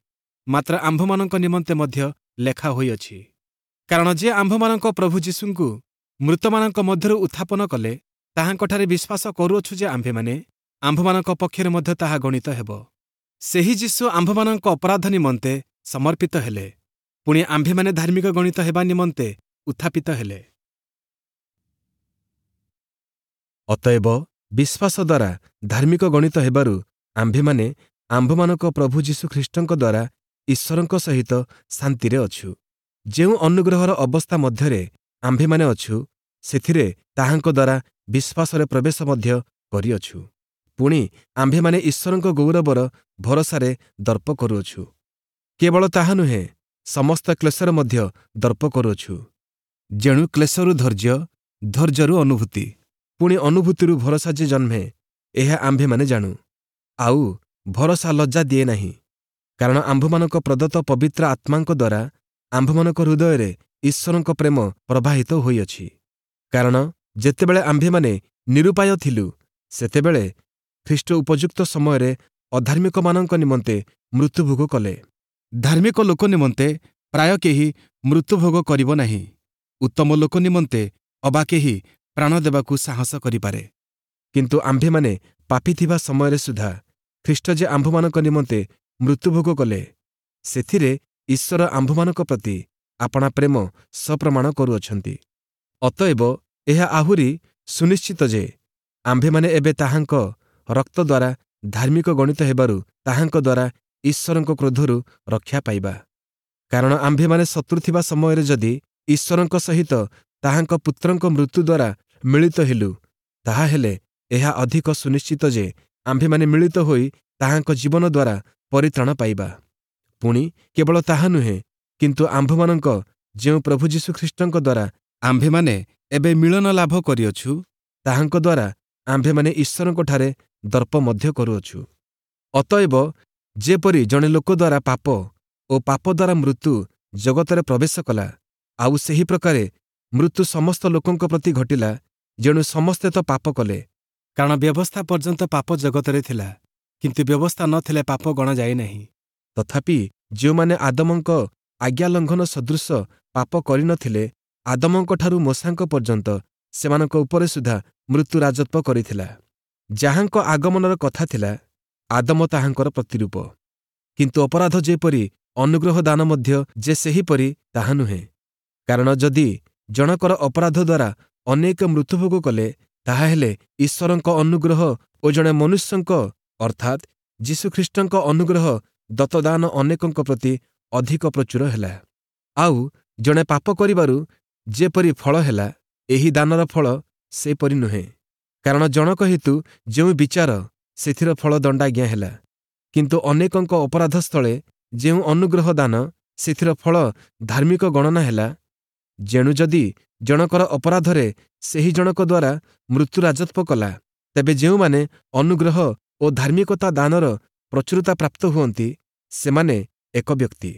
ମାତ୍ର ଆମ୍ଭମାନଙ୍କ ନିମନ୍ତେ ମଧ୍ୟ ଲେଖା ହୋଇଅଛି। କାରଣ ଯେ ଆମ୍ଭମାନଙ୍କ ପ୍ରଭୁ ଯୀଶୁଙ୍କୁ ମୃତମାନଙ୍କ ମଧ୍ୟରୁ ଉତ୍ଥାପନ କଲେ, ତାହାଙ୍କଠାରେ ବିଶ୍ୱାସ କରୁଅଛୁ ଯେ ଆମ୍ଭେମାନେ, ଆମ୍ଭମାନଙ୍କ ପକ୍ଷରେ ମଧ୍ୟ ତାହା ଗଣିତ ହେବ। ସେହି ଯୀଶୁ ଆମ୍ଭମାନଙ୍କ ଅପରାଧ ନିମନ୍ତେ ସମର୍ପିତ ହେଲେ, ପୁଣି ଆମ୍ଭେମାନେ ଧାର୍ମିକ ଗଣିତ ହେବା ନିମନ୍ତେ ଉତ୍ଥାପିତ ହେଲେ। ଅତଏବ ବିଶ୍ୱାସ ଦ୍ୱାରା ଧାର୍ମିକ ଗଣିତ ହେବାରୁ ଆମ୍ଭେମାନେ ଆମ୍ଭମାନଙ୍କ ପ୍ରଭୁ ଯୀଶୁ ଖ୍ରୀଷ୍ଟଙ୍କ ଦ୍ୱାରା ଈଶ୍ୱରଙ୍କ ସହିତ ଶାନ୍ତିରେ ଅଛୁ। ଯେଉଁ ଅନୁଗ୍ରହର ଅବସ୍ଥା ମଧ୍ୟରେ ଆମ୍ଭେମାନେ ଅଛୁ, ସେଥିରେ ତାହାଙ୍କ ଦ୍ୱାରା ବିଶ୍ୱାସରେ ପ୍ରବେଶ ମଧ୍ୟ କରିଅଛୁ। ପୁଣି ଆମ୍ଭେମାନେ ଈଶ୍ୱରଙ୍କ ଗୌରବର ଭରସାରେ ଦର୍ପ କରୁଅଛୁ। କେବଳ ତାହା ନୁହେଁ, ସମସ୍ତ କ୍ଲେଶରେ ମଧ୍ୟ ଦର୍ପ କରୁଅଛୁ। ଯେଣୁ କ୍ଲେଶରୁ ଧୈର୍ଯ୍ୟ, ଧୈର୍ଯ୍ୟରୁ ଅନୁଭୂତି, ପୁଣି ଅନୁଭୂତିରୁ ଭରସା ଯେ ଜନ୍ମେ, ଏହା ଆମ୍ଭେମାନେ ଜାଣୁ। ଆଉ ଭରସା ଲଜ୍ଜା ଦିଏ ନାହିଁ, କାରଣ ଆମ୍ଭମାନଙ୍କ ପ୍ରଦତ୍ତ ପବିତ୍ର ଆତ୍ମାଙ୍କ ଦ୍ୱାରା ଆମ୍ଭମାନଙ୍କ ହୃଦୟରେ ଈଶ୍ୱରଙ୍କ ପ୍ରେମ ପ୍ରବାହିତ ହୋଇଅଛି। କାରଣ ଯେତେବେଳେ ଆମ୍ଭେମାନେ ନିରୁପାୟ ଥିଲୁ, ସେତେବେଳେ ଖ୍ରୀଷ୍ଟ ଉପଯୁକ୍ତ ସମୟରେ ଅଧାର୍ମିକମାନଙ୍କ ନିମନ୍ତେ ମୃତ୍ୟୁଭୋଗ କଲେ। ଧାର୍ମିକ ଲୋକ ନିମନ୍ତେ ପ୍ରାୟ କେହି ମୃତ୍ୟୁଭୋଗ କରିବ ନାହିଁ, ଉତ୍ତମ ଲୋକ ନିମନ୍ତେ ଅବା କେହି ପ୍ରାଣ ଦେବାକୁ ସାହସ କରିପାରେ। କିନ୍ତୁ ଆମ୍ଭେମାନେ ପାପୀ ଥିବା ସମୟରେ ସୁଦ୍ଧା ଖ୍ରୀଷ୍ଟ ଯେ ଆମ୍ଭମାନଙ୍କ ନିମନ୍ତେ ମୃତ୍ୟୁଭୋଗ କଲେ, ସେଥିରେ ଈଶ୍ୱର ଆମ୍ଭମାନଙ୍କ ପ୍ରତି ଆପଣା ପ୍ରେମ ସପ୍ରମାଣ କରୁଅଛନ୍ତି। ଅତଏବ ଏହା ଆହୁରି ସୁନିଶ୍ଚିତ ଯେ ଆମ୍ଭେମାନେ ଏବେ ତାହାଙ୍କ ରକ୍ତ ଦ୍ୱାରା ଧାର୍ମିକ ଗଣିତ ହେବାରୁ ତାହାଙ୍କ ଦ୍ୱାରା ଈଶ୍ୱରଙ୍କ କ୍ରୋଧରୁ ରକ୍ଷା ପାଇବା। କାରଣ ଆମ୍ଭେମାନେ ଶତ୍ରୁ ଥିବା ସମୟରେ ଯଦି ଈଶ୍ୱରଙ୍କ ସହିତ ତାହାଙ୍କ ପୁତ୍ରଙ୍କ ମୃତ୍ୟୁ ଦ୍ୱାରା ମିଳିତ ହେଲୁ, ତାହାହେଲେ ଏହା ଅଧିକ ସୁନିଶ୍ଚିତ ଯେ ଆମ୍ଭେମାନେ ମିଳିତ ହୋଇ ତାହାଙ୍କ ଜୀବନ ଦ୍ୱାରା ପରିତ୍ରାଣ ପାଇବା। ପୁଣି କେବଳ ତାହା ନୁହେଁ, କିନ୍ତୁ ଆମ୍ଭମାନଙ୍କ ଯେଉଁ ପ୍ରଭୁ ଯୀଶୁଖ୍ରୀଷ୍ଟଙ୍କ ଦ୍ୱାରା ଆମ୍ଭେମାନେ ଏବେ ମିଳନ ଲାଭ କରିଅଛୁ, ତାହାଙ୍କ ଦ୍ୱାରା ଆମ୍ଭେମାନେ ଈଶ୍ୱରଙ୍କଠାରେ ଦର୍ପ ମଧ୍ୟ କରୁଅଛୁ। ଅତଏବ ଯେପରି ଜଣେ ଲୋକ ଦ୍ୱାରା ପାପ ଓ ପାପ ଦ୍ୱାରା ମୃତ୍ୟୁ ଜଗତରେ ପ୍ରବେଶ କଲା, ଆଉ ସେହି ପ୍ରକାରେ ମୃତ୍ୟୁ ସମସ୍ତ ଲୋକଙ୍କ ପ୍ରତି ଘଟିଲା, ଯେଣୁ ସମସ୍ତେ ତ ପାପ କଲେ। କାରଣ ବ୍ୟବସ୍ଥା ପର୍ଯ୍ୟନ୍ତ ପାପ ଜଗତରେ ଥିଲା, କିନ୍ତୁ ବ୍ୟବସ୍ଥା ନଥିଲେ ପାପ ଗଣାଯାଏ ନାହିଁ। ତଥାପି ଯେଉଁମାନେ ଆଦମଙ୍କ ଆଜ୍ଞା ଲଙ୍ଘନ ସଦୃଶ ପାପ କରିନଥିଲେ, ଆଦମଙ୍କଠାରୁ ମୋଶାଙ୍କ ପର୍ଯ୍ୟନ୍ତ ସେମାନଙ୍କ ଉପରେ ସୁଦ୍ଧା ମୃତ୍ୟୁ ରାଜତ୍ୱ କରିଥିଲା। ଯାହାଙ୍କ ଆଗମନର କଥା ଥିଲା, ଆଦମ ତାହାଙ୍କର ପ୍ରତିରୂପ। କିନ୍ତୁ ଅପରାଧ ଯେପରି, ଅନୁଗ୍ରହ ଦାନ ମଧ୍ୟ ଯେ ସେହିପରି, ତାହା ନୁହେଁ। କାରଣ ଯଦି ଜଣକର ଅପରାଧ ଦ୍ୱାରା ଅନେକ ମୃତ୍ୟୁଭୋଗ କଲେ, ତାହାହେଲେ ଈଶ୍ୱରଙ୍କ ଅନୁଗ୍ରହ ଓ ଜଣେ ମନୁଷ୍ୟଙ୍କ ଅର୍ଥାତ୍ ଯୀଶୁଖ୍ରୀଷ୍ଟଙ୍କ ଅନୁଗ୍ରହ ଦତ୍ତଦାନ ଅନେକଙ୍କ ପ୍ରତି ଅଧିକ ପ୍ରଚୁର ହେଲା। ଆଉ ଜଣେ ପାପ କରିବାରୁ ଯେପରି ଫଳ ହେଲା, ଏହି ଦାନର ଫଳ ସେପରି ନୁହେଁ। କାରଣ ଜଣକ ହେତୁ ଯେଉଁ ବିଚାର, ସେଥିର ଫଳ ଦଣ୍ଡାଜ୍ଞା ହେଲା। କିନ୍ତୁ ଅନେକଙ୍କ ଅପରାଧ ସ୍ଥଳେ ଯେଉଁ ଅନୁଗ୍ରହ ଦାନ, ସେଥିର ଫଳ ଧାର୍ମିକ ଗଣନା ହେଲା। ଯେଣୁ ଯଦି ଜଣକର ଅପରାଧରେ ସେହି ଜଣକ ଦ୍ୱାରା ମୃତ୍ୟୁ ରାଜତ୍ୱ କଲା, ତେବେ ଯେଉଁମାନେ ଅନୁଗ୍ରହ ଓ ଧାର୍ମିକତା ଦାନର ପ୍ରଚୁରତା ପ୍ରାପ୍ତ ହୁଅନ୍ତି, ସେମାନେ ଏକ ବ୍ୟକ୍ତି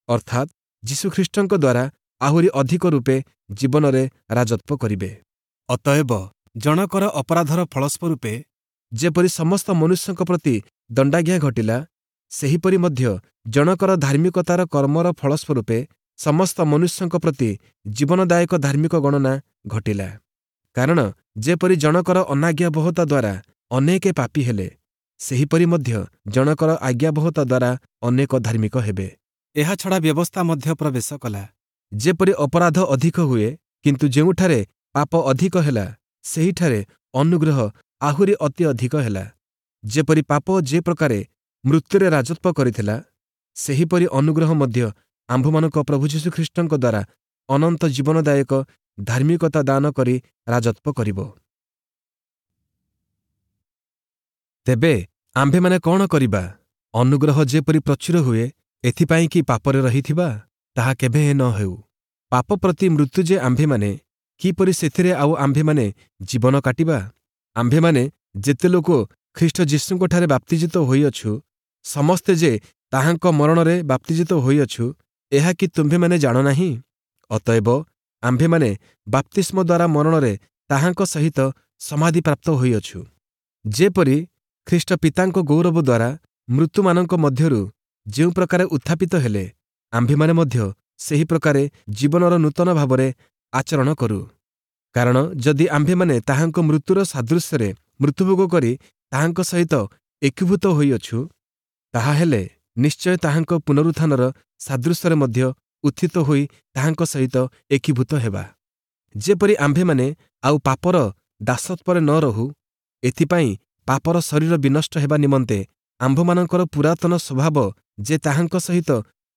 ଅର୍ଥାତ୍ ଯୀଶୁଖ୍ରୀଷ୍ଟଙ୍କ ଦ୍ୱାରା ଆହୁରି ଅଧିକ ରୂପେ ଜୀବନରେ ରାଜତ୍ୱ କରିବେ। ଅତଏବ ଜଣକର ଅପରାଧର ଫଳସ୍ୱରୂପେ ଯେପରି ସମସ୍ତ ମନୁଷ୍ୟଙ୍କ ପ୍ରତି ଦଣ୍ଡାଜ୍ଞା ଘଟିଲା, ସେହିପରି ମଧ୍ୟ ଜଣକର ଧାର୍ମିକତାର କର୍ମର ଫଳସ୍ୱରୂପେ ସମସ୍ତ ମନୁଷ୍ୟଙ୍କ ପ୍ରତି ଜୀବନଦାୟକ ଧାର୍ମିକ ଗଣନା ଘଟିଲା। କାରଣ ଯେପରି ଜଣକର ଅନାଜ୍ଞାବହତା ଦ୍ୱାରା ଅନେକେ ପାପୀ ହେଲେ, ସେହିପରି ମଧ୍ୟ ଜଣକର ଆଜ୍ଞାବହତା ଦ୍ୱାରା ଅନେକ ଧାର୍ମିକ ହେବେ। ଏହାଛଡ଼ା ବ୍ୟବସ୍ଥା ମଧ୍ୟ ପ୍ରବେଶ କଲା। ଯେପରି ଅପରାଧ ଅଧିକ ହୁଏ, କିନ୍ତୁ ଯେଉଁଠାରେ ପାପ ଅଧିକ ହେଲା, ସେହିଠାରେ ଅନୁଗ୍ରହ ଆହୁରି ଅତି ଅଧିକ ହେଲା। ଯେପରି ପାପ ଯେ ପ୍ରକାରେ ମୃତ୍ୟୁରେ ରାଜତ୍ୱ କରିଥିଲା, ସେହିପରି ଅନୁଗ୍ରହ ମଧ୍ୟ ଆମ୍ଭମାନଙ୍କ ପ୍ରଭୁ ଯୀଶୁଖ୍ରୀଷ୍ଟଙ୍କ ଦ୍ୱାରା ଅନନ୍ତ ଜୀବନଦାୟକ ଧାର୍ମିକତା ଦାନ କରି ରାଜତ୍ୱ କରିବ। ତେବେ ଆମ୍ଭେମାନେ କ'ଣ କରିବା? ଅନୁଗ୍ରହ ଯେପରି ପ୍ରଚୁର ହୁଏ, ଏଥିପାଇଁ କି ପାପରେ ରହିଥିବା? ତାହା କେବେ ନ ହେଉ। ପାପ ପ୍ରତି ମୃତ୍ୟୁ ଯେ ଆମ୍ଭେମାନେ, କିପରି ସେଥିରେ ଆଉ ଆମ୍ଭେମାନେ ଜୀବନ କାଟିବା? ଆମ୍ଭେମାନେ ଯେତେ ଲୋକ ଖ୍ରୀଷ୍ଟ ଯୀଶୁଙ୍କଠାରେ ବାପ୍ତିଜିତ ହୋଇଅଛୁ, ସମସ୍ତେ ଯେ ତାହାଙ୍କ ମରଣରେ ବାପ୍ତିଜିତ ହୋଇଅଛୁ, ଏହା କି ତୁମ୍ଭେମାନେ ଜାଣ ନାହିଁ? ଅତଏବ ଆମ୍ଭେମାନେ ବାପ୍ତିସ୍ମ ଦ୍ୱାରା ମରଣରେ ତାହାଙ୍କ ସହିତ ସମାଧିପ୍ରାପ୍ତ ହୋଇଅଛୁ। ଯେପରି ଖ୍ରୀଷ୍ଟ ପିତାଙ୍କ ଗୌରବ ଦ୍ୱାରା ମୃତ୍ୟୁମାନଙ୍କ ମଧ୍ୟରୁ ଯେଉଁ ପ୍ରକାରେ ଉତ୍ଥାପିତ ହେଲେ, ଆମ୍ଭେମାନେ ମଧ୍ୟ ସେହି ପ୍ରକାରେ ଜୀବନର ନୂତନ ଭାବରେ ଆଚରଣ କରୁ। କାରଣ ଯଦି ଆମ୍ଭେମାନେ ତାହାଙ୍କ ମୃତ୍ୟୁର ସାଦୃଶ୍ୟରେ ମୃତ୍ୟୁଭୋଗ କରି ତାହାଙ୍କ ସହିତ ଏକୀଭୂତ ହୋଇଅଛୁ, ତାହାହେଲେ ନିଶ୍ଚୟ ତାହାଙ୍କ ପୁନରୁତ୍ଥାନର ସାଦୃଶ୍ୟରେ ମଧ୍ୟ ଉତ୍ଥିତ ହୋଇ ତାହାଙ୍କ ସହିତ ଏକୀଭୂତ ହେବା। ଯେପରି ଆମ୍ଭେମାନେ ଆଉ ପାପର ଦାସତ୍ୱରେ ନ ରହୁ, ଏଥିପାଇଁ ପାପର ଶରୀର ବିନଷ୍ଟ ହେବା ନିମନ୍ତେ ଆମ୍ଭମାନଙ୍କର ପୁରାତନ ସ୍ୱଭାବ ଯେ ତାହାଙ୍କ ସହିତ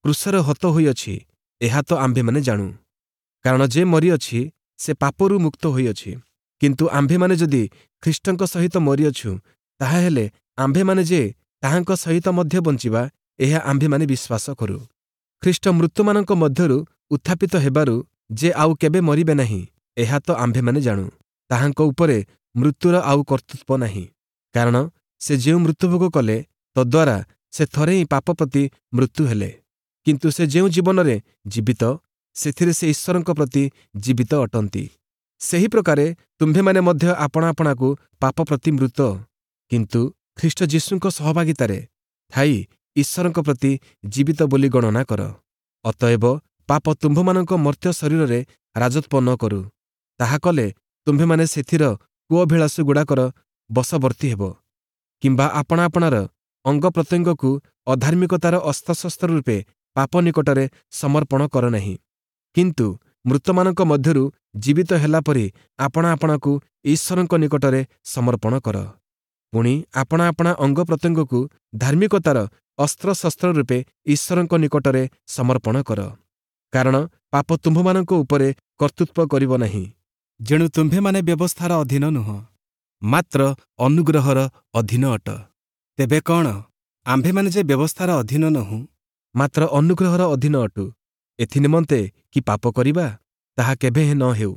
କ୍ରୁଶରେ ହତ ହୋଇଅଛି, ଏହା ତ ଆମ୍ଭେମାନେ ଜାଣୁ। କାରଣ ଯେ ମରିଅଛି, ସେ ପାପରୁ ମୁକ୍ତ ହୋଇଅଛି। କିନ୍ତୁ ଆମ୍ଭେମାନେ ଯଦି ଖ୍ରୀଷ୍ଟଙ୍କ ସହିତ ମରିଅଛୁ, ତାହାହେଲେ ଆମ୍ଭେମାନେ ଯେ ତାହାଙ୍କ ସହିତ ମଧ୍ୟ ବଞ୍ଚିବା, ଏହା ଆମ୍ଭେମାନେ ବିଶ୍ୱାସ କରୁ। ଖ୍ରୀଷ୍ଟ ମୃତମାନଙ୍କ ମଧ୍ୟରୁ ଉତ୍ଥାପିତ ହେବାରୁ ଯେ ଆଉ କେବେ ମରିବେ ନାହିଁ, ଏହା ତ ଆମ୍ଭେମାନେ ଜାଣୁ। ତାହାଙ୍କ ଉପରେ ମୃତ୍ୟୁର ଆଉ କର୍ତ୍ତୃତ୍ୱ ନାହିଁ। କାରଣ ସେ ଯେଉଁ ମୃତ୍ୟୁଭୋଗ କଲେ, ତଦ୍ୱାରା ସେ ଥରେ ହିଁ ପାପ ପ୍ରତି ମୃତ୍ୟୁ ହେଲେ। କିନ୍ତୁ ସେ ଯେଉଁ ଜୀବନରେ ଜୀବିତ, ସେଥିରେ ସେ ଈଶ୍ୱରଙ୍କ ପ୍ରତି ଜୀବିତ ଅଟନ୍ତି। ସେହି ପ୍ରକାରେ ତୁମ୍ଭେମାନେ ମଧ୍ୟ ଆପଣା ଆପଣାକୁ ପାପ ପ୍ରତି ମୃତ, କିନ୍ତୁ ଖ୍ରୀଷ୍ଟ ଯୀଶୁଙ୍କ ସହଭାଗିତାରେ ଥାଇ ଈଶ୍ୱରଙ୍କ ପ୍ରତି ଜୀବିତ ବୋଲି ଗଣନା କର। ଅତଏବ ପାପ ତୁମ୍ଭମାନଙ୍କ ମର୍ତ୍ତ୍ୟ ଶରୀରରେ ରାଜତ୍ୱ ନ କରୁ। ତାହା କଲେ ତୁମ୍ଭେମାନେ ସେଥିର କୁଅଭିଳାଷଗୁଡ଼ାକର ବଶବର୍ତ୍ତୀ ହେବ। କିମ୍ବା ଆପଣା ଆପଣାର ଅଙ୍ଗ ପ୍ରତ୍ୟଙ୍ଗକୁ ଅଧାର୍ମିକତାର ଅସ୍ତ୍ରଶସ୍ତ୍ର ରୂପେ ପାପ ନିକଟରେ ସମର୍ପଣ କର ନାହିଁ। କିନ୍ତୁ ମୃତମାନଙ୍କ ମଧ୍ୟରୁ ଜୀବିତ ହେଲା ପରି ଆପଣା ଆପଣାକୁ ଈଶ୍ୱରଙ୍କ ନିକଟରେ ସମର୍ପଣ କର। ପୁଣି ଆପଣା ଆପଣା ଅଙ୍ଗ ପ୍ରତ୍ୟଙ୍ଗକୁ ଧାର୍ମିକତାର ଅସ୍ତ୍ରଶସ୍ତ୍ର ରୂପେ ଈଶ୍ୱରଙ୍କ ନିକଟରେ ସମର୍ପଣ କର। କାରଣ ପାପ ତୁମ୍ଭମାନଙ୍କ ଉପରେ କର୍ତ୍ତୃତ୍ୱ କରିବ ନାହିଁ। ଯେଣୁ ତୁମ୍ଭେମାନେ ବ୍ୟବସ୍ଥାର ଅଧୀନ ନୁହଁ, ମାତ୍ର ଅନୁଗ୍ରହର ଅଧୀନ ଅଟ। ତେବେ କ'ଣ ଆମ୍ଭେମାନେ ଯେ ବ୍ୟବସ୍ଥାର ଅଧୀନ ନୋହୁଁ, ମାତ୍ର ଅନୁଗ୍ରହର ଅଧୀନ ଅଟୁ, ଏଥିନିମନ୍ତେ କି ପାପ କରିବା? ତାହା କେବେହେଁ ନ ହେଉ।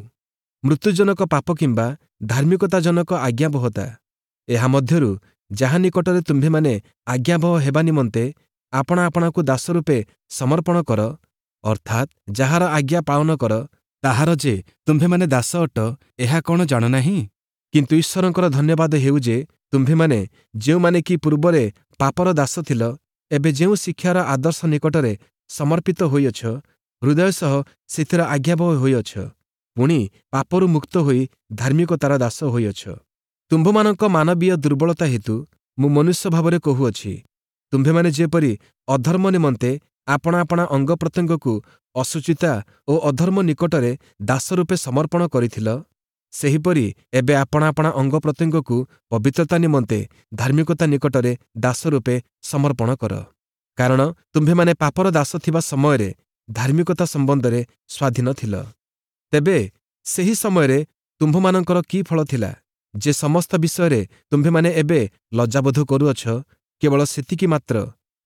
ମୃତ୍ୟୁଜନକ ପାପ କିମ୍ବା ଧାର୍ମିକତାଜନକ ଆଜ୍ଞାବହତା, ଏହା ମଧ୍ୟରୁ ଯାହା ନିକଟରେ ତୁମ୍ଭେମାନେ ଆଜ୍ଞାବହ ହେବା ନିମନ୍ତେ ଆପଣା ଆପଣାକୁ ଦାସ ରୂପେ ସମର୍ପଣ କର, ଅର୍ଥାତ୍ ଯାହାର ଆଜ୍ଞା ପାଳନ କର, ତାହାର ଯେ ତୁମ୍ଭେମାନେ ଦାସ ଅଟ, ଏହା କ'ଣ ଜାଣ ନାହିଁ? କିନ୍ତୁ ଈଶ୍ୱରଙ୍କର ଧନ୍ୟବାଦ ହେଉ ଯେ ତୁମ୍ଭେମାନେ ଯେଉଁମାନେ କି ପୂର୍ବରେ ପାପର ଦାସ ଥିଲ, ଏବେ ଯେଉଁ ଶିକ୍ଷାର ଆଦର୍ଶ ନିକଟରେ ସମର୍ପିତ ହୋଇଅଛ, ହୃଦୟ ସହ ସେଥିର ଆଜ୍ଞାବହ ହୋଇଅଛ, ପୁଣି ପାପରୁ ମୁକ୍ତ ହୋଇ ଧାର୍ମିକତାର ଦାସ ହୋଇଅଛ। ତୁମ୍ଭମାନଙ୍କ ମାନବୀୟ ଦୁର୍ବଳତା ହେତୁ ମୁଁ ମନୁଷ୍ୟ ଭାବରେ କହୁଅଛି, ତୁମ୍ଭେମାନେ ଯେପରି ଅଧର୍ମ ନିମନ୍ତେ ଆପଣା ଆପଣା ଅଙ୍ଗ ପ୍ରତ୍ୟଙ୍ଗକୁ ଅଶୁଚିତା ଓ ଅଧର୍ମ ନିକଟରେ ଦାସ ରୂପେ ସମର୍ପଣ କରିଥିଲ, ସେହିପରି ଏବେ ଆପଣା ଆପଣା ଅଙ୍ଗ ପ୍ରତ୍ୟଙ୍ଗକୁ ପବିତ୍ରତା ନିମନ୍ତେ ଧାର୍ମିକତା ନିକଟରେ ଦାସ ରୂପେ ସମର୍ପଣ କର। କାରଣ ତୁମ୍ଭେମାନେ ପାପର ଦାସ ଥିବା ସମୟରେ ଧାର୍ମିକତା ସମ୍ବନ୍ଧରେ ସ୍ୱାଧୀନ ଥିଲ। ତେବେ ସେହି ସମୟରେ ତୁମ୍ଭମାନଙ୍କର କି ଫଳ ଥିଲା, ଯେ ସମସ୍ତ ବିଷୟରେ ତୁମ୍ଭେମାନେ ଏବେ ଲଜ୍ଜାବୋଧ କରୁଅଛ? କେବଳ ସେତିକି ମାତ୍ର,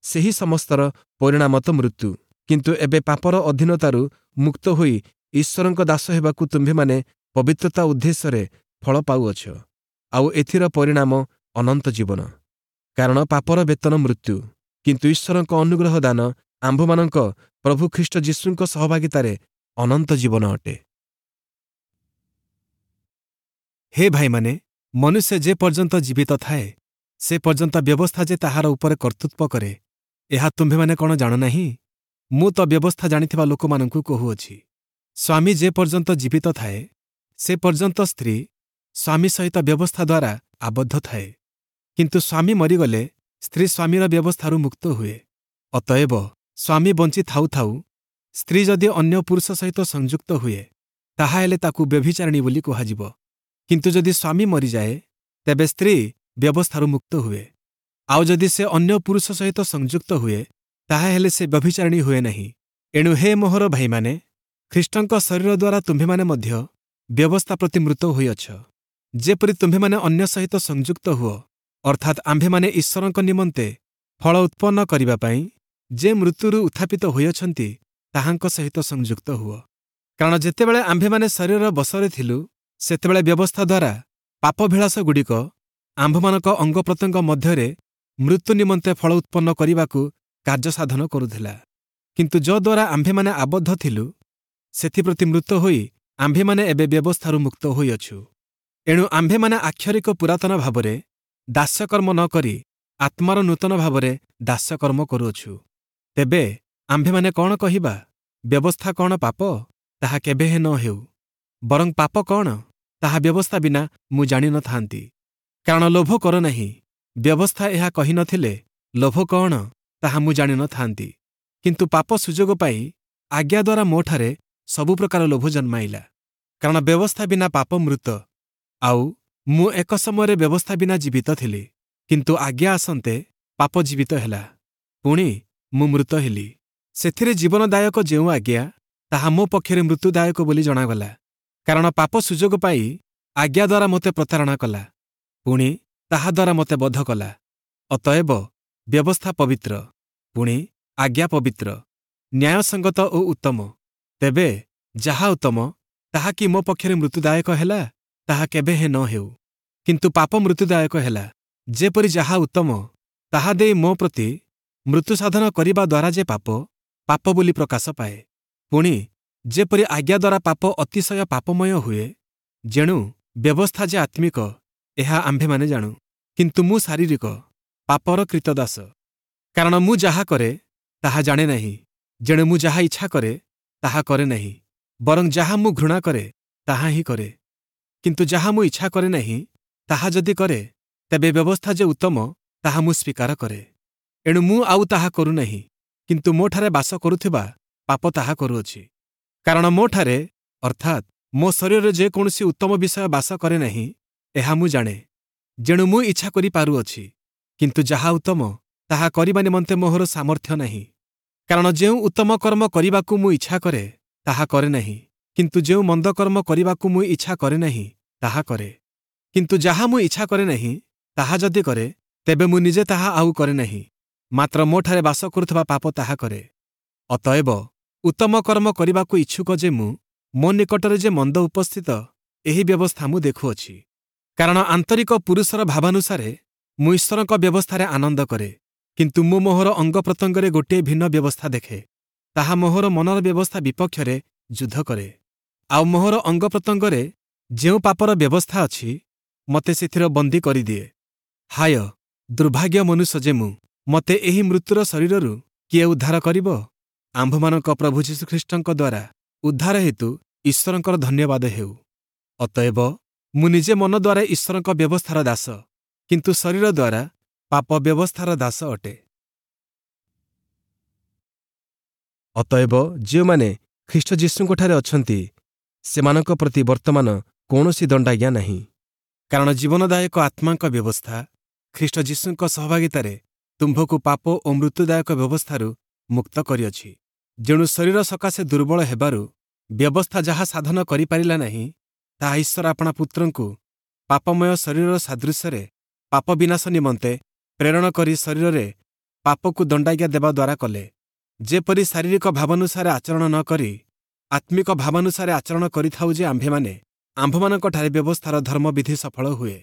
ସେହି ସମସ୍ତର ପରିଣାମ ତ ମୃତ୍ୟୁ। କିନ୍ତୁ ଏବେ ପାପର ଅଧୀନତାରୁ ମୁକ୍ତ ହୋଇ ଈଶ୍ୱରଙ୍କ ଦାସ ହେବାକୁ ତୁମ୍ଭେମାନେ ପବିତ୍ରତା ଉଦ୍ଦେଶ୍ୟରେ ଫଳ ପାଉଅଛ, ଆଉ ଏଥିର ପରିଣାମ ଅନନ୍ତ ଜୀବନ। କାରଣ ପାପର ବେତନ ମୃତ୍ୟୁ, କିନ୍ତୁ ଈଶ୍ୱରଙ୍କ ଅନୁଗ୍ରହ ଦାନ ଆମ୍ଭମାନଙ୍କ ପ୍ରଭୁ ଖ୍ରୀଷ୍ଟ ଯୀଶୁଙ୍କ ସହଭାଗିତାରେ ଅନନ୍ତ ଜୀବନ ଅଟେ। ହେ ଭାଇମାନେ, ମନୁଷ୍ୟ ଯେ ପର୍ଯ୍ୟନ୍ତ ଜୀବିତ ଥାଏ, ସେ ପର୍ଯ୍ୟନ୍ତ ବ୍ୟବସ୍ଥା ଯେ ତାହାର ଉପରେ କର୍ତ୍ତୃତ୍ୱ କରେ, ଏହା ତୁମ୍ଭେମାନେ କ'ଣ ଜାଣ ନାହିଁ? ମୁଁ ତ ବ୍ୟବସ୍ଥା ଜାଣିଥିବା ଲୋକମାନଙ୍କୁ କହୁଅଛି। ସ୍ୱାମୀ ଯେ ପର୍ଯ୍ୟନ୍ତ ଜୀବିତ ଥାଏ, ସେ ପର୍ଯ୍ୟନ୍ତ ସ୍ତ୍ରୀ ସ୍ୱାମୀ ସହିତ ବ୍ୟବସ୍ଥା ଦ୍ୱାରା ଆବଦ୍ଧ ଥାଏ। କିନ୍ତୁ ସ୍ୱାମୀ ମରିଗଲେ ସ୍ତ୍ରୀ ସ୍ୱାମୀର ବ୍ୟବସ୍ଥାରୁ ମୁକ୍ତ ହୁଏ। ଅତଏବ ସ୍ୱାମୀ ବଞ୍ଚି ଥାଉ ଥାଉ ସ୍ତ୍ରୀ ଯଦି ଅନ୍ୟ ପୁରୁଷ ସହିତ ସଂଯୁକ୍ତ ହୁଏ, ତାହାହେଲେ ତାକୁ ବ୍ୟଭିଚାରିଣୀ ବୋଲି କୁହାଯିବ। କିନ୍ତୁ ଯଦି ସ୍ୱାମୀ ମରିଯାଏ, ତେବେ ସ୍ତ୍ରୀ ବ୍ୟବସ୍ଥାରୁ ମୁକ୍ତ ହୁଏ। ଆଉ ଯଦି ସେ ଅନ୍ୟ ପୁରୁଷ ସହିତ ସଂଯୁକ୍ତ ହୁଏ, ତାହାହେଲେ ସେ ବ୍ୟଭିଚାରିଣୀ ହୁଏ ନାହିଁ। ଏଣୁ ହେ ମୋହର ଭାଇମାନେ, ଖ୍ରୀଷ୍ଟଙ୍କ ଶରୀର ଦ୍ୱାରା ତୁମ୍ଭେମାନେ ମଧ୍ୟ ବ୍ୟବସ୍ଥା ପ୍ରତି ମୃତ ହୋଇଅଛ, ଯେପରି ତୁମ୍ଭେମାନେ ଅନ୍ୟ ସହିତ ସଂଯୁକ୍ତ ହୁଅ, ଅର୍ଥାତ୍ ଆମ୍ଭେମାନେ ଈଶ୍ୱରଙ୍କ ନିମନ୍ତେ ଫଳ ଉତ୍ପନ୍ନ କରିବା ପାଇଁ ଯେ ମୃତ୍ୟୁରୁ ଉତ୍ଥାପିତ ହୋଇଅଛନ୍ତି, ତାହାଙ୍କ ସହିତ ସଂଯୁକ୍ତ ହୁଅ। କାରଣ ଯେତେବେଳେ ଆମ୍ଭେମାନେ ଶରୀରର ବଶରେ ଥିଲୁ, ସେତେବେଳେ ବ୍ୟବସ୍ଥା ଦ୍ୱାରା ପାପଭିଳାଷଗୁଡ଼ିକ ଆମ୍ଭମାନଙ୍କ ଅଙ୍ଗପ୍ରତ୍ୟଙ୍ଗ ମଧ୍ୟରେ ମୃତ୍ୟୁ ନିମନ୍ତେ ଫଳ ଉତ୍ପନ୍ନ କରିବାକୁ କାର୍ଯ୍ୟସାଧନ କରୁଥିଲା। କିନ୍ତୁ ଯଦ୍ୱାରା ଆମ୍ଭେମାନେ ଆବଦ୍ଧ ଥିଲୁ, ସେଥିପ୍ରତି ମୃତ ହୋଇ ଆମ୍ଭେମାନେ ଏବେ ବ୍ୟବସ୍ଥାରୁ ମୁକ୍ତ ହୋଇଅଛୁ। ଏଣୁ ଆମ୍ଭେମାନେ ଆକ୍ଷରିକ ପୁରାତନ ଭାବରେ ଦାସ୍ୟକର୍ମ ନ କରି ଆତ୍ମାର ନୂତନ ଭାବରେ ଦାସ୍ୟକର୍ମ କରୁଅଛୁ। ତେବେ ଆମ୍ଭେମାନେ କ'ଣ କହିବା? ବ୍ୟବସ୍ଥା କ'ଣ ପାପ? ତାହା କେବେହେଁ ନ ହେଉ। ବରଂ ପାପ କ'ଣ ତାହା ବ୍ୟବସ୍ଥା ବିନା ମୁଁ ଜାଣିନଥାନ୍ତି। କାରଣ ଲୋଭ କର ନାହିଁ, ବ୍ୟବସ୍ଥା ଏହା କହିନଥିଲେ ଲୋଭ କ'ଣ ତାହା ମୁଁ ଜାଣିନଥାନ୍ତି। କିନ୍ତୁ ପାପ ସୁଯୋଗ ପାଇ ଆଜ୍ଞା ଦ୍ୱାରା ମୋଠାରେ ସବୁ ପ୍ରକାର ଲୋଭ ଜନ୍ମାଇଲା। କାରଣ ବ୍ୟବସ୍ଥା ବିନା ପାପ ମୃତ। ଆଉ ମୁଁ ଏକ ସମୟରେ ବ୍ୟବସ୍ଥା ବିନା ଜୀବିତ ଥିଲି, କିନ୍ତୁ ଆଜ୍ଞା ଆସନ୍ତେ ପାପ ଜୀବିତ ହେଲା, ପୁଣି ମୁଁ ମୃତ ହେଲି। ସେଥିରେ ଜୀବନଦାୟକ ଯେଉଁ ଆଜ୍ଞା, ତାହା ମୋ ପକ୍ଷରେ ମୃତ୍ୟୁଦାୟକ ବୋଲି ଜଣାଗଲା। କାରଣ ପାପ ସୁଯୋଗ ପାଇ ଆଜ୍ଞା ଦ୍ୱାରା ମୋତେ ପ୍ରତାରଣା କଲା, ପୁଣି ତାହା ଦ୍ୱାରା ମୋତେ ବଧ କଲା। ଅତଏବ ବ୍ୟବସ୍ଥା ପବିତ୍ର, ପୁଣି ଆଜ୍ଞା ପବିତ୍ର, ନ୍ୟାୟସଙ୍ଗତ ଓ ଉତ୍ତମ। ତେବେ ଯାହା ଉତ୍ତମ, ତାହା କି ମୋ ପକ୍ଷରେ ମୃତ୍ୟୁଦାୟକ ହେଲା? ତାହା କେବେ ହେଁ ନ ହେଉ। କିନ୍ତୁ ପାପ ମୃତ୍ୟୁଦାୟକ ହେଲା, ଯେପରି ଯାହା ଉତ୍ତମ ତାହା ଦେଇ ମୋ ପ୍ରତି ମୃତ୍ୟୁ ସାଧନ କରିବା ଦ୍ୱାରା ଯେ ପାପ ପାପ ବୋଲି ପ୍ରକାଶ ପାଏ। ପୁଣି ଯେପରି ଆଜ୍ଞା ଦ୍ୱାରା ପାପ ଅତିଶୟ ପାପମୟ ହୁଏ, ଯେଣୁ ବ୍ୟବସ୍ଥା ଯେ ଆତ୍ମିକ, ଏହା ଆମ୍ଭେମାନେ ଜାଣୁ। କିନ୍ତୁ ମୁଁ ଶାରୀରିକ, ପାପର କ୍ରୀତଦାସ। କାରଣ ମୁଁ ଯାହା କରେ ତାହା ଜାଣେ ନାହିଁ, ଯେଣୁ ମୁଁ ଯାହା ଇଚ୍ଛା କରେ ତାହା କରେ ନାହିଁ, ବରଂ ଯାହା ମୁଁ ଘୃଣା କରେ ତାହା ହିଁ କରେ। କିନ୍ତୁ ଯାହା ମୁଁ ଇଚ୍ଛା କରେ ନାହିଁ ତାହା ଯଦି କରେ, ତେବେ ବ୍ୟବସ୍ଥା ଯେ ଉତ୍ତମ ତାହା ମୁଁ ସ୍ୱୀକାର କରେ। ଏଣୁ ମୁଁ ଆଉ ତାହା କରୁନାହିଁ, କିନ୍ତୁ ମୋଠାରେ ବାସ କରୁଥିବା ପାପ ତାହା କରୁଅଛି। କାରଣ ମୋଠାରେ, ଅର୍ଥାତ୍ ମୋ ଶରୀରରେ ଯେକୌଣସି ଉତ୍ତମ ବିଷୟ ବାସ କରେ ନାହିଁ, ଏହା ମୁଁ ଜାଣେ। ଯେଣୁ ମୁଁ ଇଚ୍ଛା କରିପାରୁଅଛି, କିନ୍ତୁ ଯାହା ଉତ୍ତମ ତାହା କରିବା ନିମନ୍ତେ ମୋହର ସାମର୍ଥ୍ୟ ନାହିଁ। କାରଣ ଯେଉଁ ଉତ୍ତମ କର୍ମ କରିବାକୁ ମୁଁ ଇଚ୍ଛା କରେ ତାହା କରେ ନାହିଁ, କିନ୍ତୁ ଯେଉଁ ମନ୍ଦ କର୍ମ କରିବାକୁ ମୁଁ ଇଚ୍ଛା କରେ ନାହିଁ ତାହା କରେ। କିନ୍ତୁ ଯାହା ମୁଁ ଇଚ୍ଛା କରେ ନାହିଁ ତାହା ଯଦି କରେ, ତେବେ ମୁଁ ନିଜେ ତାହା ଆଉ କରେ ନାହିଁ, ମାତ୍ର ମୋଠାରେ ବାସ କରୁଥିବା ପାପ ତାହା କରେ। ଅତଏବ ଉତ୍ତମ କର୍ମ କରିବାକୁ ଇଚ୍ଛୁକ ଯେ ମୁଁ, ମୋ ନିକଟରେ ଯେ ମନ୍ଦ ଉପସ୍ଥିତ, ଏହି ବ୍ୟବସ୍ଥା ମୁଁ ଦେଖୁଅଛି। କାରଣ ଆନ୍ତରିକ ପୁରୁଷର ଭାବାନୁସାରେ ମୁଁ ଈଶ୍ୱରଙ୍କ ବ୍ୟବସ୍ଥାରେ ଆନନ୍ଦ କରେ, କିନ୍ତୁ ମୁଁ ମୋହର ଅଙ୍ଗ ପ୍ରତ୍ୟଙ୍ଗରେ ଗୋଟିଏ ଭିନ୍ନ ବ୍ୟବସ୍ଥା ଦେଖେ। ତାହା ମୋହର ମନର ବ୍ୟବସ୍ଥା ବିପକ୍ଷରେ ଯୁଦ୍ଧ କରେ, ଆଉ ମୋହର ଅଙ୍ଗ ପ୍ରତ୍ୟଙ୍ଗରେ ଯେଉଁ ପାପର ବ୍ୟବସ୍ଥା ଅଛି, ମୋତେ ସେଥିର ବନ୍ଦୀ କରିଦିଏ। ହାୟ, ଦୁର୍ଭାଗ୍ୟ ମନୁଷ୍ୟ ଯେ ମୁଁ! ମୋତେ ଏହି ମୃତ୍ୟୁର ଶରୀରରୁ କିଏ ଉଦ୍ଧାର କରିବ? ଆମ୍ଭମାନଙ୍କ ପ୍ରଭୁ ଯୀଶୁଖ୍ରୀଷ୍ଟଙ୍କ ଦ୍ୱାରା ଉଦ୍ଧାର ହେତୁ ଈଶ୍ୱରଙ୍କର ଧନ୍ୟବାଦ ହେଉ। ଅତଏବ ମୁଁ ନିଜେ ମନ ଦ୍ୱାରା ଈଶ୍ୱରଙ୍କ ବ୍ୟବସ୍ଥାର ଦାସ, କିନ୍ତୁ ଶରୀର ଦ୍ୱାରା ପାପ ବ୍ୟବସ୍ଥାର ଦାସ ଅଟେ। ଅତଏବ ଯେଉଁମାନେ ଖ୍ରୀଷ୍ଟ ଯୀଶୁଙ୍କଠାରେ ଅଛନ୍ତି, ସେମାନଙ୍କ ପ୍ରତି ବର୍ତ୍ତମାନ କୌଣସି ଦଣ୍ଡାଜ୍ଞା ନାହିଁ। କାରଣ ଜୀବନଦାୟକ ଆତ୍ମାଙ୍କ ବ୍ୟବସ୍ଥା ଖ୍ରୀଷ୍ଟ ଯୀଶୁଙ୍କ ସହଭାଗିତାରେ ତୁମ୍ଭକୁ ପାପ ଓ ମୃତ୍ୟୁଦାୟକ ବ୍ୟବସ୍ଥାରୁ ମୁକ୍ତ କରିଅଛି। ଯେଣୁ ଶରୀର ସକାଶେ ଦୁର୍ବଳ ହେବାରୁ ବ୍ୟବସ୍ଥା ଯାହା ସାଧନ କରିପାରିଲା ନାହିଁ, ତାହା ଈଶ୍ୱର ଆପଣା ପୁତ୍ରଙ୍କୁ ପାପମୟ ଶରୀରର ସାଦୃଶ୍ୟରେ ପାପ ବିନାଶ ନିମନ୍ତେ ପ୍ରେରଣ କରି ଶରୀରରେ ପାପକୁ ଦଣ୍ଡାଜ୍ଞା ଦେବା ଦ୍ୱାରା କଲେ। ଯେପରି ଶାରୀରିକ ଭାବାନୁସାରେ ଆଚରଣ ନ କରି ଆତ୍ମିକ ଭାବାନୁସାରେ ଆଚରଣ କରିଥାଉ ଯେ ଆମ୍ଭେମାନେ, ଆମ୍ଭମାନଙ୍କଠାରେ ବ୍ୟବସ୍ଥାର ଧର୍ମବିଧି ସଫଳ ହୁଏ।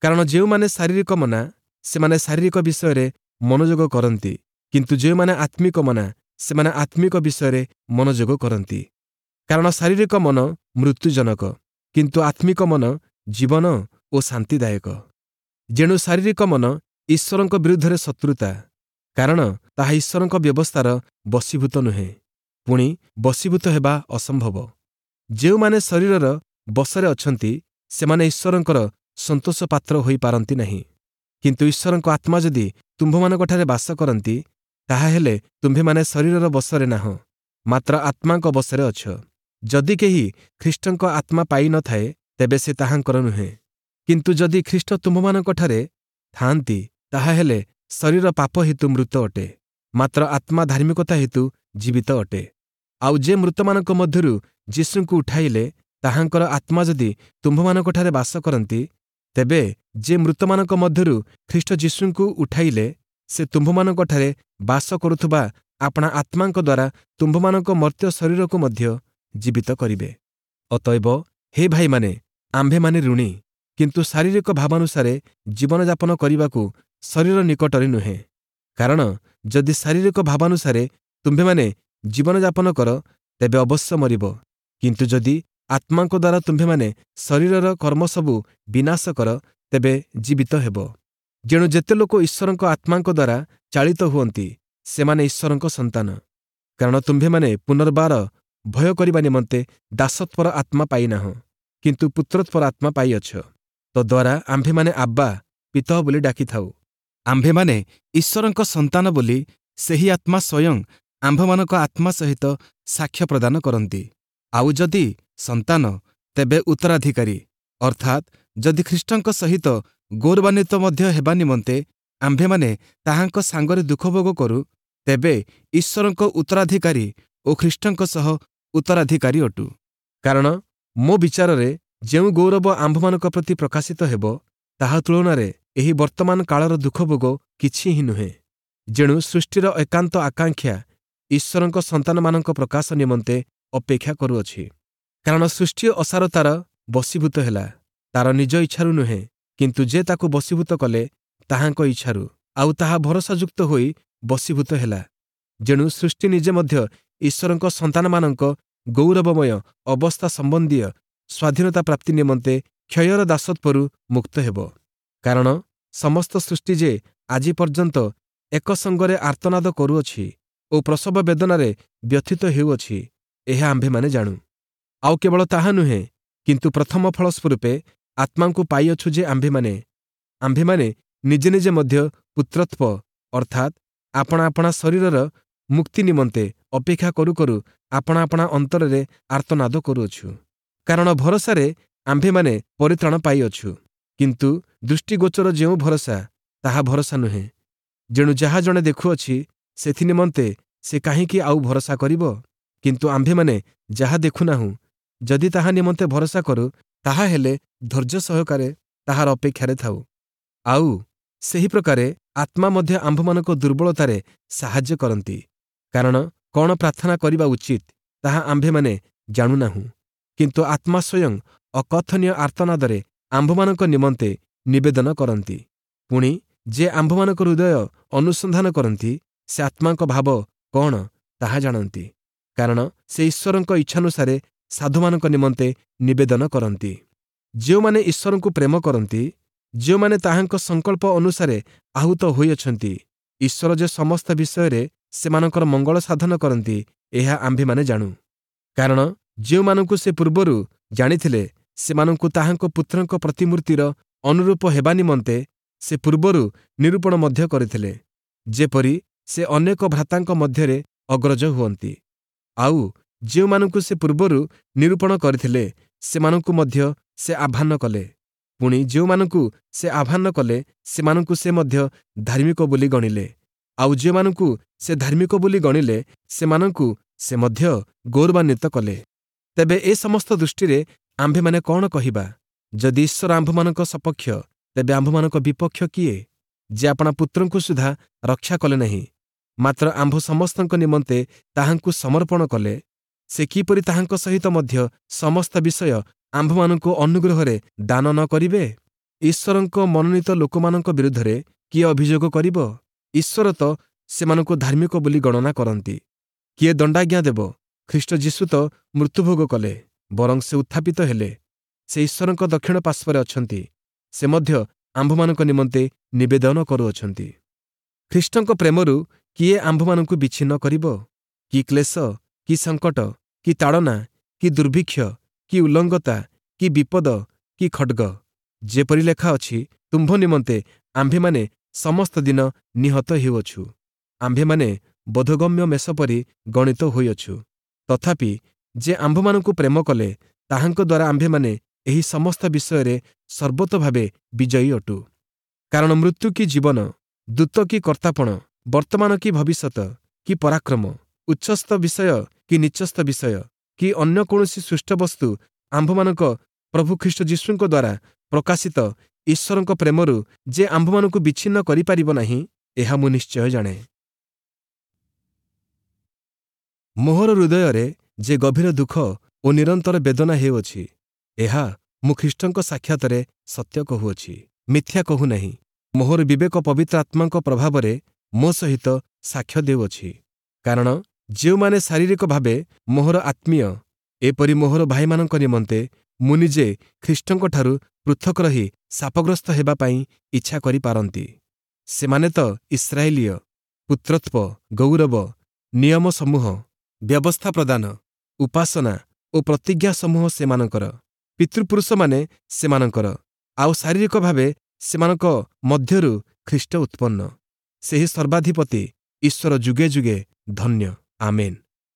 କାରଣ ଯେଉଁମାନେ ଶାରୀରିକ ମନା, ସେମାନେ ଶାରୀରିକ ବିଷୟରେ ମନୋଯୋଗ କରନ୍ତି, କିନ୍ତୁ ଯେଉଁମାନେ ଆତ୍ମିକ ମନା, ସେମାନେ ଆତ୍ମିକ ବିଷୟରେ ମନୋଯୋଗ କରନ୍ତି। କାରଣ ଶାରୀରିକ ମନ ମୃତ୍ୟୁଜନକ, କିନ୍ତୁ ଆତ୍ମିକ ମନ ଜୀବନ ଓ ଶାନ୍ତିଦାୟକ। ଯେଣୁ ଶାରୀରିକ ମନ ଈଶ୍ୱରଙ୍କ ବିରୁଦ୍ଧରେ ଶତ୍ରୁତା, କାରଣ ତାହା ଈଶ୍ୱରଙ୍କ ବ୍ୟବସ୍ଥାର ବଶୀଭୂତ ନୁହେଁ, ପୁଣି ବଶୀଭୂତ ହେବା ଅସମ୍ଭବ। ଯେଉଁମାନେ ଶରୀରର ବଶରେ ଅଛନ୍ତି, ସେମାନେ ଈଶ୍ୱରଙ୍କର ସନ୍ତୋଷ ପାତ୍ର ହୋଇପାରନ୍ତି ନାହିଁ। କିନ୍ତୁ ଈଶ୍ୱରଙ୍କ ଆତ୍ମା ଯଦି ତୁମ୍ଭମାନଙ୍କଠାରେ ବାସ କରନ୍ତି, ତାହାହେଲେ ତୁମ୍ଭେମାନେ ଶରୀରର ବଶରେ ନାହଁ, ମାତ୍ର ଆତ୍ମାଙ୍କ ବଶରେ ଅଛ। ଯଦି କେହି ଖ୍ରୀଷ୍ଟଙ୍କ ଆତ୍ମା ପାଇନଥାଏ, ତେବେ ସେ ତାହାଙ୍କର ନୁହେଁ। କିନ୍ତୁ ଯଦି ଖ୍ରୀଷ୍ଟ ତୁମ୍ଭମାନଙ୍କଠାରେ ଥାଆନ୍ତି, ତାହାହେଲେ ଶରୀର ପାପ ହେତୁ ମୃତ ଅଟେ, ମାତ୍ର ଆତ୍ମା ଧାର୍ମିକତା ହେତୁ ଜୀବିତ ଅଟେ। ଆଉ ଯେ ମୃତମାନଙ୍କ ମଧ୍ୟରୁ ଯୀଶୁଙ୍କୁ ଉଠାଇଲେ, ତାହାଙ୍କର ଆତ୍ମା ଯଦି ତୁମ୍ଭମାନଙ୍କଠାରେ ବାସ କରନ୍ତି, ତେବେ ଯେ ମୃତମାନଙ୍କ ମଧ୍ୟରୁ ଖ୍ରୀଷ୍ଟ ଯୀଶୁଙ୍କୁ ଉଠାଇଲେ, ସେ ତୁମ୍ଭମାନଙ୍କଠାରେ ବାସ କରୁଥିବା ଆପଣା ଆତ୍ମାଙ୍କ ଦ୍ୱାରା ତୁମ୍ଭମାନଙ୍କ ମର୍ତ୍ତ୍ୟ ଶରୀରକୁ ମଧ୍ୟ ଜୀବିତ କରିବେ। ଅତଏବ ହେ ଭାଇମାନେ, ଆମ୍ଭେମାନେ ଋଣୀ, କିନ୍ତୁ ଶାରୀରିକ ଭାବାନୁସାରେ ଜୀବନଯାପନ କରିବାକୁ ଶରୀର ନିକଟରେ ନୁହେଁ। କାରଣ ଯଦି ଶାରୀରିକ ଭାବାନୁସାରେ ତୁମ୍ଭେମାନେ ଜୀବନଯାପନ କର, ତେବେ ଅବଶ୍ୟ ମରିବ। କିନ୍ତୁ ଯଦି ଆତ୍ମାଙ୍କ ଦ୍ୱାରା ତୁମ୍ଭେମାନେ ଶରୀରର କର୍ମସବୁ ବିନାଶ କର, ତେବେ ଜୀବିତ ହେବ। ଯେଣୁ ଯେତେ ଲୋକ ଈଶ୍ୱରଙ୍କ ଆତ୍ମାଙ୍କ ଦ୍ୱାରା ଚାଳିତ ହୁଅନ୍ତି, ସେମାନେ ଈଶ୍ୱରଙ୍କ ସନ୍ତାନ। କାରଣ ତୁମ୍ଭେମାନେ ପୁନର୍ବାର ଭୟ କରିବା ନିମନ୍ତେ ଦାସତ୍ୱର ଆତ୍ମା ପାଇନାହଁ, କିନ୍ତୁ ପୁତ୍ରତ୍ୱର ଆତ୍ମା ପାଇଅଛ। ତଦ୍ୱାରା ଆମ୍ଭେମାନେ ଆବ୍ବା, ପିତଃ ବୋଲି ଡାକିଥାଉ। ଆମ୍ଭେମାନେ ଈଶ୍ୱରଙ୍କ ସନ୍ତାନ ବୋଲି ସେହି ଆତ୍ମା ସ୍ୱୟଂ ଆମ୍ଭମାନଙ୍କ ଆତ୍ମା ସହିତ ସାକ୍ଷ୍ୟ ପ୍ରଦାନ କରନ୍ତି। ଆଉ ଯଦି ସନ୍ତାନ, ତେବେ ଉତ୍ତରାଧିକାରୀ, ଅର୍ଥାତ୍ ଯଦି ଖ୍ରୀଷ୍ଟଙ୍କ ସହିତ ଗୌରବାନ୍ୱିତ ମଧ୍ୟ ହେବା ନିମନ୍ତେ ଆମ୍ଭେମାନେ ତାହାଙ୍କ ସାଙ୍ଗରେ ଦୁଃଖଭୋଗ କରୁ, ତେବେ ଈଶ୍ୱରଙ୍କ ଉତ୍ତରାଧିକାରୀ ଓ ଖ୍ରୀଷ୍ଟଙ୍କ ସହ ଉତ୍ତରାଧିକାରୀ ଅଟୁ। କାରଣ ମୋ ବିଚାରରେ ଯେଉଁ ଗୌରବ ଆମ୍ଭମାନଙ୍କ ପ୍ରତି ପ୍ରକାଶିତ ହେବ, ତାହା ତୁଳନାରେ ଏହି ବର୍ତ୍ତମାନ କାଳର ଦୁଃଖଭୋଗ କିଛି ହିଁ ନୁହେଁ। ଯେଣୁ ସୃଷ୍ଟିର ଏକାନ୍ତ ଆକାଂକ୍ଷା ଈଶ୍ୱରଙ୍କ ସନ୍ତାନମାନଙ୍କ ପ୍ରକାଶ ନିମନ୍ତେ ଅପେକ୍ଷା କରୁଅଛି। କାରଣ ସୃଷ୍ଟି ଅସାରତାର ବଶୀଭୂତ ହେଲା, ତାର ନିଜ ଇଚ୍ଛାରୁ ନୁହେଁ, କିନ୍ତୁ ଯେ ତାକୁ ବଶୀଭୂତ କଲେ ତାହାଙ୍କ ଇଚ୍ଛାରୁ, ଆଉ ତାହା ଭରସାଯୁକ୍ତ ହୋଇ ବଶୀଭୂତ ହେଲା। ଯେଣୁ ସୃଷ୍ଟି ନିଜେ ମଧ୍ୟ ଈଶ୍ୱରଙ୍କ ସନ୍ତାନମାନଙ୍କ ଗୌରବମୟ ଅବସ୍ଥା ସମ୍ବନ୍ଧୀୟ ସ୍ୱାଧୀନତା ପ୍ରାପ୍ତି ନିମନ୍ତେ କ୍ଷୟର ଦାସତ୍ୱରୁ ମୁକ୍ତ ହେବ। କାରଣ ସମସ୍ତ ସୃଷ୍ଟି ଯେ ଆଜି ପର୍ଯ୍ୟନ୍ତ ଏକ ସଙ୍ଗରେ ଆର୍ତ୍ତନାଦ କରୁଅଛି ଓ ପ୍ରସବ ବେଦନାରେ ବ୍ୟଥିତ ହେଉଅଛି, ଏହା ଆମ୍ଭେମାନେ ଜାଣୁ। ଆଉ କେବଳ ତାହା ନୁହେଁ, କିନ୍ତୁ ପ୍ରଥମ ଫଳ ସ୍ୱରୂପେ ଆତ୍ମାଙ୍କୁ ପାଇଅଛୁ ଯେ ଆମ୍ଭେମାନେ ଆମ୍ଭେମାନେ ନିଜେ ନିଜେ ମଧ୍ୟ ପୁତ୍ରତ୍ୱ, ଅର୍ଥାତ୍ ଆପଣା ଆପଣା ଶରୀରର ମୁକ୍ତି ନିମନ୍ତେ ଅପେକ୍ଷା କରୁ କରୁ ଆପଣା ଆପଣା ଅନ୍ତରରେ ଆର୍ତ୍ତନାଦ କରୁଅଛୁ। କାରଣ ଭରସାରେ ଆମ୍ଭେମାନେ ପରିତ୍ରାଣ ପାଇଅଛୁ, କିନ୍ତୁ ଦୃଷ୍ଟିଗୋଚର ଯେଉଁ ଭରସା, ତାହା ଭରସା ନୁହେଁ। ଯେଣୁ ଯାହା ଜଣେ ଦେଖୁଅଛି, ସେଥି ନିମନ୍ତେ ସେ କାହିଁକି ଆଉ ଭରସା କରିବ? କିନ୍ତୁ ଆମ୍ଭେମାନେ ଯାହା ଦେଖୁନାହୁଁ, ଯଦି ତାହା ନିମନ୍ତେ ଭରସା କରୁ, ତାହା ହେଲେ ଧୈର୍ଯ୍ୟ ସହକାରେ ତାହାର ଅପେକ୍ଷାରେ ଥାଉ। ଆଉ ସେହି ପ୍ରକାରେ ଆତ୍ମା ମଧ୍ୟ ଆମ୍ଭମାନଙ୍କ ଦୁର୍ବଳତାରେ ସାହାଯ୍ୟ କରନ୍ତି। କାରଣ କ'ଣ ପ୍ରାର୍ଥନା କରିବା ଉଚିତ, ତାହା ଆମ୍ଭେମାନେ ଜାଣୁନାହୁଁ, କିନ୍ତୁ ଆତ୍ମା ସ୍ୱୟଂ ଅକଥନୀୟ ଆର୍ତ୍ତନାଦରେ ଆମ୍ଭମାନଙ୍କ ନିମନ୍ତେ ନିବେଦନ କରନ୍ତି। ପୁଣି ଯେ ଆମ୍ଭମାନଙ୍କ ହୃଦୟ ଅନୁସନ୍ଧାନ କରନ୍ତି, ସେ ଆତ୍ମାଙ୍କ ଭାବ କ'ଣ ତାହା ଜାଣନ୍ତି, କାରଣ ସେ ଈଶ୍ୱରଙ୍କ ଇଚ୍ଛାନୁସାରେ ସାଧୁମାନଙ୍କ ନିମନ୍ତେ ନିବେଦନ କରନ୍ତି। ଯେଉଁମାନେ ଈଶ୍ୱରଙ୍କୁ ପ୍ରେମ କରନ୍ତି, ଯେଉଁମାନେ ତାହାଙ୍କ ସଂକଳ୍ପ ଅନୁସାରେ ଆହୁତ ହୋଇଅଛନ୍ତି, ଈଶ୍ୱର ଯେ ସମସ୍ତ ବିଷୟରେ ସେମାନଙ୍କର ମଙ୍ଗଳ ସାଧନ କରନ୍ତି, ଏହା ଆମ୍ଭେମାନେ ଜାଣୁ। କାରଣ ଯେଉଁମାନଙ୍କୁ ସେ ପୂର୍ବରୁ ଜାଣିଥିଲେ, ସେମାନଙ୍କୁ ତାହାଙ୍କ ପୁତ୍ରଙ୍କ ପ୍ରତିମୂର୍ତ୍ତିର ଅନୁରୂପ ହେବା ନିମନ୍ତେ ସେ ପୂର୍ବରୁ ନିରୂପଣ ମଧ୍ୟ କରିଥିଲେ, ଯେପରି ସେ ଅନେକ ଭ୍ରାତାଙ୍କ ମଧ୍ୟରେ ଅଗ୍ରଜ ହୁଅନ୍ତି। ଆଉ ଯେଉଁମାନଙ୍କୁ ସେ ପୂର୍ବରୁ ନିରୂପଣ କରିଥିଲେ, ସେମାନଙ୍କୁ ମଧ୍ୟ ସେ ଆହ୍ୱାନ କଲେ। ପୁଣି ଯେଉଁମାନଙ୍କୁ ସେ ଆହ୍ୱାନ କଲେ, ସେମାନଙ୍କୁ ସେ ମଧ୍ୟ ଧାର୍ମିକ ବୋଲି ଗଣିଲେ। ଆଉ ଯେଉଁମାନଙ୍କୁ ସେ ଧାର୍ମିକ ବୋଲି ଗଣିଲେ, ସେମାନଙ୍କୁ ସେ ମଧ୍ୟ ଗୌରବାନ୍ୱିତ କଲେ। ତେବେ ଏ ସମସ୍ତ ଦୃଷ୍ଟିରେ ଆମ୍ଭେମାନେ କ'ଣ କହିବା? ଯଦି ଈଶ୍ୱର ଆମ୍ଭମାନଙ୍କ ସପକ୍ଷ, ତେବେ ଆମ୍ଭମାନଙ୍କ ବିପକ୍ଷ କିଏ? ଯେ ଆପଣା ପୁତ୍ରଙ୍କୁ ସୁଦ୍ଧା ରକ୍ଷା କଲେ ନାହିଁ, ମାତ୍ର ଆମ୍ଭ ସମସ୍ତଙ୍କ ନିମନ୍ତେ ତାହାଙ୍କୁ ସମର୍ପଣ କଲେ, ସେ କିପରି ତାହାଙ୍କ ସହିତ ମଧ୍ୟ ସମସ୍ତ ବିଷୟ ଆମ୍ଭମାନଙ୍କୁ ଅନୁଗ୍ରହରେ ଦାନ ନ କରିବେ? ଈଶ୍ୱରଙ୍କ ମନୋନୀତ ଲୋକମାନଙ୍କ ବିରୁଦ୍ଧରେ କିଏ ଅଭିଯୋଗ କରିବ? ଈଶ୍ୱର ତ ସେମାନଙ୍କୁ ଧାର୍ମିକ ବୋଲି ଗଣନା କରନ୍ତି। କିଏ ଦଣ୍ଡାଜ୍ଞା ଦେବ? ଖ୍ରୀଷ୍ଟ ଯୀଶୁ ତ ମୃତ୍ୟୁଭୋଗ କଲେ, ବରଂ ସେ ଉତ୍ଥାପିତ ହେଲେ। ସେ ଈଶ୍ୱରଙ୍କ ଦକ୍ଷିଣ ପାର୍ଶ୍ୱରେ ଅଛନ୍ତି, ସେ ମଧ୍ୟ ଆମ୍ଭମାନଙ୍କ ନିମନ୍ତେ ନିବେଦନ କରୁଅଛନ୍ତି। ଖ୍ରୀଷ୍ଟଙ୍କ ପ୍ରେମରୁ କିଏ ଆମ୍ଭମାନଙ୍କୁ ବିଚ୍ଛିନ୍ନ କରିବ? କି କ୍ଲେଶ, କି ସଙ୍କଟ, କି ତାଡ଼ନା, କି ଦୁର୍ଭିକ୍ଷ, କି ଉଲ୍ଲଙ୍ଗତା, କି ବିପଦ, କି ଖଡ଼୍ଗ? ଯେପରି ଲେଖା ଅଛି, ତୁମ୍ଭ ନିମନ୍ତେ ଆମ୍ଭେମାନେ ସମସ୍ତ ଦିନ ନିହତ ହେଉଅଛୁ, ଆମ୍ଭେମାନେ ବୋଧଗମ୍ୟ ମେଷ ପରି ଗଣିତ ହୋଇଅଛୁ। ତଥାପି ଯେ ଆମ୍ଭମାନଙ୍କୁ ପ୍ରେମ କଲେ, ତାହାଙ୍କ ଦ୍ୱାରା ଆମ୍ଭେମାନେ ଏହି ସମସ୍ତ ବିଷୟରେ ସର୍ବତୋଭାବେ ବିଜୟୀ ଅଟୁ। କାରଣ ମୃତ୍ୟୁ କି ଜୀବନ, ଦୂତ କି କର୍ତ୍ତାପଣ, ବର୍ତ୍ତମାନ କି ଭବିଷ୍ୟତ, କି ପରାକ୍ରମ, ଉଚ୍ଚସ୍ଥ ବିଷୟ କି ନୀଚସ୍ଥ ବିଷୟ, କି ଅନ୍ୟ କୌଣସି ସୃଷ୍ଟ ବସ୍ତୁ ଆମ୍ଭମାନଙ୍କ ପ୍ରଭୁ ଖ୍ରୀଷ୍ଟ ଯୀଶୁଙ୍କ ଦ୍ୱାରା ପ୍ରକାଶିତ ଈଶ୍ୱରଙ୍କ ପ୍ରେମରୁ ଯେ ଆମ୍ଭମାନଙ୍କୁ ବିଚ୍ଛିନ୍ନ କରିପାରିବ ନାହିଁ, ଏହା ମୁଁ ନିଶ୍ଚୟ ଜାଣେ। ମୋହର ହୃଦୟରେ ଯେ ଗଭୀର ଦୁଃଖ ଓ ନିରନ୍ତର ବେଦନା ହେଉଅଛି, ଏହା ମୁଁ ଖ୍ରୀଷ୍ଟଙ୍କ ସାକ୍ଷାତରେ ସତ୍ୟ କହୁଅଛି, ମିଥ୍ୟା କହୁନାହିଁ। ମୋହର ବିବେକ ପବିତ୍ର ଆତ୍ମାଙ୍କ ପ୍ରଭାବରେ ମୋ ସହିତ ସାକ୍ଷ୍ୟ ଦେଉଅଛି। କାରଣ ଯେଉଁମାନେ ଶାରୀରିକ ଭାବେ ମୋହର ଆତ୍ମୀୟ, ଏପରି ମୋହର ଭାଇମାନଙ୍କ ନିମନ୍ତେ ମୁଁ ନିଜେ ଖ୍ରୀଷ୍ଟଙ୍କଠାରୁ ପୃଥକ ରହି ଶାପଗ୍ରସ୍ତ ହେବା ପାଇଁ ଇଚ୍ଛା କରିପାରନ୍ତି। ସେମାନେ ତ ଇସ୍ରାଏଲୀୟ, ପୁତ୍ରତ୍ୱ, ଗୌରବ, ନିୟମ ସମୂହ, ବ୍ୟବସ୍ଥା ପ୍ରଦାନ, ଉପାସନା ଓ ପ୍ରତିଜ୍ଞା ସମୂହ ସେମାନଙ୍କର, ପିତୃପୁରୁଷମାନେ ସେମାନଙ୍କର, ଆଉ ଶାରୀରିକ ଭାବେ ସେମାନଙ୍କ ମଧ୍ୟରୁ ଖ୍ରୀଷ୍ଟ ଉତ୍ପନ୍ନ। ସେହି ସର୍ବାଧିପତି ଈଶ୍ୱର ଯୁଗେ ଯୁଗେ ଧନ୍ୟ, ଆମେନ୍।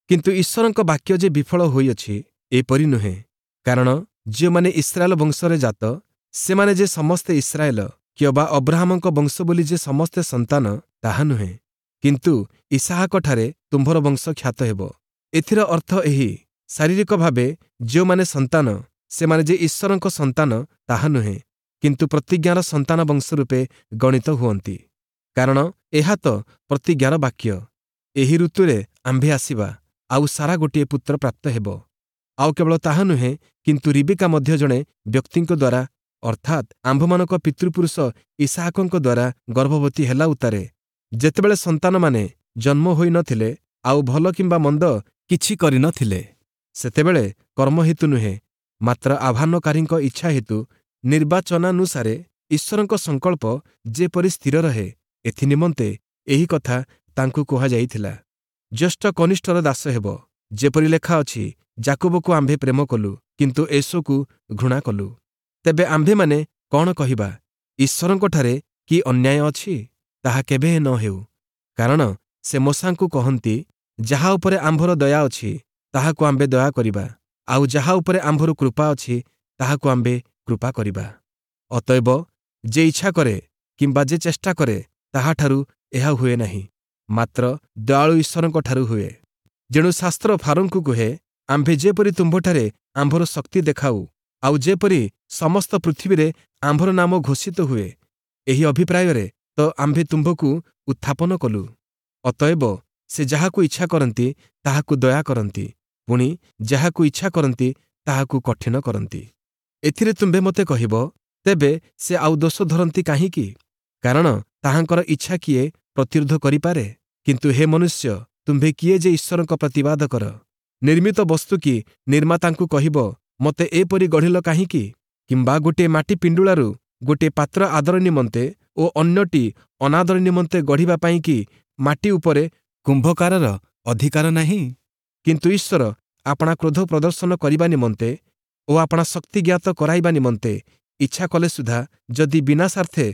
କିନ୍ତୁ ଈଶ୍ୱରଙ୍କ ବାକ୍ୟ ଯେ ବିଫଳ ହୋଇଅଛି, ଏପରି ନୁହେଁ। କାରଣ ଯେଉଁମାନେ ଇସ୍ରାଏଲ ବଂଶରେ ଜାତ, ସେମାନେ ଯେ ସମସ୍ତେ ଇସ୍ରାଏଲ, କିମ୍ବା ଅବ୍ରାହମଙ୍କ ବଂଶ ବୋଲି ଯେ ସମସ୍ତେ ସନ୍ତାନ, ତାହା ନୁହେଁ। କିନ୍ତୁ ଇସାହାକଠାରେ ତୁମ୍ଭର ବଂଶ ଖ୍ୟାତ ହେବ। ଏଥିର ଅର୍ଥ ଏହି, ଶାରୀରିକ ଭାବେ ଯେଉଁମାନେ ସନ୍ତାନ, ସେମାନେ ଯେ ଈଶ୍ୱରଙ୍କ ସନ୍ତାନ ତାହା ନୁହେଁ, କିନ୍ତୁ ପ୍ରତିଜ୍ଞାର ସନ୍ତାନ ବଂଶ ରୂପେ ଗଣିତ ହୁଅନ୍ତି। କାରଣ ଏହା ତ ପ୍ରତିଜ୍ଞାର ବାକ୍ୟ, ଏହି ଋତୁରେ ଆମ୍ଭେ ଆସିବା, ଆଉ ସାରା ଗୋଟିଏ ପୁତ୍ର ପ୍ରାପ୍ତ ହେବ। ଆଉ କେବଳ ତାହା ନୁହେଁ, କିନ୍ତୁ ରିବିକା ମଧ୍ୟ ଜଣେ ବ୍ୟକ୍ତିଙ୍କ ଦ୍ୱାରା, ଅର୍ଥାତ୍ ଆମ୍ଭମାନଙ୍କ ପିତୃପୁରୁଷ ଇସାହାକଙ୍କ ଦ୍ୱାରା ଗର୍ଭବତୀ ହେଲା ଉତ୍ତାରେ, ଯେତେବେଳେ ସନ୍ତାନମାନେ ଜନ୍ମ ହୋଇନଥିଲେ ଆଉ ଭଲ କିମ୍ବା ମନ୍ଦ କିଛି କରିନଥିଲେ, ସେତେବେଳେ କର୍ମ ହେତୁ ନୁହେଁ, ମାତ୍ର ଆହ୍ୱାନକାରୀଙ୍କ ଇଚ୍ଛା ହେତୁ ନିର୍ବାଚନାନୁସାରେ ଈଶ୍ୱରଙ୍କ ସଂକଳ୍ପ ଯେପରି ସ୍ଥିର ରହେ, ଏଥିନିମନ୍ତେ ଏହି କଥା ତାଙ୍କୁ କୁହାଯାଇଥିଲା, ଜ୍ୟେଷ୍ଠ କନିଷ୍ଠର ଦାସ ହେବ। ଯେପରି ଲେଖା ଅଛି, ଯାକୁବକୁ ଆମ୍ଭେ ପ୍ରେମ କଲୁ, କିନ୍ତୁ ଏଷୌକୁ ଘୃଣା କଲୁ। ତେବେ ଆମ୍ଭେମାନେ କ'ଣ କହିବା? ଈଶ୍ୱରଙ୍କଠାରେ କି ଅନ୍ୟାୟ ଅଛି? ତାହା କେବେ ନ ହେଉ। କାରଣ ସେ ମୋଶାଙ୍କୁ କହନ୍ତି, ଯାହା ଉପରେ ଆମ୍ଭର ଦୟା ଅଛି, ତାହାକୁ ଆମ୍ଭେ ଦୟା କରିବା, ଆଉ ଯାହା ଉପରେ ଆମ୍ଭର କୃପା ଅଛି, ତାହାକୁ ଆମ୍ଭେ କୃପା କରିବା। ଅତଏବ ଯେ ଇଚ୍ଛା କରେ କିମ୍ବା ଯେ ଚେଷ୍ଟା କରେ, ତାହାଠାରୁ ଏହା ହୁଏ ନାହିଁ, ମାତ୍ର ଦୟାଳୁ ଈଶ୍ୱରଙ୍କଠାରୁ ହୁଏ। ଯେଣୁ ଶାସ୍ତ୍ର ଫାରୋଙ୍କୁ କୁହେ, ଆମ୍ଭେ ଯେପରି ତୁମ୍ଭଠାରେ ଆମ୍ଭର ଶକ୍ତି ଦେଖାଉ, ଆଉ ଯେପରି ସମସ୍ତ ପୃଥିବୀରେ ଆମ୍ଭର ନାମ ଘୋଷିତ ହୁଏ, ଏହି ଅଭିପ୍ରାୟରେ ତ ଆମ୍ଭେ ତୁମ୍ଭକୁ ଉତ୍ଥାପନ କଲୁ। ଅତଏବ ସେ ଯାହାକୁ ଇଚ୍ଛା କରନ୍ତି, ତାହାକୁ ଦୟା କରନ୍ତି, ପୁଣି ଯାହାକୁ ଇଚ୍ଛା କରନ୍ତି, ତାହାକୁ କଠିନ କରନ୍ତି। ଏଥିରେ ତୁମ୍ଭେ ମୋତେ କହିବ, ତେବେ ସେ ଆଉ ଦୋଷ ଧରନ୍ତି କାହିଁକି? କାରଣ ତାହାଙ୍କର ଇଚ୍ଛା କିଏ ପ୍ରତିରୋଧ କରିପାରେ? କିନ୍ତୁ ହେ ମନୁଷ୍ୟ, ତୁମ୍ଭେ କିଏ ଯେ ଈଶ୍ୱରଙ୍କ ପ୍ରତିବାଦ କର? ନିର୍ମିତ ବସ୍ତୁ କି ନିର୍ମାତାଙ୍କୁ କହିବ, ମୋତେ ଏପରି ଗଢ଼ିଲ କାହିଁକି? କିମ୍ବା ଗୋଟିଏ ମାଟି ପିଣ୍ଡୁଳାରୁ ଗୋଟିଏ ପାତ୍ର ଆଦର ନିମନ୍ତେ ଓ ଅନ୍ୟଟି ଅନାଦର ନିମନ୍ତେ ଗଢ଼ିବା ପାଇଁ କି ମାଟି ଉପରେ କୁମ୍ଭକାରର ଅଧିକାର ନାହିଁ? କିନ୍ତୁ ଈଶ୍ୱର ଆପଣା କ୍ରୋଧ ପ୍ରଦର୍ଶନ କରିବା ନିମନ୍ତେ ଓ ଆପଣା ଶକ୍ତି ଜ୍ଞାତ କରାଇବା ନିମନ୍ତେ ଇଚ୍ଛା କଲେ ସୁଦ୍ଧା ଯଦି ବିନାଶାର୍ଥେ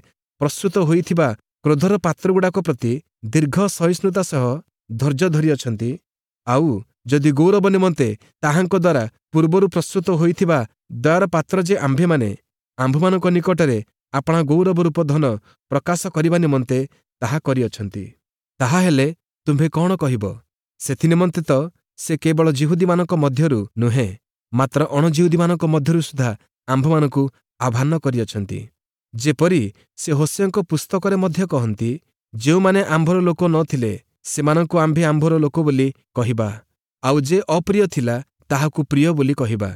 ପ୍ରସ୍ତୁତ ହୋଇଥିବା କ୍ରୋଧର ପାତ୍ରଗୁଡ଼ାକ ପ୍ରତି ଦୀର୍ଘ ସହିଷ୍ଣୁତା ସହ ଧୈର୍ଯ୍ୟ ଧରିଅଛନ୍ତି, ଆଉ ଯଦି ଗୌରବ ନିମନ୍ତେ ତାହାଙ୍କ ଦ୍ୱାରା ପୂର୍ବରୁ ପ୍ରସ୍ତୁତ ହୋଇଥିବା ଦୟାର ପାତ୍ର ଯେ ଆମ୍ଭେମାନେ, ଆମ୍ଭମାନଙ୍କ ନିକଟରେ ଆପଣା ଗୌରବ ରୂପ ଧନ ପ୍ରକାଶ କରିବା ନିମନ୍ତେ ତାହା କରିଅଛନ୍ତି, ତାହାହେଲେ ତୁମ୍ଭେ କ'ଣ କହିବ? ସେଥିନିମନ୍ତେ ତ ସେ କେବଳ ଯିହୁଦୀମାନଙ୍କ ମଧ୍ୟରୁ ନୁହେଁ, ମାତ୍ର ଅଣଯିହୁଦୀମାନଙ୍କ ମଧ୍ୟରୁ ସୁଦ୍ଧା ଆମ୍ଭମାନଙ୍କୁ ଆହ୍ୱାନ କରିଅଛନ୍ତି। ଯେପରି ସେ ହୋଶେୟଙ୍କ ପୁସ୍ତକରେ ମଧ୍ୟ କହନ୍ତି, ଯେଉଁମାନେ ଆମ୍ଭର ଲୋକ ନ ଥିଲେ, ସେମାନଙ୍କୁ ଆମ୍ଭେ ଆମ୍ଭର ଲୋକ ବୋଲି କହିବା, ଆଉ ଯେ ଅପ୍ରିୟ ଥିଲା, ତାହାକୁ ପ୍ରିୟ ବୋଲି କହିବା।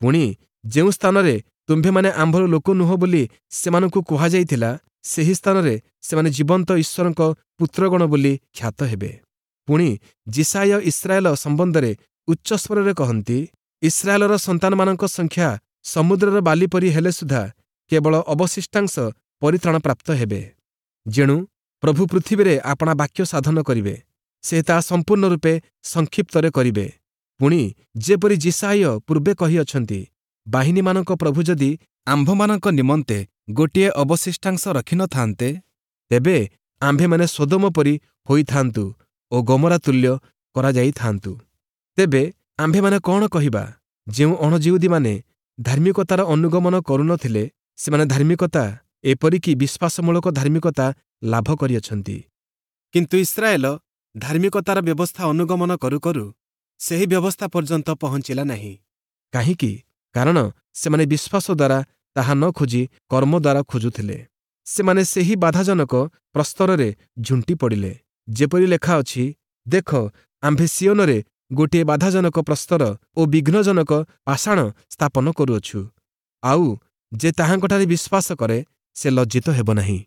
ପୁଣି ଯେଉଁ ସ୍ଥାନରେ ତୁମ୍ଭେମାନେ ଆମ୍ଭର ଲୋକ ନୁହଁ ବୋଲି ସେମାନଙ୍କୁ କୁହାଯାଇଥିଲା, ସେହି ସ୍ଥାନରେ ସେମାନେ ଜୀବନ୍ତ ଈଶ୍ୱରଙ୍କ ପୁତ୍ରଗଣ ବୋଲି ଖ୍ୟାତ ହେବେ। ପୁଣି ଯିଶାଇୟ ଇସ୍ରାଏଲ ସମ୍ବନ୍ଧରେ ଉଚ୍ଚସ୍ୱରରେ କହନ୍ତି, ଇସ୍ରାଏଲର ସନ୍ତାନମାନଙ୍କ ସଂଖ୍ୟା ସମୁଦ୍ରର ବାଲି ପରି ହେଲେ ସୁଦ୍ଧା କେବଳ ଅବଶିଷ୍ଟାଂଶ ପରିତ୍ରାଣ ପ୍ରାପ୍ତ ହେବେ। ଯେଣୁ ପ୍ରଭୁ ପୃଥିବୀରେ ଆପଣା ବାକ୍ୟ ସାଧନ କରିବେ, ସେ ତାହା ସମ୍ପୂର୍ଣ୍ଣ ରୂପେ ସଂକ୍ଷିପ୍ତରେ କରିବେ। ପୁଣି ଯେପରି ଯିଶାଇୟ ପୂର୍ବେ କହିଅଛନ୍ତି, ବାହିନୀମାନଙ୍କ ପ୍ରଭୁ ଯଦି ଆମ୍ଭମାନଙ୍କ ନିମନ୍ତେ ଗୋଟିଏ ଅବଶିଷ୍ଟାଂଶ ରଖିନଥାନ୍ତେ, ତେବେ ଆମ୍ଭେମାନେ ସୋଦମ ପରି ହୋଇଥାନ୍ତୁ ଓ ଗମରା ତୁଲ୍ୟ କରାଯାଇଥାନ୍ତୁ। ତେବେ ଆମ୍ଭେମାନେ କ'ଣ କହିବା? ଯେଉଁ ଅଣଯିହୁଦୀମାନେ ଧାର୍ମିକତାର ଅନୁଗମନ କରୁନଥିଲେ, ସେମାନେ ଧାର୍ମିକତା, ଏପରିକି ବିଶ୍ୱାସମୂଳକ ଧାର୍ମିକତା ଲାଭ କରିଅଛନ୍ତି। କିନ୍ତୁ ଇସ୍ରାଏଲ ଧାର୍ମିକତାର ବ୍ୟବସ୍ଥା ଅନୁଗମନ କରୁ କରୁ ସେହି ବ୍ୟବସ୍ଥା ପର୍ଯ୍ୟନ୍ତ ପହଞ୍ଚିଲା ନାହିଁ। କାହିଁକି? କାରଣ ସେମାନେ ବିଶ୍ୱାସ ଦ୍ୱାରା ତାହା ନ ଖୋଜି କର୍ମ ଦ୍ୱାରା ଖୋଜୁଥିଲେ। ସେମାନେ ସେହି ବାଧାଜନକ ପ୍ରସ୍ତରରେ ଝୁଣ୍ଟି ପଡ଼ିଲେ। ଯେପରି ଲେଖା ଅଛି, ଦେଖ, ଆମ୍ଭେ ସିଓନରେ ଗୋଟିଏ ବାଧାଜନକ ପ୍ରସ୍ତର ଓ ବିଘ୍ନଜନକ ପାଷାଣ ସ୍ଥାପନ କରୁଅଛୁ, ଆଉ ଯେ ତାହାଙ୍କଠାରେ ବିଶ୍ୱାସ କରେ, ସେ ଲଜ୍ଜିତ ହେବ ନାହିଁ।